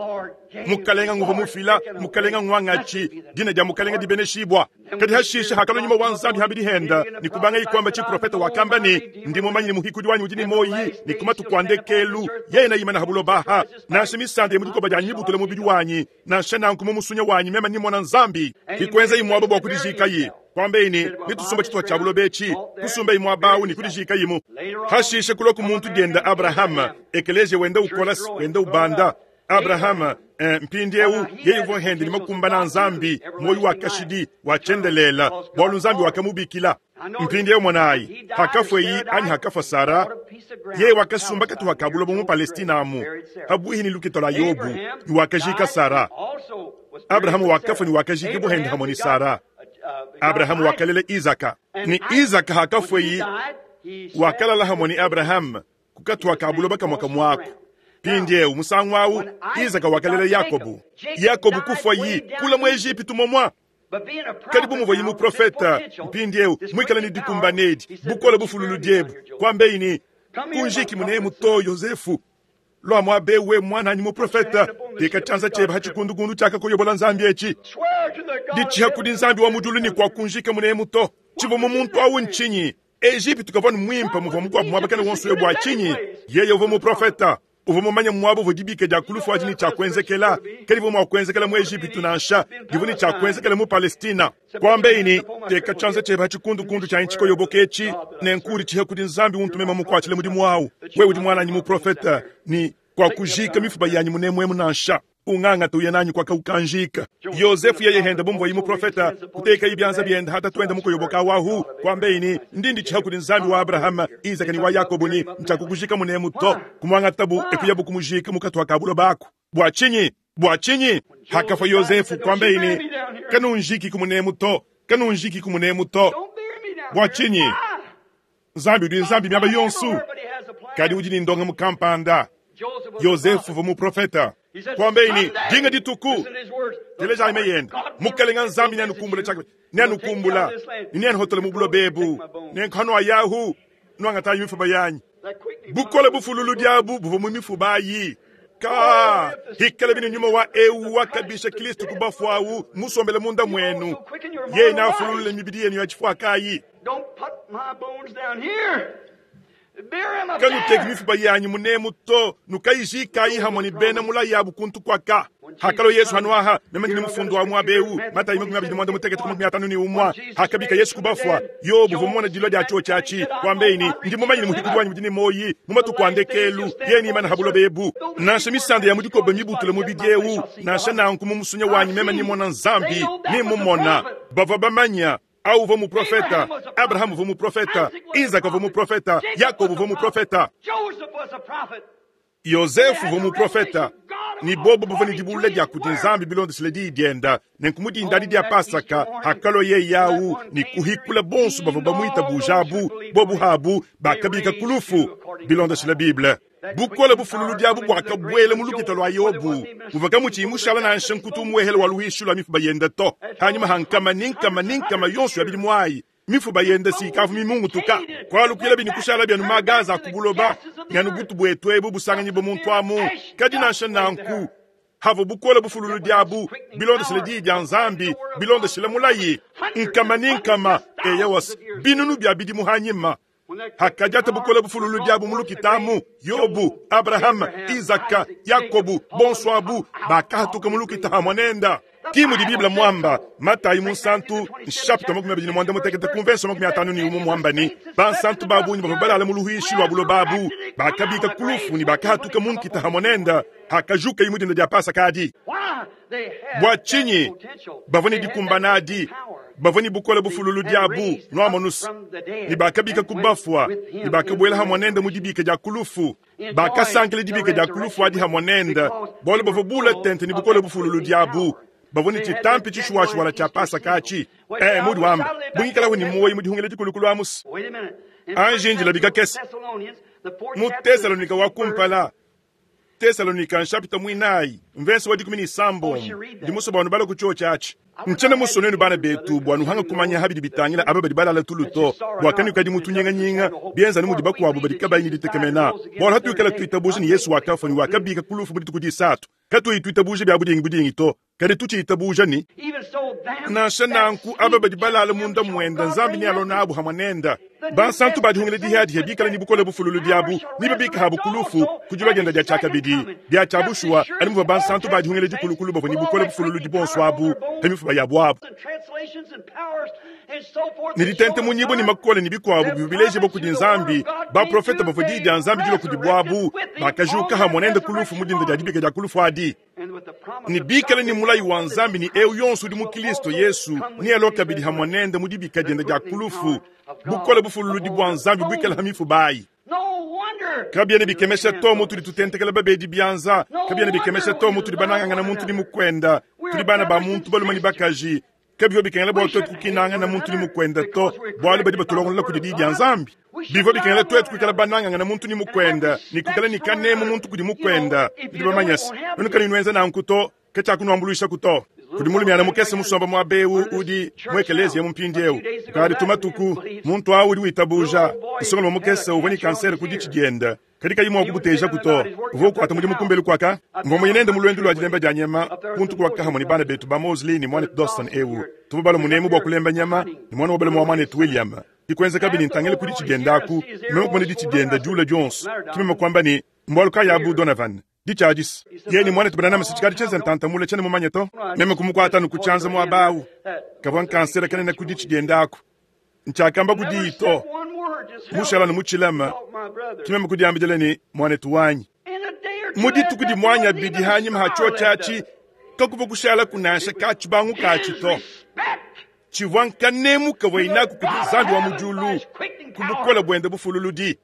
Mukalenga nguvua mufila, mukalenga ngwangatshi, dina dia mukalenga dibeneshibua. Kadi hashisha hakalua nyuma wa Nzambi hambidi henda, ne kubangayi kuamba tshiprofeta wakamba ne, ndi mumanye ne muhikudi wanyi udi ne moyi, ne kumatu kua ndekelu, yeye nayimana ha buloba aha. Nansha misanda ya mu dikoba dia nyibutula mubidi wanyi, nansha nanku mu musunya wanyi meme nimona Nzambi. Kikuenza muaba bua kudijikayi. Kuambeyi ne, nitusumba tshitupa tshia buloba etshi, kusumbayi muaba awu ne kudijikayimu. Hashisha kulua ku muntu dienda Abraham, ekeleziya wenda ukola, wenda ubanda. Abraham, eh, mpindieu yeye uvua hende ne makumbana Nzambi, moyo wa kashidi wa tshiendelela, bualu Nzambi wakamubikila. Mpindieu mwanayi, hakafweyi anyi hakafa Sara, yeye wakasumba katuha ka buloba mu Palestina amu, habuihi ne lukita lua Yobu, ne wakajika Sara. Abrahamu wakafa ne wakajika buhende hamwe ne Sara. Abrahamu wakalela Isaka, ne Isaka hakafweyi wakalala hamwe ne Abrahamu kukatuha ka buloba kamwe kamwako. Mpindieu musangu awu Isaka wakalela Yakobu. Yakobu kufayi kula mu Ejipitu momwa. Kadi bu muvua muprofeta mpindieu muikale ne dikumbanedi bukole bufululudiebu kuambeyi ne kunjiki munemu to Yosefu lua muabewe mwananyi muprofeta teka tshianza tshiebe ha tshikundukundu tshiakakoyobola Nzambi etshi ditshiha kudi Nzambi wa mujulu ne kwa kunjika munemu to. Tshivua mu muntu awu ntshinyi? Ejipitu kavua ne muimpe muvua mukuabu muabakane wonso we bua tshinyi? Yeye uvua muprofeta, uvua mumanye muaba uvua dibika dia ku lufu adi ne tshiakuenzekela. Kadi uvua mua kuenzekela mu Ejipitu nansha, divua ne tshiakuenzekela mu Palestina. Kuambeyi ne, teka tshianza tshiebe ha tshikundukundu tshia ntshikoyoboka etshi, ne nkudi tshiha kudi Nzambi untumema mukuatshile mudimu wawu. Wewe udi mwananyi muprofeta, ne kwa kujika mifuba yanyi munemuemu nansha. Unganga tuya nanyi kwa kaukanjika. Yosefu yeye henda bumvua yi muprofeta, kuteka ibyanza byenda hata twenda mukoyoboka wahu. Kuambeyi ne, ndindi tshiha kudi Nzambi wa Abraham, Isaka ne wa Yakobo ne ntshiakukujika munemu to. Kumwangatabu ekuyabu kumujika mukatu ka buloba aku. Bua tshinyi? Bua tshinyi? Hakafa Yosefu kuambeyi ne, kanunjiki kumunemu to, kanunjiki kumunemu to. Bua tshinyi? Nzambi udi Nzambi miaba yonso. Kadi udi ne ndonga mukampanda. Yosefu uvua muprofeta. Kuambeyi ne, dinga dituku. Teleja aime yenda. Mukalenga Nzambi neanukumbula tshaka, neanukumbula. Neanuhotole mu buloba ebu. Nenkhano ayahu, nuangatayi mifuba yanyi. Bukole bufululu diabu buvua mu mifuba ayi. Ka, hikala bine nyuma wa ewu wakabisha Kristo kubafu awu, musombele munda mwenu. Yeye nafululule mibidi yenu ya chifuakayi. Don't put my bones down here. Kanuteki mifuba yanyi munemu to, nukayijikayi hamwe ni bena mulayi abu kuntu kwaka. Hakalo Yesu hanuaha meme ndi mufundu wa mwabeu Matayi makumi abiri mwanda mutekete makumi atanu ni umwa hakabika Yesu kubafwa Yobu vumona dilwa lya cho chachi kwambeini ndi mumanyi ni muhikudi wanyi mudini moyi mumatuku andekelu yeni imana habulo bebu nansha misanda ya mudikobe mibutule mubidyeu nansha nanku mumusunya wanyi meme nimona nzambi nimumona bava bamanya au uvua muprofeta Abrahamu uvua muprofeta Isaka uvua muprofeta Yakobo uvua muprofeta Yosefu uvua muprofeta ni bobo buvua ni dibulula dia kudi nzambi bilondesele diyi dienda nenku mudinda dia pasaka hakalo ye yawu ni kuhikula bonso bavua bamwitabujabu bobu habu bakabika kulufu bilondesele bible bukola bufululu diabu bwakabwela mu lukita lwa Yobu muvaka muchimushala nansha nkutu muwehela wa luhishu lwa mifuba yenda to hanyuma hankama ninkama ninkama yonso ya bidi mwayi mifuba yenda sikavu mimungutuka kwalukila bini kushala byanu magaza akubuloba nganu butu bwetu ebu busanganyi bomuntu amu kadi nansha nanku havo bukola bufululu diabu bilondesele diyi dia nzambi bilondesele mulayi nkama ninkama eyawas binunu bya bidi muhanyima hakajata bukola bufululu diabu mulukitamu Yobu Abrahama Isaka Yakobu bonso abu bakahatuka mulukita hamwanenda kimu di Biblia mwamba Matayi munsantu nshapita makumi abiri na mwanda mutekete kumvenso makumi atanu ni umu mwamba ni bansantu babunyi bava balala mu luhishi lwa bulo babu bakabika kulufu ni bakahatuka munkita hamwanenda hakajuka imudinda dia pasaka adi bwa chinyi bavua ni dikumbana adi bavua ni bukola bufululu diabu nwamonusu ni bakabika kubafwa ni bakabwela hamwanenda mu dibika dia kulufu bakasankile dibika dia kulufu adi hamwanenda bwalo bavua bula tente ni bukola bufululu diabu bavua ni chitampi chishuwashuwala cha pasaka achi eh mudi wamba bungikalaho ni muoyi mudihungile dikulukulu amusi anjinjila bikakese mu Tesalonika wa kumpala Tesalonika nshapita mwinayi mvensi wa dikumi ni sambo ndi muso bwanu bala ku chachi nchana muso nenu bana betu bwanu hanga kumanya habidi bitangila aba badi balala tuluto bwakani kadi mutunyinganyinga bienza ni mudi bakuabu badi kabayi ditekemena bwalo hatuikala tuitabuja ni Yesu wakafa ni wakabika kulufu mudi tukudisatu katuituitabuja bya budingi budingi to kadi tuchiitabuja ni nansha nanku aba badi balala munda mwenda nzambi ni alona abu hamwanenda bansantu badihungile dihadihe bikala ni bukola bufululu diabu niba bika habu kulufu kujula genda dia chakabidi dia chabushwa ali muva bansantu badihungile dikulukulu bavua ni bukola bufululu dibonso abu hemifuba yabu abu nilitente munyibo ni makole ni bikwabu bibileje bokudi nzambi baprofeta bavua diyi dia nzambi dilo kudi bwabu bakajuka hamwanenda kulufu mudinda dia dibika dia kulufu adi ni bikala ni mulayi wa nzambi ni eu yonso udi mu Kristo Yesu ni alo kabidi hamwanenda mudibika dienda dia kulufu bukola bufululu dibwa nzambi bwikala hamifu bayi kabyene bikemesha to tuli tutentekela babedi byanza kabyene bikemesha to tuli banangangana muntu ni mukwenda tuli bana ba muntu baluma ni bakaji kabivyo bikengela bwa twetu kukinangana muntu ni mukwenda to bwalo badi batulongolela kudi diyi dia nzambi bivyo bikengela twetu kuikala banangangana muntu ni mukwenda ni kuikala ni kanemu muntu kudi mukwenda bidi bamanyasi nunu kani nwenza nanku to kechakunuambuluisha kuto kudi mulumyana mukese musomba mwa bewu udi mwekelezia mumpindiewu kadi tumatuku muntu awu udi witabuja isongolo mukese uvua ni kansere kudi chidienda kadi kayi mwa kubuteja kuto uvua ukwata mudimu kumbelu kwaka mvua mwenende mulwendu lwa dilemba dia nyama kuntu kwaka hamwe ni bana betu ba Mosley ni mwana Dawson ewu tuva balo munemu bwa kulemba nyama ni mwana wabale mwa mwana William ikwenza kabini ntangele kudi chidiendaku meme kumene di chidienda Jula Jones kimema kwamba ni mbwaluka ya Abu Donovan dichadis yeni mwana tubanana masichikadi cheza ntanta mule chene mumanye to meme kumukwata nukuchanza mwabawu kavwa nkansera kanene kudi chidiendako nchakamba kudi to mushala numuchilama kimeme kudiambijeleni mwanetu wanyi muditu kudi mwanya bidi hanyima hacho chachi kakuva kushala kunasha kachibangu kachi to chivwa nkanemu kavwa inaku kudi nzambi wa mujulu kubukola bwende bufululu di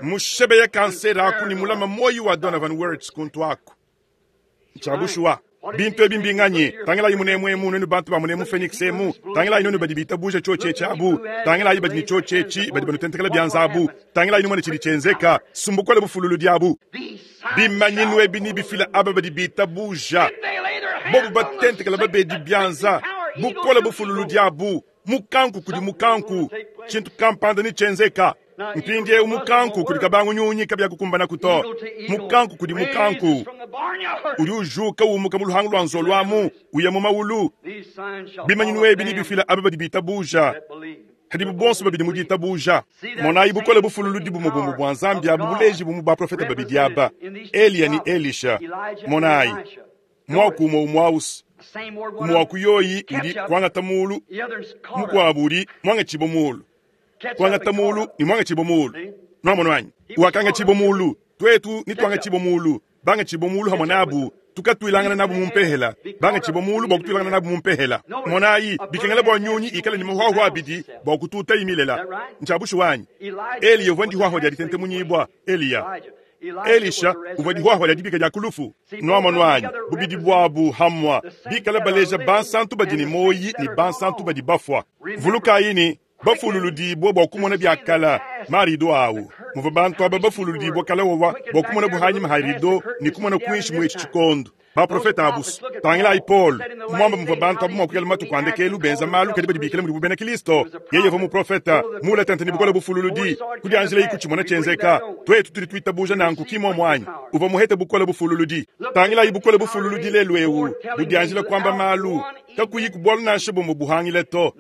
mushebe ya kansera aku ni mulama moyi wa Donovan Words kuntu aku nchabushuwa bintu ebi mbinganyi tangelayi munemu emu nenu bantu ba munemu Phoenix emu tangelayi nenu badi bitabuja choche abu tangelayi badi ni choche chi badi banutentekela byanza abu tangelayi numone chidi chenzeka sumbukole bufululu diabu bimanyinu ebi ni bifila aba badi bitabuja bobu batentekela babedi byanza bukola bufululu diabu mukanku kudi mukanku chintu kampanda ni chenzeka mpindie mukanku kudi kabangu nyunyi kabya kukumbana kuto mukanku kudi mukanku udi ujuka umuka mu luhangu lwa nzolwamu uya mu mawulu bimanyinu ebi ni bifila aba badi bitabuja Hadibu bonso babidi mu ditabuja. Monayi bukole bufululudi bumue bumue bua Nzambi abu buleji bumu baprofeta babidi aba, Eliya ne Elisha. Monayi muaku umue umue ausi. Muaku yoyi udi kuangata mulu, mukuabu udi muangatshibua mulu. Kuangata mulu ne muangatshibua mulu. Nuamonu anyi? Wakangatshibua mulu, tuetu ne tuangatshibua mulu, bangatshibua mulu hamwe nabu. Tukatuilangana nabu mu mpehela, bangatshibua mulu bua kutuilangana nabu mu mpehela. Monayi bikengela bua nyunyi ikale ne mahuahua abidi bua kututa imilela. Ntshiabushu wanyi. Eliya uvua ndihuahua dia ditentemunyibua, Eliya. Elisha uvua dihuahua dia dibika dia kulufu. Nuamonu anyi? Bubidi buabu hamwa bikala baleja bansantu badi ne moyi ne bansantu badi bafua. Vulukayi ne bafululudibua bua kumona biakala marido awu. Muvua bantu aba bafululudibua kala wawa bua kumona buhanyi maharido ne kumona kuinshi mu etshi tshikondo. Baprofeta abusu tangilayi Paul mwamba muvua bantu abu mua kuikala matuku andekelu benza malu kadi badi bikala mudibu bena Kristo. Yeye uvua muprofeta mula tente ne bukole bufululudi kudianjila ikutshimona tshienzeka. Tuetu tudi tuitabuja nanku kimwe mwanyi uvua muhete bukole bufululudi. Tangilayi bukole bufululudi lelu ewu budianjila kwamba malu kakuyi kubwalu nansha bumwe buhangile to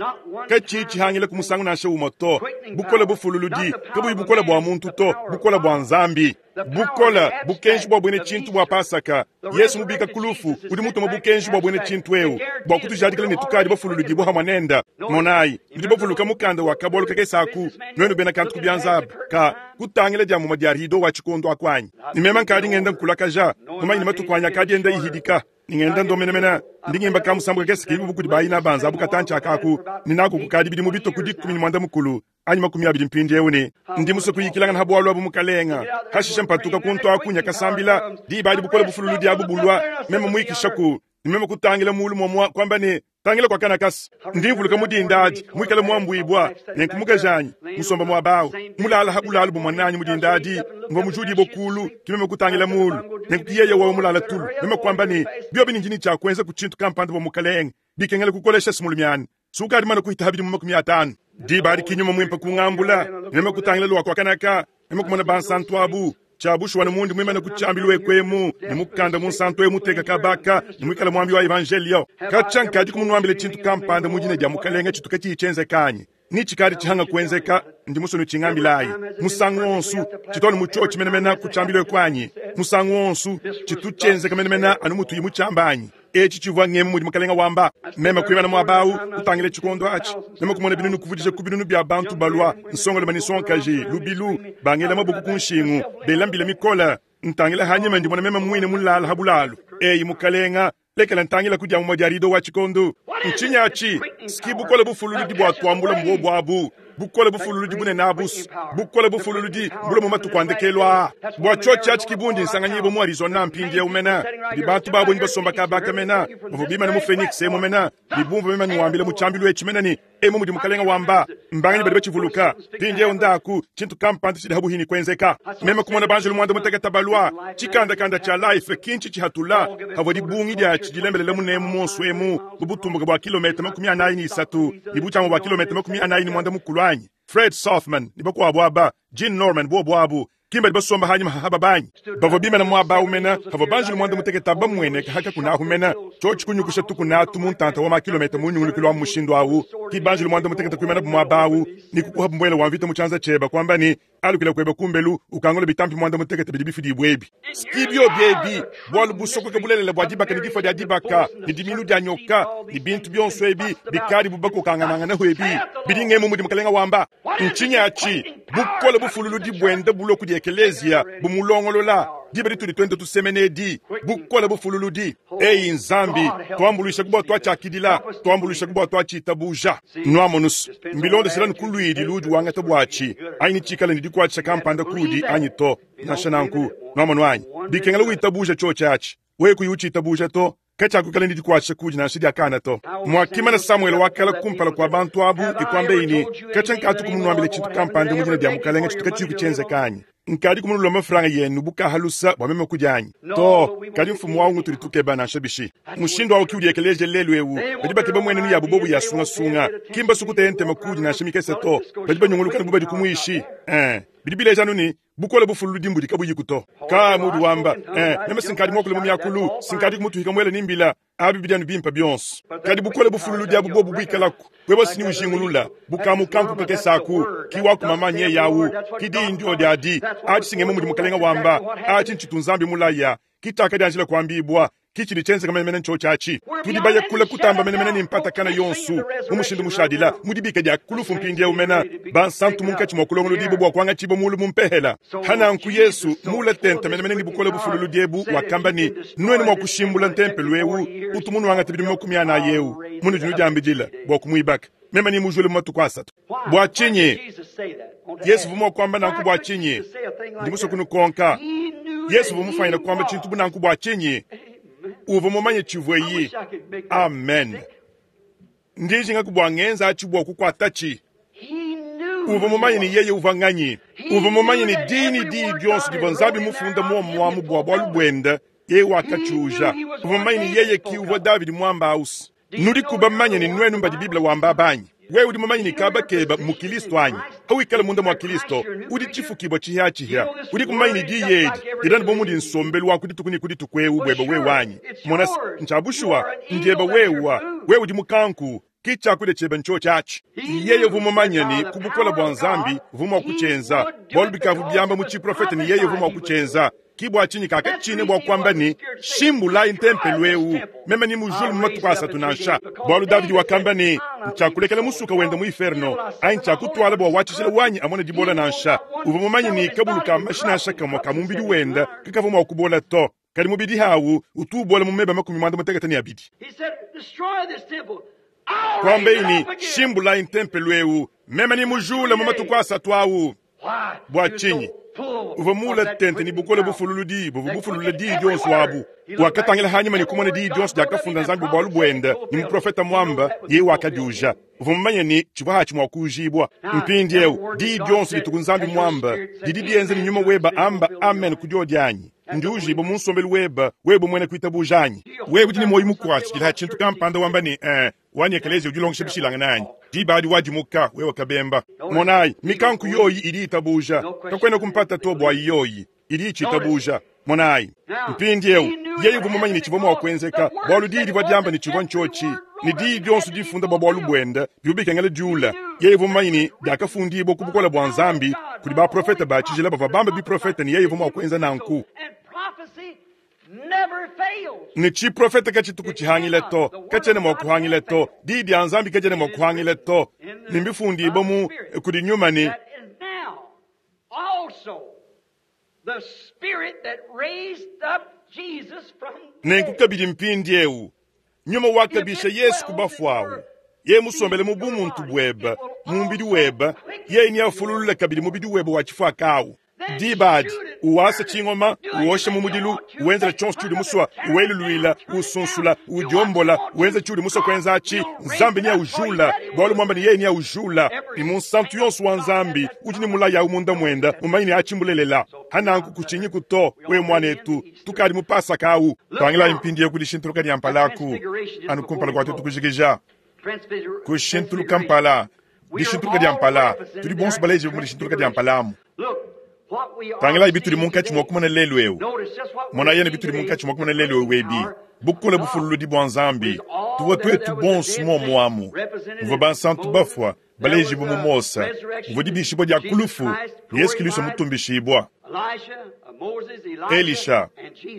kachichi hangile kumusangu nansha umwe to. Bukole bufululudi kabuyi bukole bua muntu to, bukole bua Nzambi. Bukola bukenji bua bwene tshintu bua Pasaka. Yesu mubika kulufu udi mutuma bukenji bua bwene tshintu eu bua kutujadikila ne tukadi bafululudi bua hamwanenda. Monayi nudi bavuluka mukanda wa kabolo kakesaku nwenu bena kantu kubyanzabu ka kutangila dia muma dia rido wa tshikondo akwanyi. Nimema nkadi ngenda nkulakaja mumanyi matuku anya kadi enda ihidika ningenda ndomenemena ndingimba kamusambu kakese kibi bukudi bayina banza bukatancha akaku ninako kukadi bidi mubito kudi kumi ni mwanda mukulu anyi makumi abidi mpindi ewu ne ndi musa kuyikilangana habwalu abu mukalenga hashisha mpatuka kuntu akunya kasambila diba bukole bufululudi abu bulwa meme muikishaku nimeme kutangila mulu momwa kwamba ne tangila kwa kana kasi ndivuluka mudindadi mwikala mwambwibwa nenkumukajanyi musomba mwabawu mulala habulalu bumwananyi mudindadi mva mujudi bokulu kimeme kutangila mulu nenkuyeye wawe mulala tulu meme kwamba ne byobi ninjini chakwenza kuchintu kampanda bwa mukalenga bikengela kukolesha simulumyani sukadi mana kuhita habidi mu makumi atano diba adi kinyuma mwimpa kungambula meme kutangila lwa kwa kanaka meme kumona bansantu abu chabushu wana mundi mwimana kuchambilwe kwemu ne mukanda munsantu emu teka kabaka ne mwikala mwambi wa evangelio kachankaji kumunwambile chintu kampanda mujine dia mukalenga chituka chichenze kanyi ni chikari chihanga kuenzeka ndi musonu chingambilayi musangu onsu chitoni muchochi menemena kuchambilwe kwanyi musangu onsu chituchenzeka menemena anu mutuyi muchambanyi echi chivwa ngemu mudi mukalenga wamba mema kuimana mwabawu kutangile chikondo achi mema kumona binunu kuvudisha ku binunu bya bantu balwa nsongolo manisonkaji lubilu bangela mabuku kunshingu belambile mikola ntangila hanyima ndimona mema mwine mulala habulalu eyi mukalenga lekela ntangila kudya mu diarido wa chikondo nchinya achi ski bukole bufululudi bwa twambula mbo bwabu bukole bufululudi bunene abusu bukole bufululudi mbula mu matuku andekelwa bwa chochi achi kibundi nsanganyibo mu Arizona mpindi eumena di bantu babo nibasomba kabaka mena bavo bimana mu Phoenix emo mena bibumva mema nuambile mu chambilu echimena ni emo mudi mukalenga wamba mbanganyi badi bachivuluka pindi eo ndaku chintu kampanda chidi habuhini kwenzeka mema kumona banjulu mwanda muteketa balwa chikandakanda cha life kinchi chihatula havo dibungi dia chidilembelele munemu monso emu bubutumbuka bwa kilomita makumi anayi ni isatu ibuchamo bwa kilomita makumi anayi ni mwanda mukulu anyi Fred Sothman ni bakuabo aba Jean Norman bobo kimba basomba hanyuma haba banyi bavo bimena mwaba umena havo banjulu mwanda muteketa bamwene haka kuna humena chochi kunyukusha tukunatu muntanta wa makilomita munyungulukilo wa mushindo awu ki banjulu mwanda muteketa kuimena mwaba awu ni kukuha mbwela wa mvita muchanza cheba kwamba ni alukila kweba kumbelu ukangola bitampi mwanda muteketa bidi bifidi bwebi skibyo byebi bwalu busoko kabulelela bwa dibaka ni difa dia dibaka ni dimilu dia nyoka ni bintu byonso ebi bikali bubako kangananga hwebi bidingemu mudi mukalenga wamba nchinya achi bukole bufululudi bwende buloku di ekelezia bumulongolola diba ditudi twende tusemenedi bukole bufululudi eyi Nzambi twambulisha kubwa twachakidila twambulisha kubwa twachitabuja nwamonus mbilonde sila nkulwidi ludi wangata bwachi aini chikala ni dikwacha kampanda kudi anyi to nashananku nwamonu anyi bikengela witabuja chochachi we kuyuchitabuja to kachakukala ndi dikwacha kudi nansi diakana to mwakimana Samuel wakala kumpala kwa bantu abu ikwambe ini kachankatu kumunwambile chintu kampanda mujina dia mukalenga chitu kachiku chenzekanyi nkadi kumunulomba franga yenu bukahalusa bwa meme kujanyi to kadi mfumu wawu ngutuli tukeba nansha bishi mushindo wawu kiudi ekeleje lelu ewu badi bakeba mwenenu yabu bobu yasungasunga kimba sukute makudi nansha mikese to badi banyungulukana bubadi kumuishi eh bidi bileja nuni bukole bufululudi mbudi kabuyiku to ka mudu wamba eh meme sinkadi mwakule mu myakulu sinkadi kumutuhika mwele nimbila Abi bidi anu bimpe bionso. Kadi bukole bufululu diabu bobu buikalaku. Wewe sini ujingulula bukamukanku kakesaku ki wakumamanye yawu ki diyi ndio diadi achi singemo mudi mukalenga wamba achi nchitu nzambi mulaya kitaka dianjila kuambibwa kichili chenzeka menemene ncho chachi tudi baya kula kutamba menemene ni mpata kana yonsu mumushindu mushadila mudibika dia kulufu mpindi umena bansantu munkachi mwa kulongolo dibo bwa kwanga chibo mulu mumpehela hananku Yesu mula tenta menemene ni bukole bufululu diebu wakamba ni nwene mwa kushimbula ntempelu ewu utumunu wanga tibidi makumi ana yewu munu jinu diambidila bwa kumwibaka mema ni mujule matuku asatu bwa chinyi Yesu vumwa kwamba nanku bwa chinyi ndi muso kunukonka Yesu vumufanyira kwamba chintu bunanku bwa chinyi uva mumanye chivweyi amen ndijinga kubwangenza achibwa kukwatachi uva mumanye ni yeye uva nganyi uva mumanye ni dini di dionso diva nzambi mufunda muomwamu bwa bwalu bwenda yeye wakachuja uva mumanye ni yeye ki uva Davidi mwamba ausi nudi kuba manye ni nwenu mbadi Biblia wamba banyi wewe udi mumanye ni kaba keba mu Kristo anyi hawikala munda mwa Kristo udi chifukibwa chihya chihya udi kumanye ni diyedi idani bomundi nsombelu wa kudituku ni kuditukwewu bweba wewe wanyi mona nchabushuwa ndieba wewa wewe udi mukanku kichakude cheba ncho chachi yeye vumumanye ni kubukola bwa nzambi vumwa kuchenza bwalu bikavu byamba mu chiprofeta ni yeye vumwa kuchenza kibwa chinyi kaka chine bwa kwamba ni shimbula intempelu ewu meme ni mujulu mumatuku asatu nansha bwalu Davidi wakamba ni nchakulekela musuka wenda mu inferno ai nchakutwala bwa wachishila wanyi amone dibola nansha uva mumanye ni kabulu ka mashina kamwa ka mumbidi wenda kakava mwa kubola to kali mubidi hawu utubola mumeba makumi mwanda mutekete ni abidi kwamba ini shimbula intempelu ewu meme ni mujula mumatuku asatu awu bwa chinyi uva mula tente ni bukole bufululu di buvu bufululu di dionso abu wakatangila hanyuma ni kumona di dionso diakafunda nzambi bwalu bwenda ni muprofeta mwamba ye wakadiuja uva mumanye ni chivwa hachi mwa kujibwa mpindi eu di dionso dituku nzambi mwamba didi dienze ni nyuma weba amba amen kudio dianyi ndiujibo munsombelu weba weba mwene kuitabujanyi wewe udi ni moyo mukwatshi dila chintu kampanda wamba ni eh wani ekelezi ujilongesha bishilanga nanyi dibadi wadimuka wewe kabemba monayi mikanku yoyi idi itabuja kakwenda kumpata to bwa yoyi idi chitabuja monayi mpindi eu yeye vumumanye ni chivwa mwakwenzeka bwalu didi bwa ni chivwa nchochi ni didi dionso difunda bwa bwalu bwenda byubikengele diula yeye vumumanye ni diakafundibwa kubukola bwa nzambi kudi baprofeta bachijila bava bamba biprofeta ni yeye vumwakwenza nanku ni chiprofeta kachituku chihangile to kachene mwakuhangile to didi ya nzambi kachene mwakuhangile to nimbifundibo mu kudi nyuma ni nenkukabidi mpindi eu nyuma wakabisha Yesu kubafwawu ye musombele mu bumuntu bweba mumbidi weba ye ni afululula kabidi mubidi weba wachifwakawu dibadi uwasa chingoma uosha mumudilu uwenzela chonso chudi muswa uweluluila usunsula udiombola uwenza chudi muswa kwenza achi nzambi ni aujula bwalu mwamba ni yeye ni aujula ni munsantu yonso wa nzambi udi ni mulaya umunda mwenda mumanyi ni achimbulelela hananku kuchinyi kuto we mwanetu tukali mupasa kawu twangila impindi yekudishintuluka ni ampalaku anukumpala kwa tutu kujikija kushintuluka mpala dishintuluka dia mpala tudi bonso baleje mu dishintuluka dia mpalamu tangila ibituli munkachi mwakumana lelu eu mona yene bituli munkachi mwakumana lelu eu webi bukole bufululu di bwa nzambi tuwa twetu bonso momwamu muvua bansantu bafwa balejibu mu Mosa muvua dibishibwa dia kulufu Yesu Kristo mutumbishibwa Elisha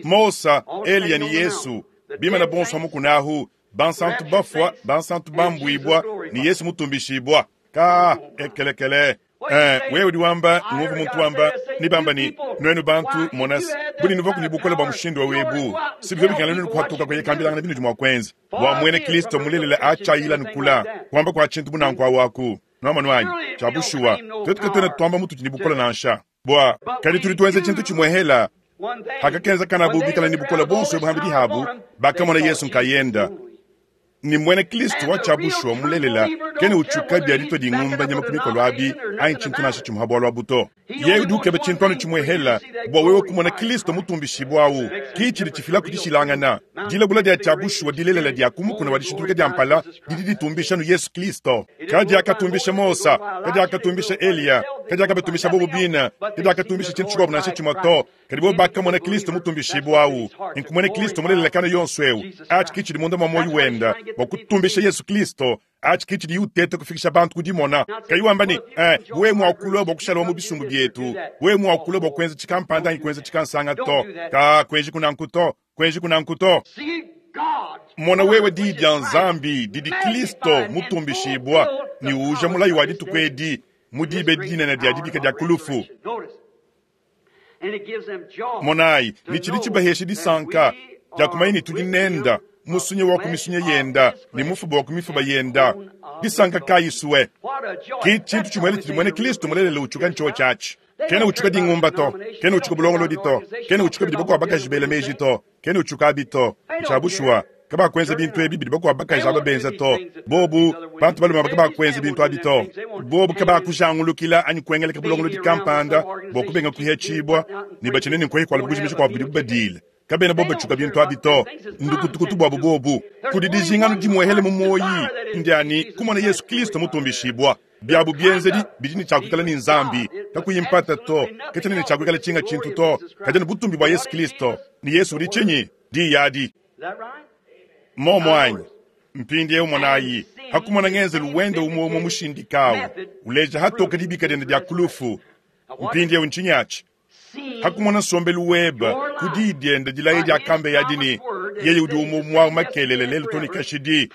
Mosa Eliya ni Yesu bimana bonso amukunahu bansantu bafwa bansantu bambwibwa ni Yesu mutumbishibwa ka ekelekele Eh, wewe udi wamba nguvu muntu wamba nibamba ni nwenu bantu monas buli nuva kunibukola bwa mushindu wa webu sibivyo bikana nenu kuhatuka kwenye kambilanga binu jumwa kwenza wa mwene Kristo mulelela achayila nukula kwamba kwa chintu bunanku awaku nwama nwanyi chabushuwa twetu katwena twamba mutu chinibukola nansha bwa kali tuli twenze chintu chimwehela hakakenza kana bubikala nibukola bonso buhambi dihabu bakamona Yesu nkayenda ni mwene Kristo wa chabushuwa mulelela Kena utshuka bia ditua dingumba nyama ku mikolo abi anyi tshintu nansha tshimue ha bualu abu to. Yeye udi ukeba tshintu anu tshimuehela bua wewe kumona Kristo mutumbishibua awu. Ki tshidi tshifila ku dishilangana. Dilabula dia tshia bushuwa dilelela dia ku mukuna wa dishintuluka dia mpala didi ditumbisha nu Yesu Kristo. Kadiakatumbisha Mosa, kadiakatumbisha Eliya, kadiakabatumbisha bobo bina, kadiakatumbisha tshintu tshikuabu nansha tshimue to. Kadi bobo bakamona Kristo mutumbishibua awu. Nkumone Kristo mulelela kana yonso eu. Atshi ki tshidi munda mua muoyo wenda bua kutumbisha Yesu Kristo. Atshi ki tshidi uteta kufikisha bantu ku dimona. Kayi wamba ne, eh, wewe muakulua bua kushala mu bisumbu bietu, wewe muakulua bua kuenza tshikampanda anyi kuenza tshikansanga to. Ka kuenji kunanku to, kuenji kunanku to. Mona wewe di dia Nzambi didi Kristo mutumbishibua ni uja mulayi wa dituku edi mu dibe dinene dia dibika dia kulufu. Monayi ni tshidi tshibahesha disanka dia kumanya ni tudi nenda musunye wa kumisunya yenda ni mufuba wa kumifuba yenda. Disanka kayi suwe ki tshintu tshimwele tshidi mwene Kristo mulelele utshuka ntsho tshatshi. Kena utshuka dingumba to, kena utshuka bulongolodi to, kena utshuka bidi bakuabu bakaji bela meji to, kena utshuka abi to. Ntsha bushuwa kabakwenza bintu ebi bidi bakuabu bakaji aba benza to. Bobu bantu balume kabakwenza bintu abi to. Bobu kabakujangulukila anyi kuengeleka bulongolodi kampanda bua kubenga kuhetshibua ni batshine ni nkuhe kuala bujimisha kua bidi bubadile. Kabena bobo batshuka bintu abi to. Ndukutukutu buabu bobu. Kudi dijingano dimuehele mu moyi ndiani kumona Yesu Kristo mutumbishibua. Biabu bienzedi bidi ni tshiakuikala ni Nzambi kakuyimpata to, ketshene ni tshiakuikala tshinga tshintu to. Kadi butumbi bua Yesu Kristo ni Yesu udi tshinyi di yadi. Momo anyi mpindi eu monayi hakumona ngenzelu wende umwe umwe mushindikawu uleja hatoka dibika diende dia kulufu. Mpindi eu ntshinyatshi hakumona nsombelu weba kudi diende dilaye dia kambe ya dini yeye udi umwe mwa makelele lelo toni kashidi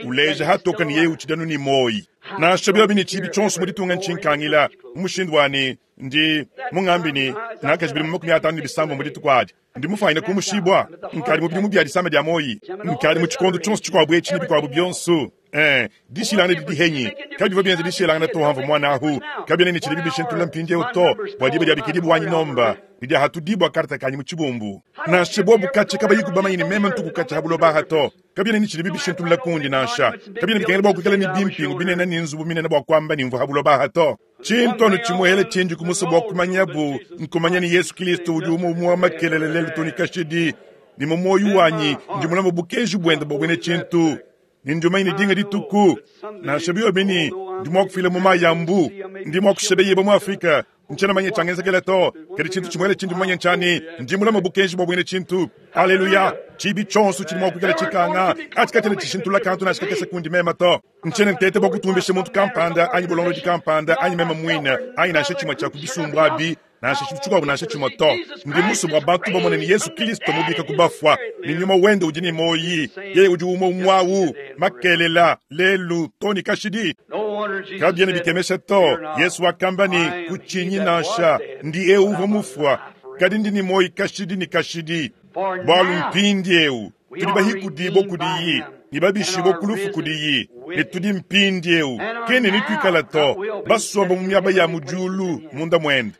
uleja hatoka ni yeye utshidanu ni moyi. Nansha biobi ni tshibi tshonso mu ditunga ntshinkangila mu mushindu wani ndi mungambi ni nakajibili mu makumi atanu ni bisambo mu dituku adi. Ndi mufanyine kumushibwa nkali mu bidimu bia disama dia moyi nkali mu tshikondo tshonso tshikuabu etshi ni bikuabu bionso. Eh, dishilangana didi henyi kabivua bienza dishilangana to hamva mwana ahu kabiena ni tshidi bibishintula mpindiewu to bua diba dia bikidibu wanyi nomba ni dia hatudibwa karta kanyi mu tshibumbu. Nansha bobu katshi kabayi kubamanya ni meme ntuku katshi habuloba aha to kabiena ni tshidi bibishintula kundi nansha kabiena bikengela bua kuikala ni bimpingu binene ni nzubu minene bua kuamba ni mvua habuloba aha to. Tshintu tshimuhele tshinji kumusa bua kumanyabu nkumanya ni Yesu Kristo udi umwe umwe wa makelele lelo toni kashidi ni mu moyo wanyi ndi mulama bukenji bwenda bua bwene tshintu. Ni ndi ni dinga dituku nansha biobi ndi mua kufila mu mayambu ndi mua kushebeyeba mu Afrika ntshiena manya tshangenzekela to. Kadi tshintu tshimuele tshindi mumanye ntshani ndi mulama bukenji bua bwene tshintu. Aleluya. Tshibi tshonso tshidi mua kuikala tshikanga atshikatshina tshishintula kantu nansha kakese kundi mema to. Ntshiena ntete bua kutumbisha muntu kampanda anyi bulongolodi kampanda anyi mema muine anyi nansha tshimue tshia ku bisumbu abi nansha tshintu tshikuabu nansha tshimue to. Ndi musu bua bantu bamone ni Yesu Kristo mubika ku bafua ni nyuma wende udi ni moyi yeye udi umwe umwawu makelela lelu toni kashidi. Kabiena bikemesha to. Yesu wakamba ni kutshinyi nansha ndi eu uvua mufua kadi ndi ni moyi kashidi ni kashidi. Bualu mpindi eu tudi bahikudibua kudiyi ni babishibua kulufu kudiyi ni tudi mpindi eu kene ni tuikala to basomba mu miaba ya mu diulu munda muende.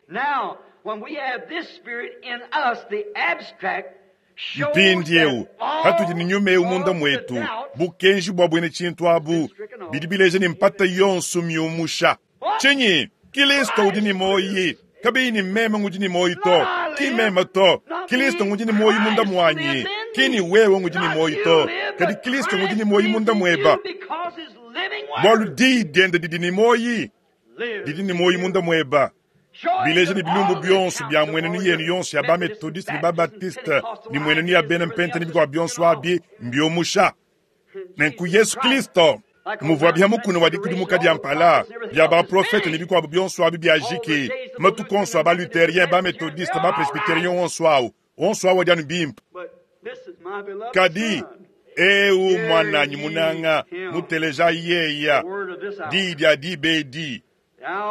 Mpindi eu hatudi ni nyuma eu munda mwetu bukenji bua bwene tshintu abu bidi bileja ni mpata yonso miumusha. Tshinyi Kristo udi ni moyi kabiyi ni meme ngudi ni moyi to ki meme to. Kristo ngudi ni moyi munda muanyi kini wewe ngudi ni moyi to kadi Kristo ngudi ni moyi munda mueba. Bualu di diende didi ni moyi didi ni moyi munda mueba. Bileja ni bilumbu bionso bia mwenenu yenu yonso ya bametodiste ni babatiste ni mwenenu ya bena mpente ni bikwa bionso abi mbiomusha. Nenku Yesu Kristo muvua bia mukuna wa dikudimuka dia mpala bia baprofete ni bikuabu bionso abi bia jiki matuku onso a baluterien bametodiste bapresbiterien onso awu onso awu adi anu bimpe. Kadi eu mwananyi munanga muteleja yeya di dia dibedi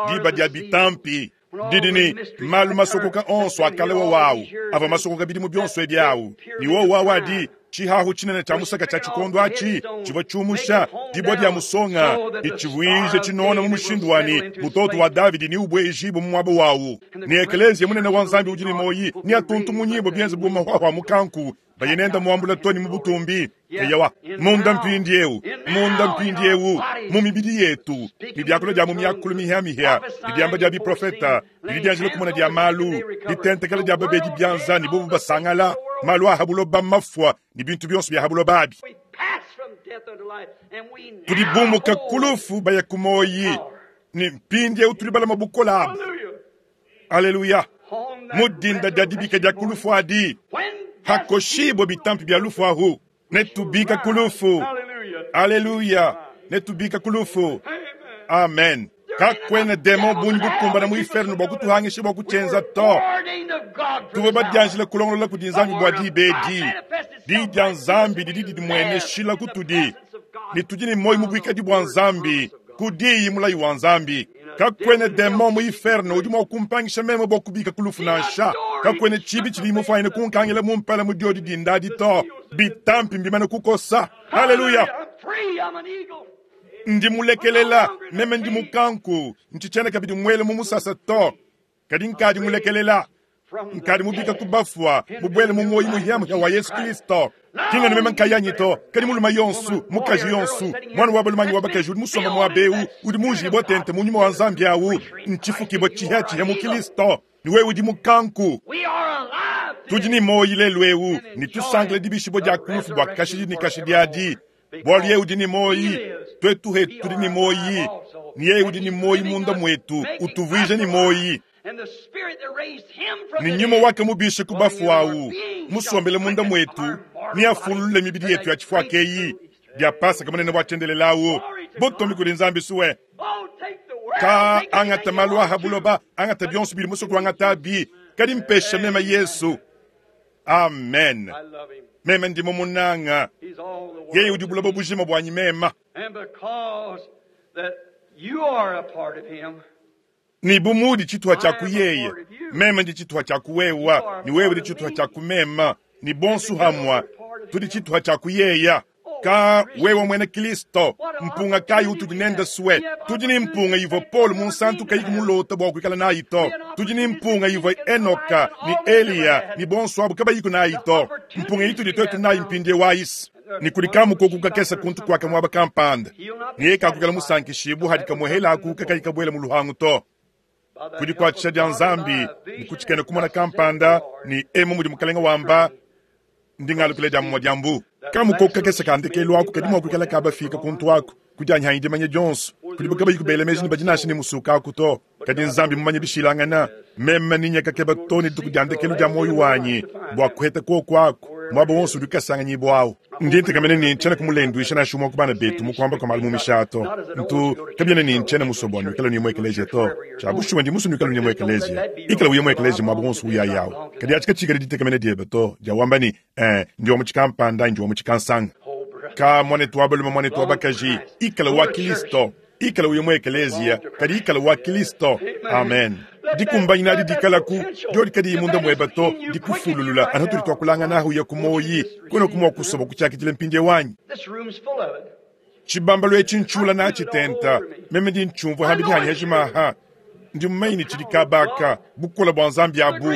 diba dia bitampi didi ni malu masokoka onso akalewa wawu ava masokoka bidimu bionso ebi awu ni wo wawu adi tshihahu tshinene tshia musaka tshia tshikondo atshi tshivua tshiumusha dibua dia musonga itshivuije tshinona mu mushindu wani mutoto wa Davidi ni ubwejibu mu muaba wawu ni ekelezia munene wa Nzambi udi ni moyi ni atuntu munyibo bienze bu mahwahwa mukanku Baye nende muambula to ne mu butumbi. Eyowa, munda mpindieu, munda mpindieu, mu mibidi yetu, ne diakula dia mu miakulu mihiamihia, ne diamba dia biprofeta, ne didianjila kumona dia malu, ditentekela dia babedi bianza ne bobu basangala, malu a ha buloba mafua ne bintu bionso bia ha buloba abi. We pass from death unto life, and we now Tudi bumuka hold. kulufu baya ku moyi, ne mpindieu tudi balama bukola abu. Hallelujah. Aleluya. On that Mu dinda dia dibika dia kulufu adi, When hakoshibwe bitampi bia lufu ahu, netubika kulufu. Hallelujah. Aleluya. Netubika kulufu. Amen. Amen. Kakwena demo bungi bukumbana mu inferno bua kutuhangisha bua kutshenza to. Ordained of God for Tuve this hour. badianjila kulongolola kudi Nzambi bua dibedi. Di dia Nzambi didi didimueneshila kutudi. Ne tudi ne moyo mu buikadi bua Nzambi, kudiyi mulayi wa Nzambi. Kakwena demo mu inferno udi mua kumpangisha meme bua kubika kulufu nansha. Kakwena tshibi tshidi mufanyine kunkangila mu mpala mu diodi dindadi to. Bitampi mbimane kukosa. Haleluya. I'm free. I'm an eagle. Ndi mulekelela meme ndi mukanku ntshitshiena kabidi muele mu musasa to kadi nkadi mulekelela From the nkadi mubika dead. ku bafua mubwele mu moyi muhiamuhia wa Yesu Kristo kingani meme nkayanyi to kadi muluma yonsu mukaji yonsu mwana wa balumanyi wa bakaji udi musomba muaba eu udi munjibwa tente mu nyuma wa Nzambi awu ntshifukibwa tshihiatshihia mu Kristo ni wewe udi mukanku We are alive tudi today. ni moyi lelu eu ni tusangile dibishibwa dia kulufu bua kashidi ni kashidi adi bwalu ye udi ni moyi twetu hetu tudi ni moyi ni yeye udi ni moyi munda mwetu utuvuije ni moyi And the spirit that raised him from ni the nyuma dead wake mubishe ku bafu awu musombele munda mwetu ni afulule mibidi yetu ya chifua keyi dia pasaka munene bwa tshendelelawu butumbi kudi Nzambi suwe Oh, take the world. ka Take angata anything you malu want aha to. buloba angata bionso bili musoku angata bi kadi mpesha mema Yesu. Amen. I love him. Meme ndimo munanga He's all the world. yeye udi buloba bujima bwanyi mema And because that you are a part of him, ni bumudi tshituha tshia kuyeye meme ndi tshituha tshia kuwewa ni wewe ndi tshituha tshia kumema ni bonsu hamwa tudi tshituha tshia kuyeya ka wewe mwene Kristo mpunga kayi utudi nenda suwe tudi ni mpunga ivo Paul munsantu kayi kumulota bua kuikala nayi to tudi ni mpunga ivo Enoka ni Eliya ni bonsu abu kabayiku nayi to mpunga itudi twetu nayi mpindie waisi ni kuli kamukoku kakesa kuntu kwaka mwaba kampanda niye kakukala musankishibu hadi kamuhela akuka kayi kabuela mu luhangu to by the kudi help kuatshisha of dia God, Nzambi by a ni vision kutshikena and kumona thus saith the kampanda Lord. ni emu mudi mukalenga wamba ndingalukile dia mumwa dia mbu kamukoku kakesa kandekelu aku kadi mua kuikala kabafika kuntu aku kudi anyihanyi dimanya dionso kudi bukabayi kubela meji ni badi nansha ni musuka aku to kadi Nzambi mumanye bishilangana meme ninya kakeba to ni dituku dia ndekelu dia moyo wanyi bua kuheta koku aku mwaba wonso udi kasanganyibwa awu ndi ntekamene ni ntshiena kumulenduisha nansha umwe ku bana betu mukuamba kwa malu mu mishato ntu kabiena ni ntshiena musobua nuikala ni mu ekeleziya to tshia bushuwa ndi musu nuikala ni mu ekeleziya ikala uye mu ekeleziya mwaba wonso uyayawu kadi atshi katshikala ditekamene diebe to dia wamba ni eh, ndi wa mu tshikampanda ndi wa mu tshikansanga Oh, brother. ka mwanetu wa balume mwanetu wa bakaji ikala wa Kristo ikala uye mu ekeleziya kadi ikala wa Kristo. Amen. Dikumbanyina adi dikalaku diodi kadi munda mweba to dikufululula anu tudi tuakulangana ahu ya kumoyi kwena kumwa kusoba kutshiakidile mpindie wanyi This room's full of it. tshibambalo etshi ntshula na tshitenta meme ndi ntshumvua hambi dihanyi hajimaha ndi mumanyi tshidi kabaka bukola bua Nzambi abu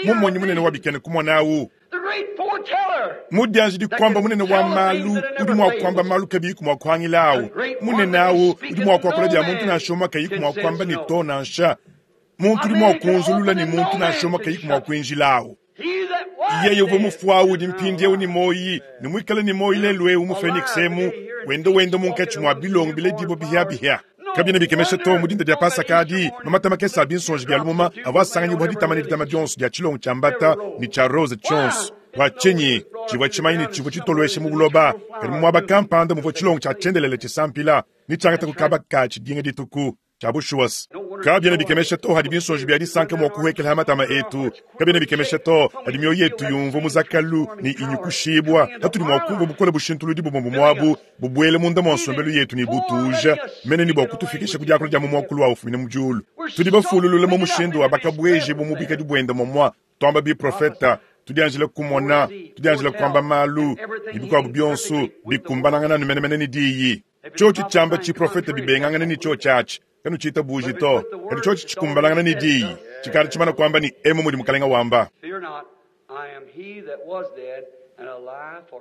mumonyi munene wa bikene kumona awu The great foreteller. mudianji dikwamba munene wa malu udi mua kuamba malu kabiyi kumua kuhangila awu munene awu udi mua kuakula dia muntu nansha umue kayi kumua kuamba ni to nansha muntu udi mua kunzulula ni muntu nansha umue kayi kumua kuinjila awu He that was yeye uvua dead mufu awu udi mpindiewu ni moyi ni muikale ni moyi lelu eu mu Phoenix emu wenda wenda munkatshi mua bilongo biledibo bihiabihia kabiena bikemesha to mu dinda dia pasaka adi mamata makese a binsonji bia lumuma avua asanganyibua ditama ne ditama dionso dia tshilongo tshia mbata ni tshia rose tshionso bua tshinyi tshivua tshimanyi ne tshivua tshitoloweshe mu buloba kadi mu muaba kampanda muvua tshilongo tshia tshiendelele tshisampila ni tshiangata kukaba ka tshidinga dituku tshia bushuwasi kabiena bikemesha to hadi binsonji bia disanka mua kuhekela matama etu kabiena bikemesha to hadi mioyo yetu yumvua muzakalu ni inyukushibwa hatudi mua kumvua bukola bushintuludi bumue bumuabu bubuele munda mua nsombelu yetu ni butuja mene ni bua kutufikisha ku diakula dia mu muakulu wa ufumine mu diulu tudi bafululule mu mushindu wa bakabweje bu mubikadi buenda momua twamba biprofeta tudianjila kumona tudianjila kuamba malu ni bikuabu bionso bikumbanangana ni menemene ni diyi tshotshi tshiamba tshiprofeta bibengangana ni tshio tshiatshi kanu tshita buji to kadi tshotshi tshikumbanangana ni diyi tshikala tshimana kuamba ni emu mudi mukalenga wamba Fear not, I am he that was dead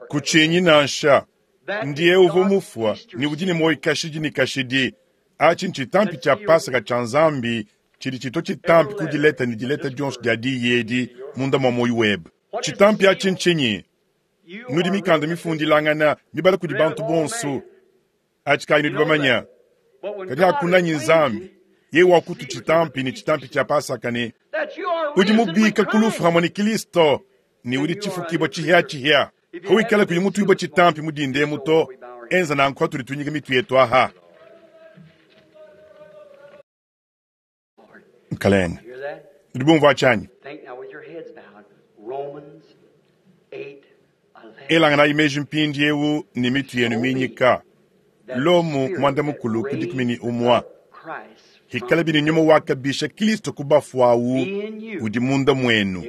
Kutshinyi nansha, ndiye uvua mufua ne udi ne muoyo kashidi ne kashidi. Atshi ntshitampi tshia Pasaka tshia Nzambi tshidi tshitua tshitampi ku dileta ne dileta dionso dia diyi edi munda mua muoyo webe. Tshitampi atshi ntshinyi? Nudi mikanda mifundilangana mibala kudi bantu bonso. Atshi kayi nudi bamanya. Kadi hakunanyi Nzambi, yeye wakutu tshitampi ne tshitampi tshia Pasaka ne udi mubika ku lufu hamwe ne Kristo ne udi tshifukibwa tshihia-tshihia. Hawikala kuyi mutuibwa tshitampi mudinde muto, enza nanku hatudi tunyika mitu yetu aha. Mukalenge, nudi bumvua tshanyi? Elanganayi meji mpindiewu ne mitu yenu minyika. Lomu mwanda mukulu ku dikumi ne umwa. Hikala bini nyuma wakabisha Kristo ku bafu awu udi munda mwenu.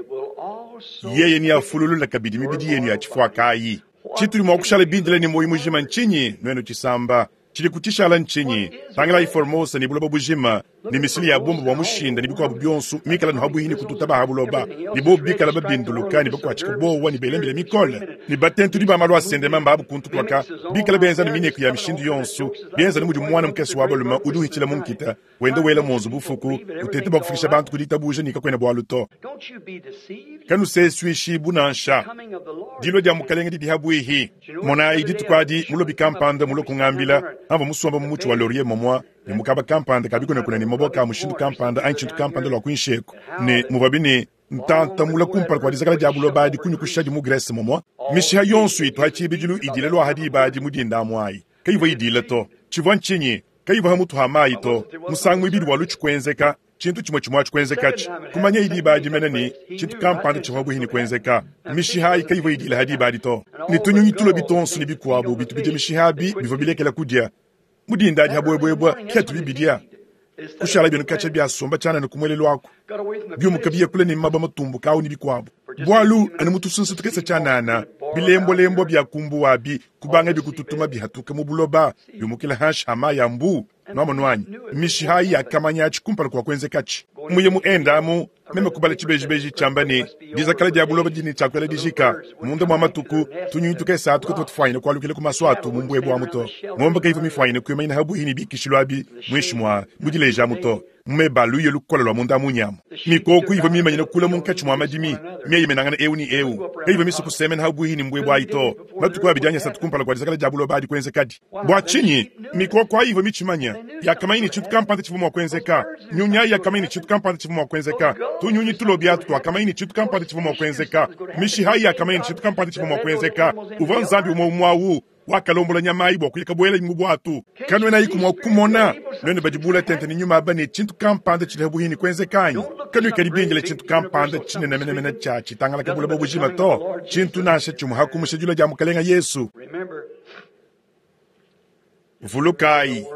Yeye ni afululula kabidi mibidi yenu ya tshifuakayi. Tshitudi mua kushala bindile ne muoyo mujima ntshinyi nwenu tshisamba? Tshidi kutshishala ntshinyi? Tangilayi Formosa ne buloba bujima ne misili ya bomba bua mushinda ne bikuabu bionso mikala no habuhi ne kututa ba buloba ne bo bikala babinduluka ne bakuatshika bowa ne belembele mikole ne batentudi ba malu asende mamba abu kuntu kwaka bikala benza ne minyeko ya mishindu yonso benza ne mudi mwana mukese wa balume udi uhitshila mu nkita wenda wela monzu bufuku utete bua kufikisha bantu ku ditabuja ne kakwena bwalu to. Kanusesuishibu nansha dilo dia mukalenge didi habuihi. Monayi dituku adi mulobi kampanda mulo kungambila amva musomba mu mutshi wa laurier momwa ne mukaba kampanda kabikunakuna ne maboka a mushindu kampanda anyi tshintu kampanda lwa kuinsheko ne muvabi ne ntantamula kumpala kua dizakala dia buloba adi kunyukushadi mu Grèce momwa mishiha yonso itu ha tshibidilu idila lwa hadi ibadi mudinda amuayi kayivua idila to. Tshivua ntshinyi? Kayivua ha mutu ha mayi to. Musangu ibidi wa lutshi kuenzeka tshintu tshimue tshimue atshi kumanya idi ibadi mene ne tshintu kampanda tshivua buhi ne kuenzeka mishiha ayi kayivua idila hadi ibadi to. Ne tunyunyi tulobi tonso ne bikuabu bitu bidia mishiha abi bivua bilekela kudia mudinda adi habwebwebwa ketu bibidia kushala binu kacha bya somba tshianana kumwelelo wako byumuka biyekula ne maba matumbuka awu ne bikuabu bwalu anu mutusunsa tukesa tshianana bilembolembo bya kumbu wabi kubanga bikututuma bihatuka mu buloba byumukila hanshi hama ya mbu nwamonu mishiha yakamanya atshi kumpala kwa kuenzekatshi muye mu endamu meme kubala tshibejibeji tshiamba ne dizakala dia buloba dini tshiakuela dijika munda mwa matuku tunyunyi tukesa atu kutwa tufwanyine kualukila ku maso atu mu mbwebwa muto ngombe kaiva mifwanyine kuimanyina habuhi ne bikishilu abi mwishi mwa mudileja muto mumebalu ye lukola lwa munda munyama mikoko iva mimanyine kula munkatshi mwa madimi mieyimenangana ewu ni ewu kaiva miso kusemena habuhi ne mbwebwa ayi to matuku abidi satu kumpala kwa dizakala dia buloba adi kuenzekadi bwa tshinyi mikoko ayiva mitshimanya yakamanyine tshintu kampanda tshivua mua kuenzeka nyunyi ayi yakamanyine tshintu kampanda tshivua mua kuenzeka tunyunyi tulobi atu twakamanyine tshintu kampanda tshivua mua kuenzeka mishiha ayi yakamanyine tshintu kampanda tshivua mua kuenzeka uvua nzambi umwe umwe awu wakalombola nyama ayi bua kuyika buela mu bwatu kanwena ayi kumua kumona nwene badibula tente ne nyuma aba ne tshintu kampanda tshili habuhi ne kuenzekanyi kanuikadi bindile tshintu kampanda tshinenemenemene tshia tshitangalaka buloba bujima to tshintu nansha tshimue hakumusha dilo dia mukalenga Yesu. Vulukayi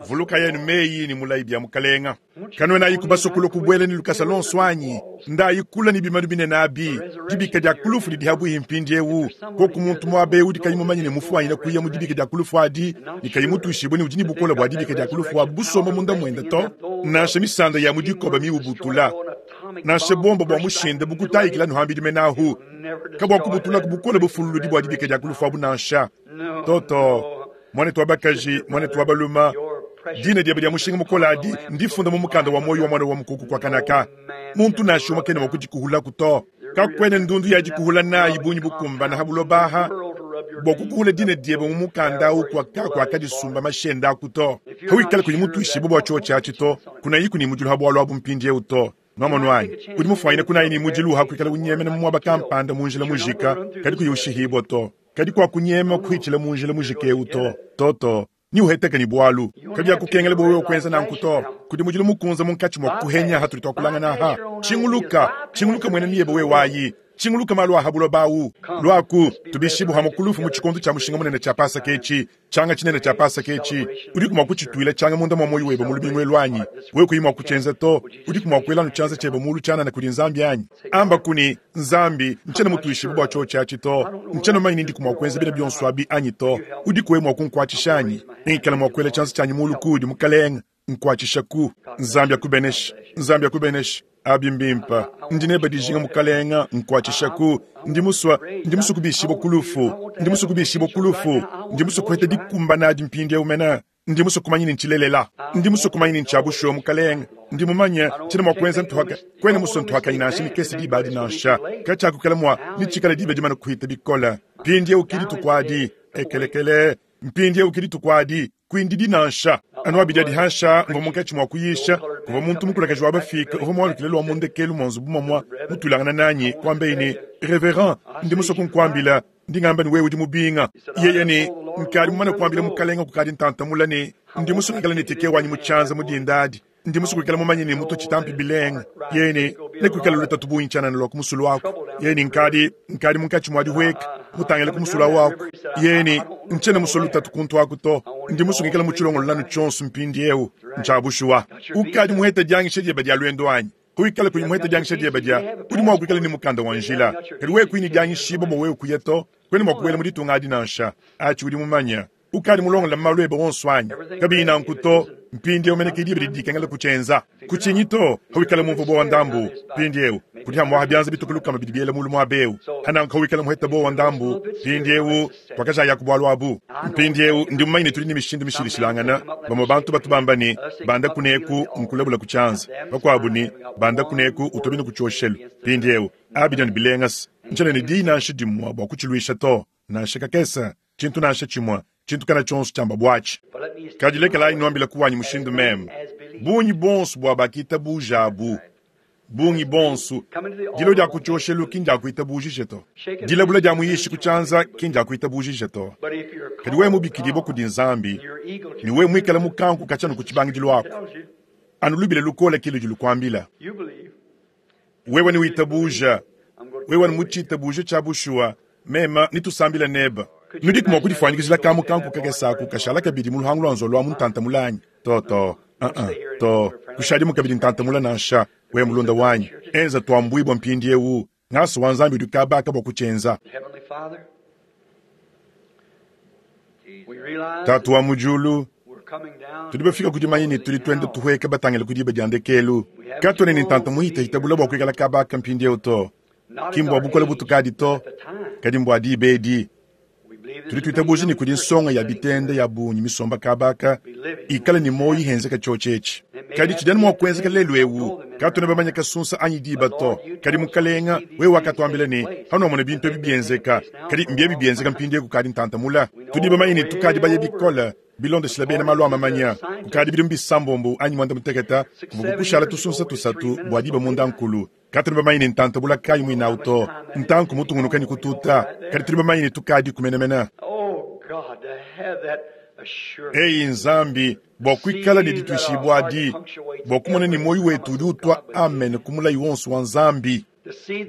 vulukayi anu meyi ne mulayi bya mukalenga kanwena ayi kubasokolo kubuela ne lukasa lonso anyi ndayi kula ne bimanu binene abi dibika dia kulufu didi habuhi mpindiewu koku muntu muabe udi kayi mumanye ne mufuanyine kuya mu dibika dia kulufu adi ne kayi mutuishibue ne udi ne bukola bua dibika dia kulufu abu busomba munda mwenda to nansha misanda ya mudikoba miubutula nansha bomba bua mushinda bukutayikila nuhambidi menahu kabua kubutula kubukola bufululudi bua dibika dia kulufu abu nansha toto mwanetu wa bakaji mwanetu wa baluma dina diebe dia mushinga mukola adi ndifunda mu mukanda wa moyo wa mwana wa mukuku kwa kanaka muntu nansha umwe kene wakudikuhulaku to kakwene ndundu yadikuhula nayi bunyi bukumbana habulobaha bua kukuhula dina diebe mu mukanda awu kwa akadisumba mashenda aku to hawikala kuli mutuishibu bua chio tshiatshi to kunayi kuni mudilu ha bwalu abu mpindiewu to nwamonu anyi udi mufuanyine kunayi ni mudilu hakuikala unyemena mu mwaba kampanda mu njila mujika kadi kuyi ushihibwa to kadi kwa kunyema kuhitshila mu njila mujika ewu to toto ni uheteka ni bwalu kadi yakukengela bwa wewe kwenza nanku to kudi mudilu mukunza munkatshi mwa kuhenya hatuli twakulangana ha chinguluka chinguluka mwene niyebe we wayi chinguluka malu ahabulo bawu lwaku tubishibu ha mukulufu mu tshikondo tshia mushinga munene tshia Pasaka etshi tshanga tshinene tshia Pasaka etshi udi kumwa kutshituila tshanga munda mwa moyo webe mu lubingu lwanyi wewe kuyimwa kutshenza to udi kumwa kuelanu tshanza tshebe mulu tshanana kudi nzambi anyi amba kuni nzambi ntshena mutuishibu bua tshio tshiatshi to ntshena manyi ndi kumwa kuenza bina bionso abi anyi to udi kuwe mwa kunkuatshisha anyi ngikala mwa kuela tshanza tshanyi mulu kudi mukalenga nkuatshisha ku nzambi akubenesha nzambi akubenesha Abi mbimpa ndi neba dijinga mukalenga nkwatshishaku ndi muswa ndi muswa kubishibwa kulufu ndi muswa kubishibwa kulufu ndi muswa kuheta dikumbana adi mpindi mena ndi muswa kumanya ni ntshilelela ndi muswa kumanya ni ntshabushuwa mukalenga ndi mumanya tshina mwa kuenza ntuhaka kwene muswa ntuhaka inansha mikese diba adi nansha kachakukala mwa nitshikala diba dimana kuhita bikola mpindi ukidi tukwadi ekelekele mpindi ukidi tukwadi kwindi dinansha anu abidi adihansha mva munkatshi mwa kuyisha kuva muntu mukulakaji wa bafika uva mwalukile lwa mundekelu mwanzu bumamwa mutulangana nanyi kwambeini reverend ndi muswa kunkwambila ndi ngamba ni wewe udi mubinga yeye ni nkali mumana kuambila mukalenga kukadi ntantamula ni ndi muswa kukala ni teke wanyi mutshanza mudindadi ndi muswa kukala mumanye ni mutu tshitampi bilenga yeye ni nekukala lutatu buintshanana lwa kumusulu wako yeye ni nkadi nkadi munkatshi mwadi hweka mutangele kumusula wako yeye ni ntshene muswa lutatu kuntu aku to ndi musungikala mutshilongolo lanu tshonso mpindi eu ntshabushuwa ukadi muheta diangisha dieba dia lwendo anyi kuikala kuli muheta diangisha dieba dia udi mua kuikala ni mukanda wa njila kadi wewe kuini diangishiba bua wewe kuya to kwene mua kuwela muditunga adi nansha atshi udi mumanya ukadi mulongola malu ebe wonso anyi kabiyi nanku to mpindi eu meneke diba didi dikengela kutshenza kutshinyi to hawikala mumvu bowa ndambu mpindi eu kudi hamwaha byanza bituku lukama bidi biela mulu muaba eu hananku hawikala muheta bowa ndambu mpindi eu twakajaya ku abu mpindi eu ndi mumanyine tuli ni mishindu mishilishilangana bamwe bantu batu bamba ni banda kuneku nkulabula kutshanza bakuabu ni banda kuneku utobini kutshoshelu mpindi eu abidi ni bilengasa ntshene ni diyi nansha dimua bua kutshilwisha to nansha kakesa tshintu nansha tshimua tshintu kana tshonso tshiamba bwatshi kadi lekelayi nwambila kuwanyi mushindu meme bungi bonso bua bakitabuja abu bungi bonso dilo dia kutshioshelu ki ndiakuitabujije to dilabula dia muyishi kutshanza ki ndiakuitabujije to kadi wewe mubikidibwa kudi nzambi ni wewe mwikala mukanku katshanu ku tshibangidilo ako anu lubile lukola kile ludi lukuambila wewe ni witabuja wewe ni mutshitabuje tshia bushuwa mema nitusambila neba nudi kumua kudifanyikizila kamu kanku kakesaku kashala kabidi muluhangu lwa nzolo lwa muntanta mulanyi to to uh -uh, to kushadimu kabidi ntanta mula nansha we mulunda wanyi enza twambuibwa mpindi eu ngaso wa nzambi udi kabaka bua kutshenza tatu wa mujulu tudi bafika kudimanya ni tudi twenda tuhweka batangila kudiba dia ndekelu katwene ni ntanta muhitahitabula bua kuikala kabaka mpindi eu to kimbua bukola butukadi to kadi mbua diba edi tudi tuitabuja ni kudi nsonga ya bitende ya bunyi misomba kabaka ikala ni moyi henzeka tshotshetshi kadi tshidani mua kuenzeka lelu ewu katwene bamanya kasunsa anyi diba to kadi mukalenga wewe wakatuambila ni hanuamona bintu ebi bienzeka kadi mbiebi bienzeka mpindi eku kadi ntantamula tudi bamanye ni tukadi baye bikola bilondeshila bena malu amamanya kukadi bidimu bisambombo anyi mwanda muteketa kuvuku kushala tusunsa tusatu bua diba munda nkulu katuli bamanye ni ntantabula kayi mwinawu to ntanku mutungunuka ni kututa kadi tuli bamanye ni tukadi kumenemena eyi nzambi bua kuikala ni dituishibua adi bua kumona ni moyi wetu udi utwa amen kumulayi wonso wa nzambi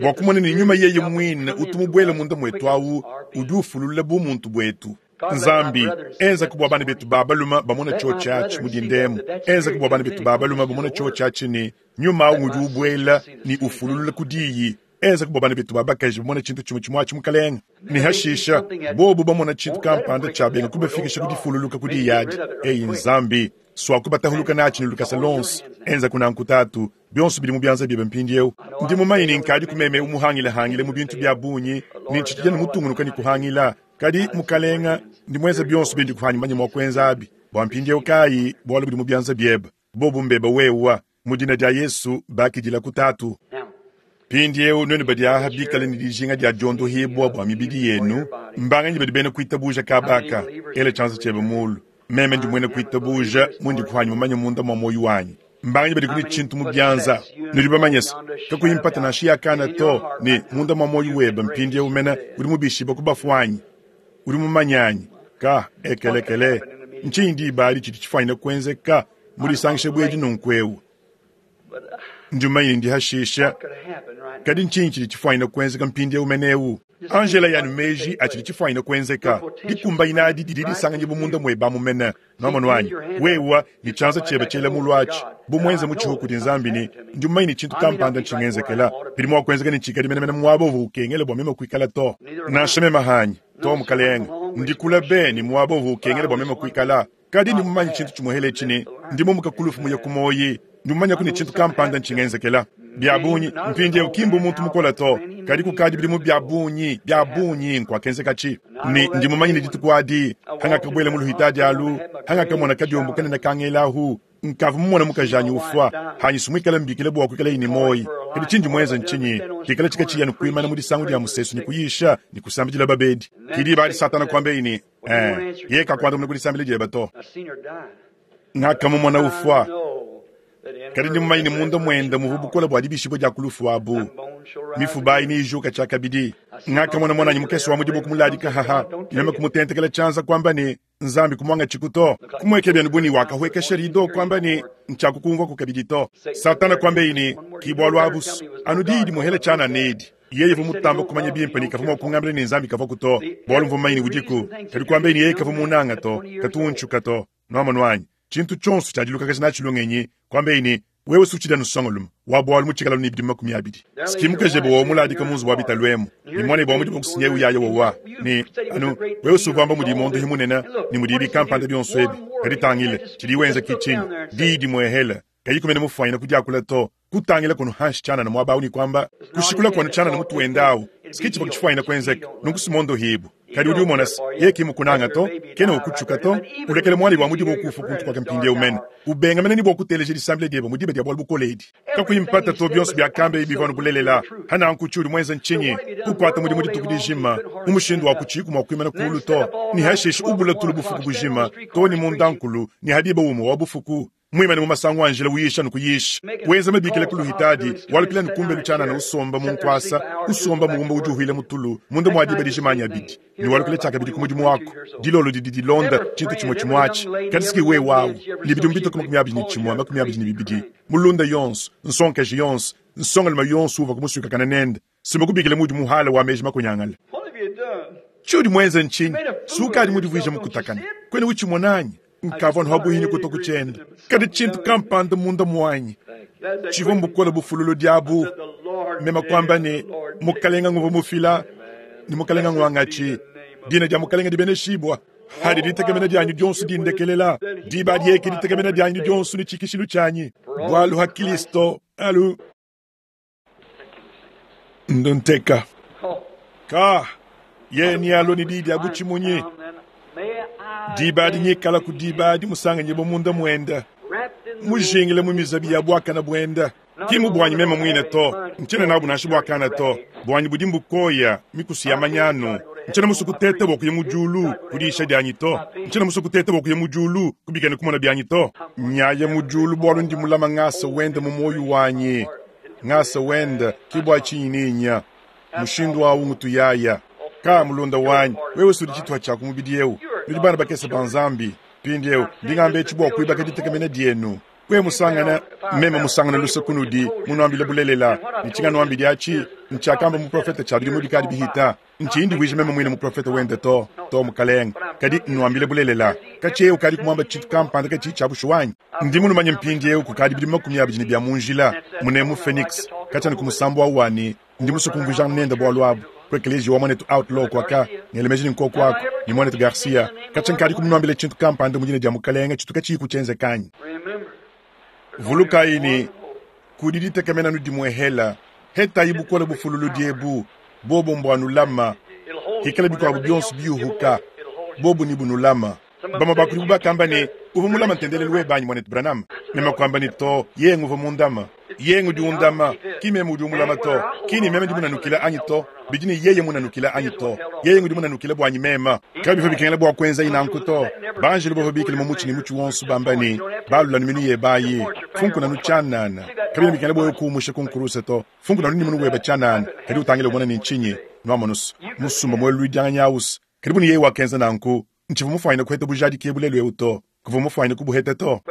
bua kumona ni nyuma yeye mwine utumubwele munda mwetu awu udi ufulula bumuntu bwetu nzambi enza kubua bana betu babaluma bamona tsho tshatshi mudindemu enza kubua bana betu babaluma bamona tsho tshatshi ni nyuma awu udi ubwela ni ufululula kudiyi enza kubua bana betu babakaji bamona tshintu tshimue tshimue atshi mukalenga ni hashisha bobu bamona tshintu kampanda tshabenga kubafikisha kudifululuka kudiyi adi eyi nzambi swakubatahuluka natshi ni lukasa lonso enza kunanku tatu bionso bidi mu byanza biebe mpindi eu ndi mumanye ni nkadi kumeme umuhangilehangile mu bintu bya bunyi ni ntshitshidya ni mutungunuka ni kuhangila kadi mukalenga ndi mweza bionso bindi kuhanyi manye mua kuenza abi bua mpindi eu kayi bualu budi mu byanza biebe bobu mbeba wewa mu dina dia Yesu bakidila kutatu pindi eu nwenu badi aha bikale ni dijinga dia diondohibwa bua mibidi yenu mbanganyi badi bena kuitabuja kabaka ele tshanza tshiebe mulu meme ndi mwene kuitabuja mundi kuhanyi mumanye munda mwa moyo wanyi mbanganyi badi kuni tshintu mu byanza nudi bamanyesa kakuyimpata nansha yakana to ni munda mwa moyo webe mpindi eu mena udi mubishiba kubafuanyi udi mumanyanyi ka ekelekele ntshinyi diba adi tshidi tshifanyine kuenzeka mudisangishe bwedi nunku eu ndi mumanye ndi hashisha kadi ntshinyi tshidi tshifanyine kuenzeka mpindi eu mene eu angela yanu meji atshidi tshifanyine kuenzeka dikumbanyina adi didi disanganyibwa munda mweba mumene nomano wanyi wewa ni tshanza tshiebe tshiela mulu atshi bumwenze mutshihu kudi nzambi ni ndi mumanye ni tshintu kampanda ntshingenzekela bidi mua kuenzeka ni tshikadi menemene muaba uvu ukengela bua meme kuikala to nansha meme hanyi to mukalenga ndikula be ni muaba uvu ukengela bua meme kuikala kadi ndi mumanye tshintu tshimuhele tshini ndi mumuka kulufu muye kumoyi ndi mumanya kuni tshintu kampanda ntshingenzekela Bia bungi mpindieu ki mbu muntu mukole to, kadi kukadi bidimu bia bungi bia bungi nkuakenzekatshi. Ne ndi mumanye ne dituku adi hangakabuela mu luhitadi alu, hangakamona kadiombo kanene kangelahu, nkavua mumone mukajanyi ufua, hanyi sumuikala mbikila bua kuikala ne moyi. Kadi tshindi muenza ntshinyi? Kikala tshikatshiya ne kuimana mu disangu dia musesu ne kuyisha ne kusambidila babedi. Kidi badi Satana kuamba ne, eh, ye kakuandamuna kudisambila dieba to. Ngakamumona ufua. Kadi ndi mumanye ne munda muende muvua bukole bua dibishibua dia kulufu abu. Mifuba ayi niyijuka tshiakabidi. Ngakamona muananyi mukese wa mudimu kumuladika haha, meme kumutentekela tshianza kuamba ne, Nzambi kumuangatshiku to. Kumueke bienu buni wakahwekesha rido kuamba ne, ntshiakukumvua kabidi to. Satana kuamba ne, ki bualu abu anu diyi dimuhela tshianana edi. Yeye uvua mutamba kumanya bimpe ne kavua mua kungambila ne Nzambi kavua to, bualu mvua mumanye ne udiku. Kadi kuamba ne yeye kavua munanga to, katu untshuka to. Nuamonu anyi? Tshintu tshionso tshiadilukakaja natshi lungenyi, kuamba ne, wewe sutshida nusongolume wa bualu mutshikala ne bidimu makumi abidi. Sikimukeje bo muladika munzu wa bitalu emu, ni mwana bwa mudimu kusinye uyaya wowa ni anu wewe suvamba mudi mondo himunena ni mudi bikampanda byonso ebi. Kadi tangile tshidi wenza kichinyi diyi dimwehela kayi kumene mufwanyina kudiakula to, kutangila kono hanshi tshianana mwaba ni kwamba kushikula kono tshianana mutu wendawu sikichi pakutshifwanyina kwenzeka nunku simondo hibu. Kadi udi umona ye kimukunanga to, kena ukutshuka to, ulekele mwali wa mudimu okufa kuntu kwake mpindieu mene. Ubenga mene ni bua kuteleja disambila diebe mudibe dia bualu bukole edi. Kakuyimpata to byonso byakambe ibi vanu bulelela. Hana nkuchi udi mwenza nchinyi, kukwata mudimu dituku dijima, mu mushindu wa kuchiku mwa kuimana kulu to, ni hashishi ubula tulu bufuku bujima, to ni mundankulu, ni hadiba umo wa bufuku. Mwimane mu masango anjila uyisha nukuyisha. Wenza mabikila kuluhitadi, walupila nukumbe lutshianana usomba mu nkwasa, usomba muwumba udi uhwila mutulu, munda mwadiba dijimanya abidi. Ni walupila tshiakabidi ku mudimu wako. Dilolo didi dilonda tshintu tshimwe tshimwatshi. Kadi siki we wawu, ni bidimu bitoka makumi abidi ni tshimwe, makumi abidi ni bibidi. Mulunda yonso, nsonkaji yonso, nsongalima yonso uva kumusuka kana nende. Simakubikila mudi muhala wa meji makunyangala. Tshiudi mwenza nchinyi? Sukadi mudi vuija mukutakana. Kwene uchimonanyi? Nkavua nhabuhini kutoka kuchenda. Kadi tshintu kampanda munda mwanyi. Tshivua mbukola bufululu diabu. Mema kwamba ne mukalenga nguva mufila, ni mukalenga ngwangachi. Dina dia mukalenga dibeneshibwa. Hadi ditegemena dyanyu dyonso dindekelela. Diba dyeke ditegemena dyanyu dyonso ni tshikishilu tshanyi. Bwalu ha Kristo alu ndonteka. Ka ye ni alo ni didi abuchimunyi. Diba dinyikala ku diba dimusanganye bo munda mwenda. Mujingile mu mizabi ya bwakana bwenda. Kimu bwanyi mema mwine to, nchena nabu nashi bwakana to. Bwanyi budi mbukoya mikusi ya manyano. Nchena musu kutete bwa kuya mujulu kudisha dyanyi to. Nchena musu kutete bwa kuya mujulu kubikana kumona byanyi to. Nyaya mujulu bwalu ndi mulama ngasa wenda mu moyo wanyi. Ngasa wenda kibwa chinyininya. Mushindu wa ungutu yaya. Ka mulunda wanyi, wewe sudi chitwa cha kumubidi eu. Nudi bana bakesa banzambi. Pindi eu, ndingambe chibwa kuibaka ditegemena dienu. Kwe musangana, meme musangana lusakunudi, munuambile bulelela. Nichinga nuambi diachi, nchakamba muprofeta cha bidimu dikadi bihita. Nchindi wije meme mwine muprofeta wende to, to mukalenga. Kadi nuambile bulelela. Kachi eu kadi kumwamba chitu kampanda kachi cha bushuwanyi. Ndi munumanye mpindi eu kukadi bidimu makumi abidi ni bya munjila, munemu Phoenix. Kacha nikumusambu awani, ndi musukumvujana nenda bwalu abu. Kwekelezi wa mwanetu outlaw kwaka, ngelemeji ni nkoko wako, ni mwanetu Garcia. Kacha nkadi kumunuambile chintu kampanda mujine dia mukalenga, chitu kachi kuchenze kanyi. Vuluka ini, kudiditegemena nudimwehela, heta ibukola bufululu diebu, bobo mbwanulama, hikala bikwabu byonso byuhuka, bobo ni bunulama. Bama bakuli bubakamba ne, uva mulama ntendelelu webanyi mwanetu Branham. Mema kwamba ni to, yengu uva mundama. Yengu di undama, kime mudi umulama to, kini meme di munanukila anyi to, bidini yeye munanukila anyi to, yeye ngudi munanukila bwanyi mema. Kabi bikengela bwa kwenza inanku to, banjelu bova bikile mu muchi ni muchi wonso bamba ni, balula niminu ye bayi, funku nanu chanana. Kabi bikengela bwa kuumusha kunkuruse to, funku nanu nimunu weba chanana, kadi utangile ubona ni nchinyi, nwamonus, musumba mwe luidyanga nyawus. Kadi buni yeye wakenza nanku, nchivu mufwanyina kuheta bujadi kebulelu euto, kuvu mufwanyina kubuheta to.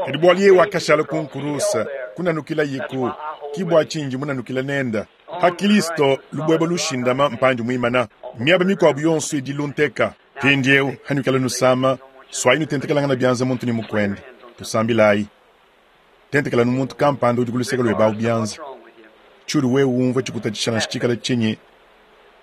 Kadi bwali yeye wakashala kunkurusa, kunanukila yiku, kibwa chinji munanukila nenda. Ha Kristo lubweba lushindama mpanju mwimana. Miaba mikwabu yonso idilunteka. Pindiewu hanukala nusama, swayi nutentekelanga na byanza muntu ni mukwende. Tusambilayi. Tentekela nu muntu kampanda udi kuluseka lweba byanza. Churu wewe umva chikutatishana chikala chinyi.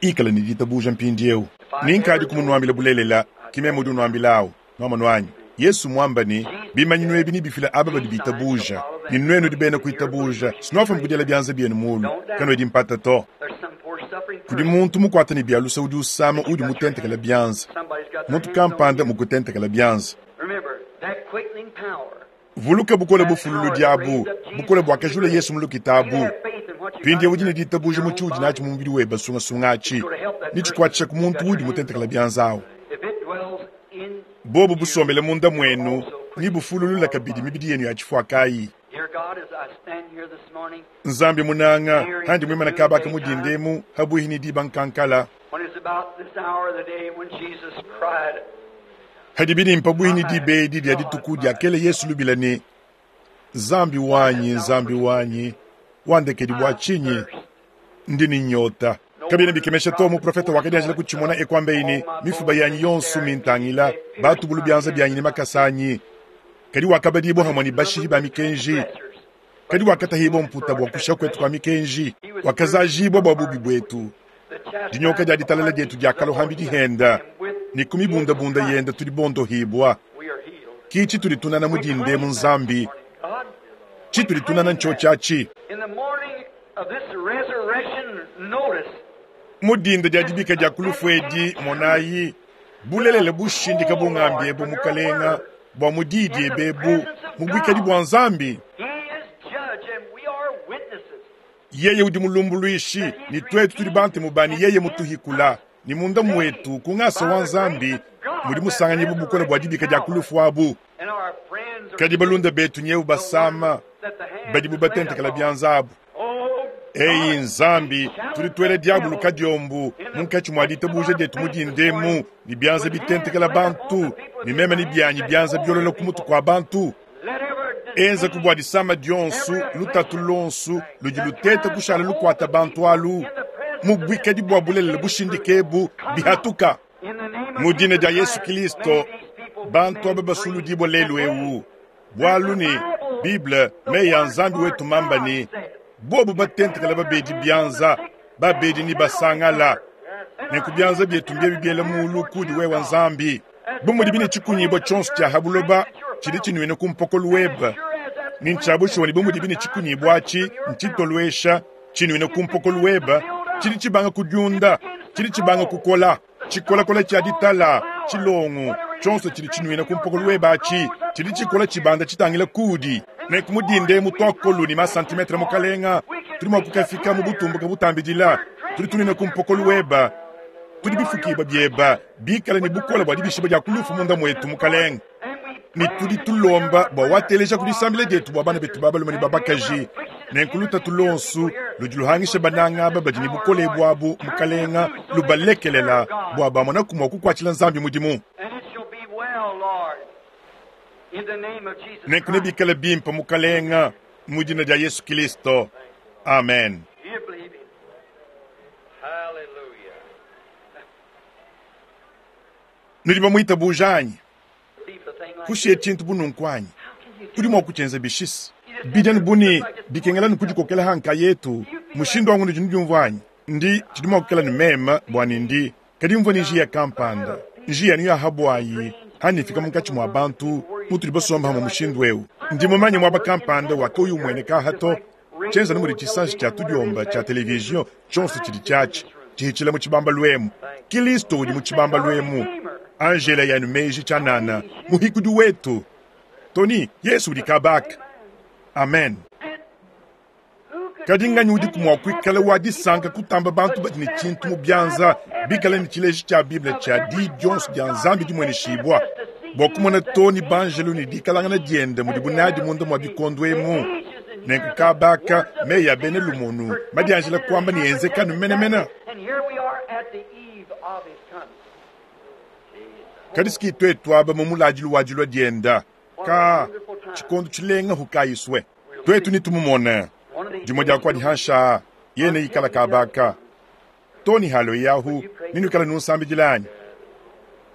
Ikala ni ditabuja mpindiewu. Ninkadi kumunuambila bulelela, kimeme udi unuambilawu, nwama nwanyi. Yesu mwamba ne bimanyinu ebi nebifile aba badi bitabuja ne nuenu nudi bena kuitabuja sinuafa mukudiela byanza byenu mulu kanwedi mpata to. There's some poor suffering Kudi person. muntu mukwata ne byalusa udi usama udi mutentekela byanza Somebody's got their muntu hands on kampanda you. mukutentekela byanza. Remember, that quickening power. Vuluka bukole bufululu diabu bukole bwakajula Yesu mulukitabu You have faith in what you pindi got udi in ne your ditabuja mu own tshiudi body. natshi mu mubidi weba sungasunga atshi nitshikwatshisa ku muntu udi mutentekela byanza awu. If it dwells in Bobu you, busombele munda mwenu ni bufululula kabidi mibidi yenu ya chifwakayi. Dear God, as I stand here this morning, Nzambi munanga handi mwimana kabaka mudindemu habuhi ni diba nkankala when it's about this hour of the day when Jesus cried, hadi bidi mpabuhi ni dibedi dia dituku dia kele Yesu lubila ni Nzambi wanyi Nzambi wanyi wandekedi bwa chinyi ndi ni nyota. Kabina bikemesha to muprofeta wakadianjila kuchimona ekwambe ini mifuba yanyi yonsu mintangila batubulu byanza byanyi ni makasanyi kadi wakabadibo hamwe ni bashihi ba mikenji kadi wakatahibwa mputa bwa kusha kwetu kwa mikenji wakazajibwa bwa bubi bwetu dinyoka dia ditalala dietu diakalohambi dihenda ni kumibundabunda yenda tudi bondohibwa we are healed. kichi tudi tunana mudinde mu nzambi God, chi tudi tunana ncho chachi in the morning of this resurrection notice, mudinda dia dibika dia kulufu edi monayi bulelele bushindika bungambi ebu mukalenga bwa mudidi ebebu mubwikadi bwa nzambi He is judge and we are witnesses. Yeye udi mulumbuluishi ni twetu tuli bantu mubani yeye mutuhikula ni munda mwetu kungasa wa nzambi mudi musanganyibu bukola bwa dibika dia kulufu abu. And our friends are Kadi balunda betu nyewu basama that the hands badi bubatentekela laid upon. byanza abu. Oh, Eyi nzambi tudi twele diabulu kadiombu munkatshi mwa ditabuja dietu mudindemu ni byanza bitentekela bantu ni meme ni byanyi byanza byolola ku mutu kwa bantu. let every Enza kubwa disama dionsu lutatu lonsu ludi luteta kushala lukwata bantu alu mubwikadi bwa bulelele bushindikebu bihatuka in the name of mu dina dia Jesus Yesu Christ, Kristo may these people be bantu made aba free basuludibwa lelu today. ewu bwalu ni Bible meyi ya nzambi wetu mamba ni bobu batentekela babedi byanza babedi ni basangala nenku byanza byetu mbye bibyela mulu kudi wewa nzambi bumudi bine chikunyibwa chonso cha habuloba chili chinwene ku mpokolo weba ni nchabushoni bumudi bine chikunyibwa achi nchitolwesha chinwene ku mpokolo weba chili chibanga kudyunda chili chibanga kukola chikolakola cha ditala chilongo chonso chili chinwene ku mpokolo weba achi chili chikola chibanda chitangila kudi nenkumudinde mutwakolu ni masantimetre mukalenga tuli mwa kukafika mu butumbuka butambidila tuli tunene ku mpokolo weba tudi bifukibwa byeba bikala ni bukola bwa dibishiba dia kulufu munda mwetu mukalenga ni tudi tulomba bwa wateleja kudisambila dietu bwa bana betu babalume ne babakaji nenkuluta tulonsu ludi luhangisha bananga aba badi ni bukole bwabu mukalenga lubalekelela bwa bamona kumwa kukwatshila nzambi mudimu. And it shall be well, Lord, in the name of Jesus Nenku Christ. nebikale bimpa mukalenga mu dina dia Yesu Kristo amen. Do you believe him? Hallelujah. Nudi bamuitabuja anyi Leave the thing like kushiye this. tshintu bununku anyi How can you do tudi mua kutshenza bishisi bidiani buni bikengela nukudikokela hanka yetu mushindu wangu nudi nudiumvua anyi ndi tshidi mua kukela ni meme bwani ndi kadi mvua ni njiya kampanda njiya niyo ahabwayi hanifika munkatshi mwa bantu mutudi basomba hamwe mushindu ewu ndi mumanye mwaba kampanda wakauyu umueneka hato tshenza ni mudi tshisanji tshia tudiomba tshia televizio tshonso tshidi tshiatshi tshihitshila mu tshibamba lwemu Kilisto udi mu tshibamba lwemu Angela yanu meji tshanana muhikudi wetu Tony Yesu udi kabaka amen. Kadi nganyi udi kumwa kuikala wa disanka kutamba bantu badi ne tshintu mu byanza bikala ne tshileji tshia Bible tshia di dionso dia nzambi dimweneshibwa bwa kumona toni banjelu ne dikalangana diende mudi bunadi munda mwa bikondo emu nenku kabaka meyi ya bene lumonu madianjela kuamba ne enzekanu menemene. And here we are at the eve of his coming. Kadi siki twetu aba mu muladilu wa dilua dienda ka tshikondo tshilenga hukayiswe twetu ni tumumona One of these dimwe dia kua dihansha yene ikala kabaka toni halo yahu ninukala nunsambidilanyi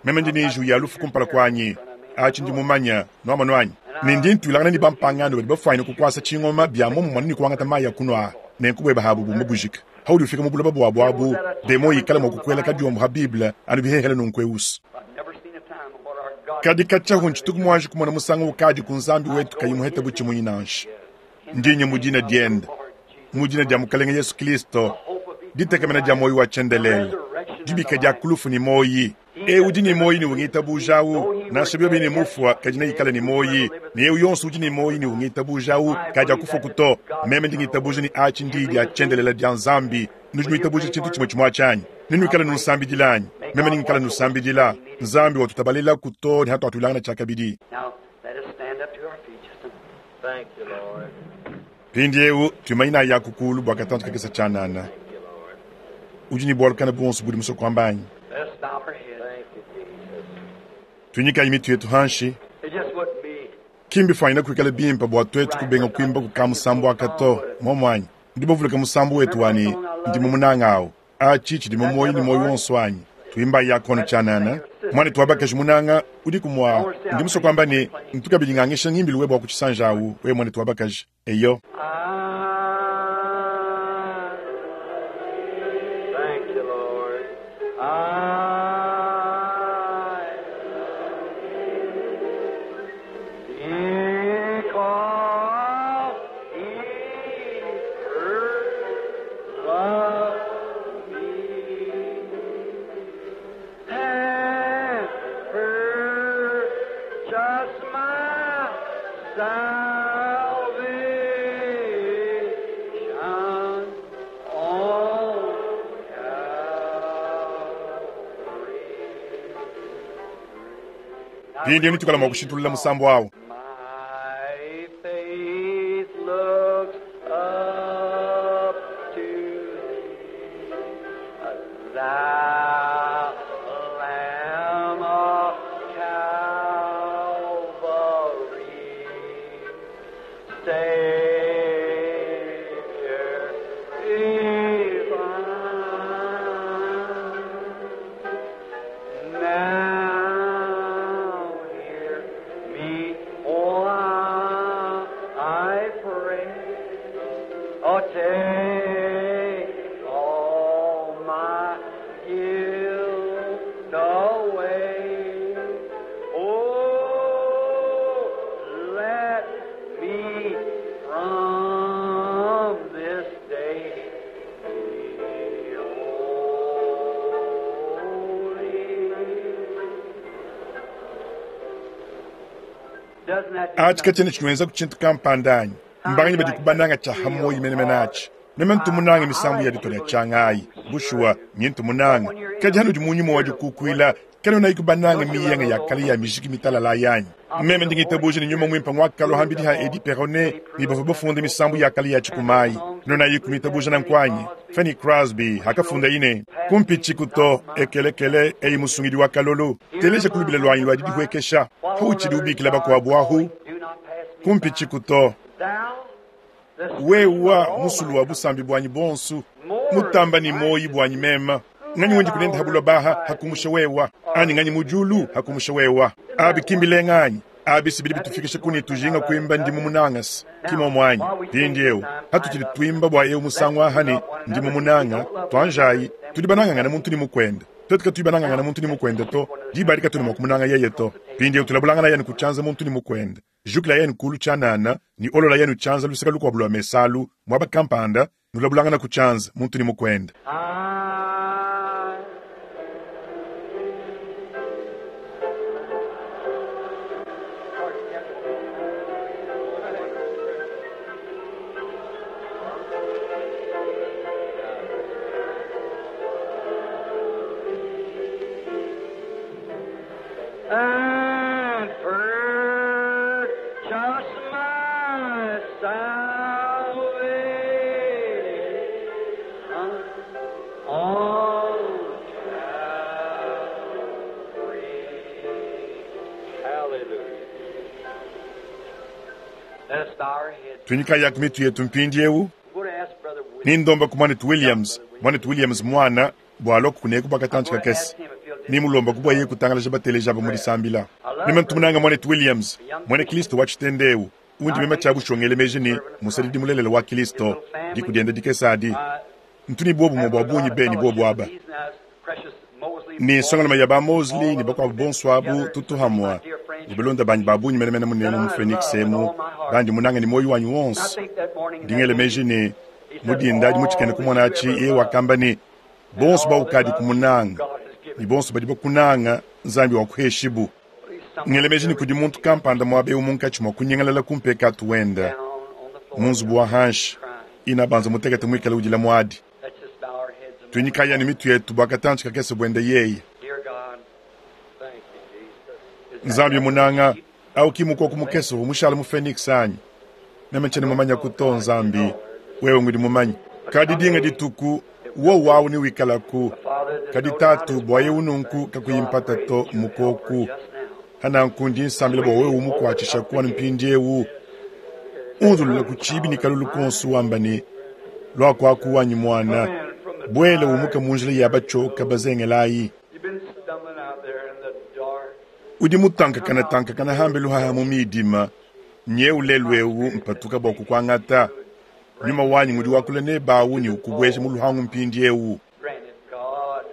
meme ndi niju ya lufu kumpala kuanyi achi ndi mumanya noamanu anyi nindi ntwilangana ni bampangano badi bafwanyine kukwasa tshingoma bya momumwana ni kuangata mayi ya kunwa nenkubweba habu bumba bujika haudi ufika mu buloba bwabu abu demo ikala mwa kukwela kadiombo ha Bible anu bihehele nunkweusi. I've never seen a time of what our Kadi katshia ntshituku muanji kumona musangu ukadi ku Nzambi wetu kayi muheta butshimunyi nansha. Ndinye mu dina diende, mu dina dia Mukalenge Yesu Kristo, ditekemena dia moyo wa tshiendelele, dibika dia kulufu ni moyi. E udi ni moyi ni ungitabujawu, nansha biobi ni mufua kadi neikale ni moyi. Ne eu yonso udi ni moyi ni ungitabujawu kadi akufa kuto. Meme ndi ngitabuja ni achi ndi dia tshiendelele dia Nzambi. Nudi nuitabuja tshintu tshimue tshimue tshianyi. Nenuikale nusambidila anyi? Meme ningikala nusambidila. Nzambi watutabalela kuto ni hatuatulangana tshiakabidi. Now, let us stand up to our feet just a Thank you, Lord. Mpindieu tuimanyina ya kukulu bua katantu kakesa tshianana. Thank you, Lord. Udi ni bwalukana bonso budi musoko ambanyi. Let us bow our heads. Thank you, Jesus. Tunyikayi mitu yetu hanshi. It just wouldn't be Kimbi fanyina kuikala bimpa bua twetu kubenga kuimba kuka musambu akato momwanyi. Ndi bavuluka musambu wetu wani ndi mumunanga awo. Achi chidi mumoyi ni moyo wonso anyi. Tuimba yakono tshianana. Mwana tuwabakaji munanga udi kumwa. Ndi musoko amba ni ntukabidi ngangisha ngimbilu webo wa kuchisanja awu we mwana tuwabakaji. Eyo. I Thank you, Lord. I because he first loved me and purchased my salvation on Calvary. Pindi nitukala mwa kushintulula musambu awo. My faith looks up to thee, thou Lamb of Calvary, Savior divine. Now hear me, oh, I pray. Oh, take all my guilt away. Oh, let me from this day be holy. Doesn't that do Achi something? kachene chinweza kuchintu kampandanyi. Mbanganyi badi kubananga cha hamoyi mene menachi. Meme ntumunanga misambu ya ditolya changayi. Bushuwa nyintu munanga. Kadi hanu di munyuma wa dikukwila. Kano na ikubananga miyanga ya kali ya mishiki mitalala yanyi. Meme ndingitabuja ni nyuma mwimpa ngwakalo hambidi ha Edi Perone ni bava bafunde misambu ya kali ya chikumayi. Nona yikumitabuja na nkwanyi. Fanny Crosby hakafunda ine. Kumpichi kuto ekelekele eyi musungidi wa kalolo. Teleja kulubila lwanyi lwa didihwekesha. Huchi diubikila bakwabu ahu. Do not pass me Kumpichi kuto. by. Thou, the Wewa musulu wa busambi bwanyi bonsu mutamba ni moyi bwanyi mema nganyi wendi kulenda habulwa baha hakumusha wewa ani nganyi mujulu hakumusha wewa abi kimbile nganyi abi sibili bitufikisha kuni tujinga kuimba ndimu munangasi kimo mwanyi pindi hatu tuli tuimba bwa eu musangu ahani ndimu munanga twanjayi tuli banangangana muntu ni mukwenda twetu tuli banangangana muntu ni mukwenda to dibalika tuli mwakumunanga yeye to pindi eu tulabulangana yenu kuchanza muntu ni mukwenda jukila yenu kulu chanana ni olola yenu chanza lusika lukwabulwa mesalu mwaba kampanda nulabulangana kuchanza muntu ni mukwenda I and purchase my salvation on Calvary. Hallelujah. Let us bow our heads. tunyika yaku mitu yetu mpindi eu I'm going to ask Brother Williams. nindomba ku mwanetu williams mwanetu williams mwana bwaloko kuneku bakatantu kakese nimulomba kubwa ye kutangalaja bateleja aba mulisambila meme ntumunanga mwanetu williams mwene kristo wa chitendewu undi mema cha bushongele meji ni musalidi mulelele wa kristo dikudienda dikesadi ntuni bobu mwa bwa bunyi beni bobu aba Precious Mosley Ne nsongalume ya ba Mosley ne bakuabu bonso abu tutu hamwa ne balonda banyi ba bungi menemene munemu mu Phoenix emu bandi munange ne muoyo wanyi wonso. Ndi ngela meji ne mu dinda adi mu tshikena kumona atshi yeye wakamba ne bonso baukadi kumunanga ne bonso badi bakunanga Nzambi wakuheshibu. Ngela meji ne kudi muntu kampanda muaba eu munkatshi mua kunyengelela ku mpekatu wenda mu nzubu wa hanshi ina banza mutekete muikale udila muadi. Let's just bow our heads a Tuinyikaya ne mitu yetu bua katantshi kakese buenda yeye. Dear God, Thank you, Jesus. Nzambi munanga au ki mukoko mukese umushala mu Phoenix anyi meme ntshiena mumanya kuto Nzambi wewe ngudi mumanyi kadi dinga dituku wo wawu ni wikalaku kadi tatu bua ye ununku kakuyimpata to mukoku ananku ndi nsambila bua wewe umukuatshisha kuwa mpindiewu unzulula ku tshibi ne kalulu konso wamba ne luakuaku wanyi mwana bwele umuke mu njila ya batshioka bazengelayi You've been stumbling out there in the dark. udi mutankakana tankakana hambe luhaha mu midima nye ulelu ewu mpatuka bua kukuangata nyuma wanyi ngudi wakula ne bawu ne ukubwesha mu luhangu mpindi ewu Granted, God,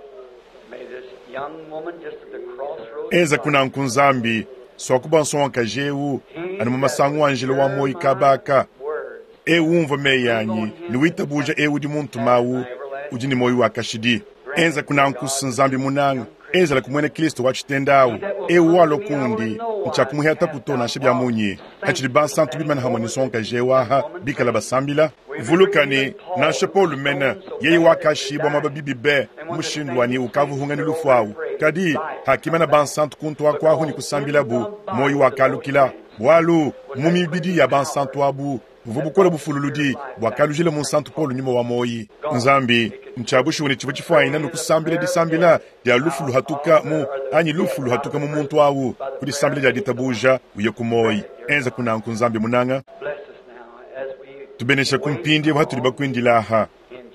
may this young woman just at the crossroads. eza kunanku nzambi swakuba nsonga ewu anu mu masangu wa njila wa moyi kabaka Words. ewu umva meyi anyi ne witabuja ewu udi muntu mawu udi ne moyi wa kashidi enza kunanku nzambi munanga enzela kumwene kristo wa tshitendawu ewu walo kundi ntshiakumuheta kuto nansha bya munyi hatshidi bansantu bimana hamwe ne nsonga ewu aha bikala basambila vulukani nansha Paulo mene yeye wakashibwa mwaba bibi be mushindu wani ukavuhunga ni lufu awu kadi hakimana bansantu kuntu akwahu ni kusambilabu moyi wakalukila bwalu mu mibidi ya bansantu abu buvua bukola bufululudi bwakalujila mu nsantu Paulo nyuma wa moyi nzambi ntshiabushiwa ne tshivua tshifuanyina nukusambila disambila dia lufu luhatuka mu anyi lufu luhatuka mu muntu awu ku disambila dia ditabuja uye ku moyi enza kunanku nzambi munanga Bless us now as we tubenesha ku mpindi ewu hatudi bakuindila aha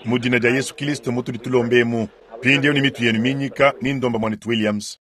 mu dina dia Yesu Kristo mutudi tulombemu mpindi ewu ni mitu yenu minyika ni ndomba mwanetu Williams.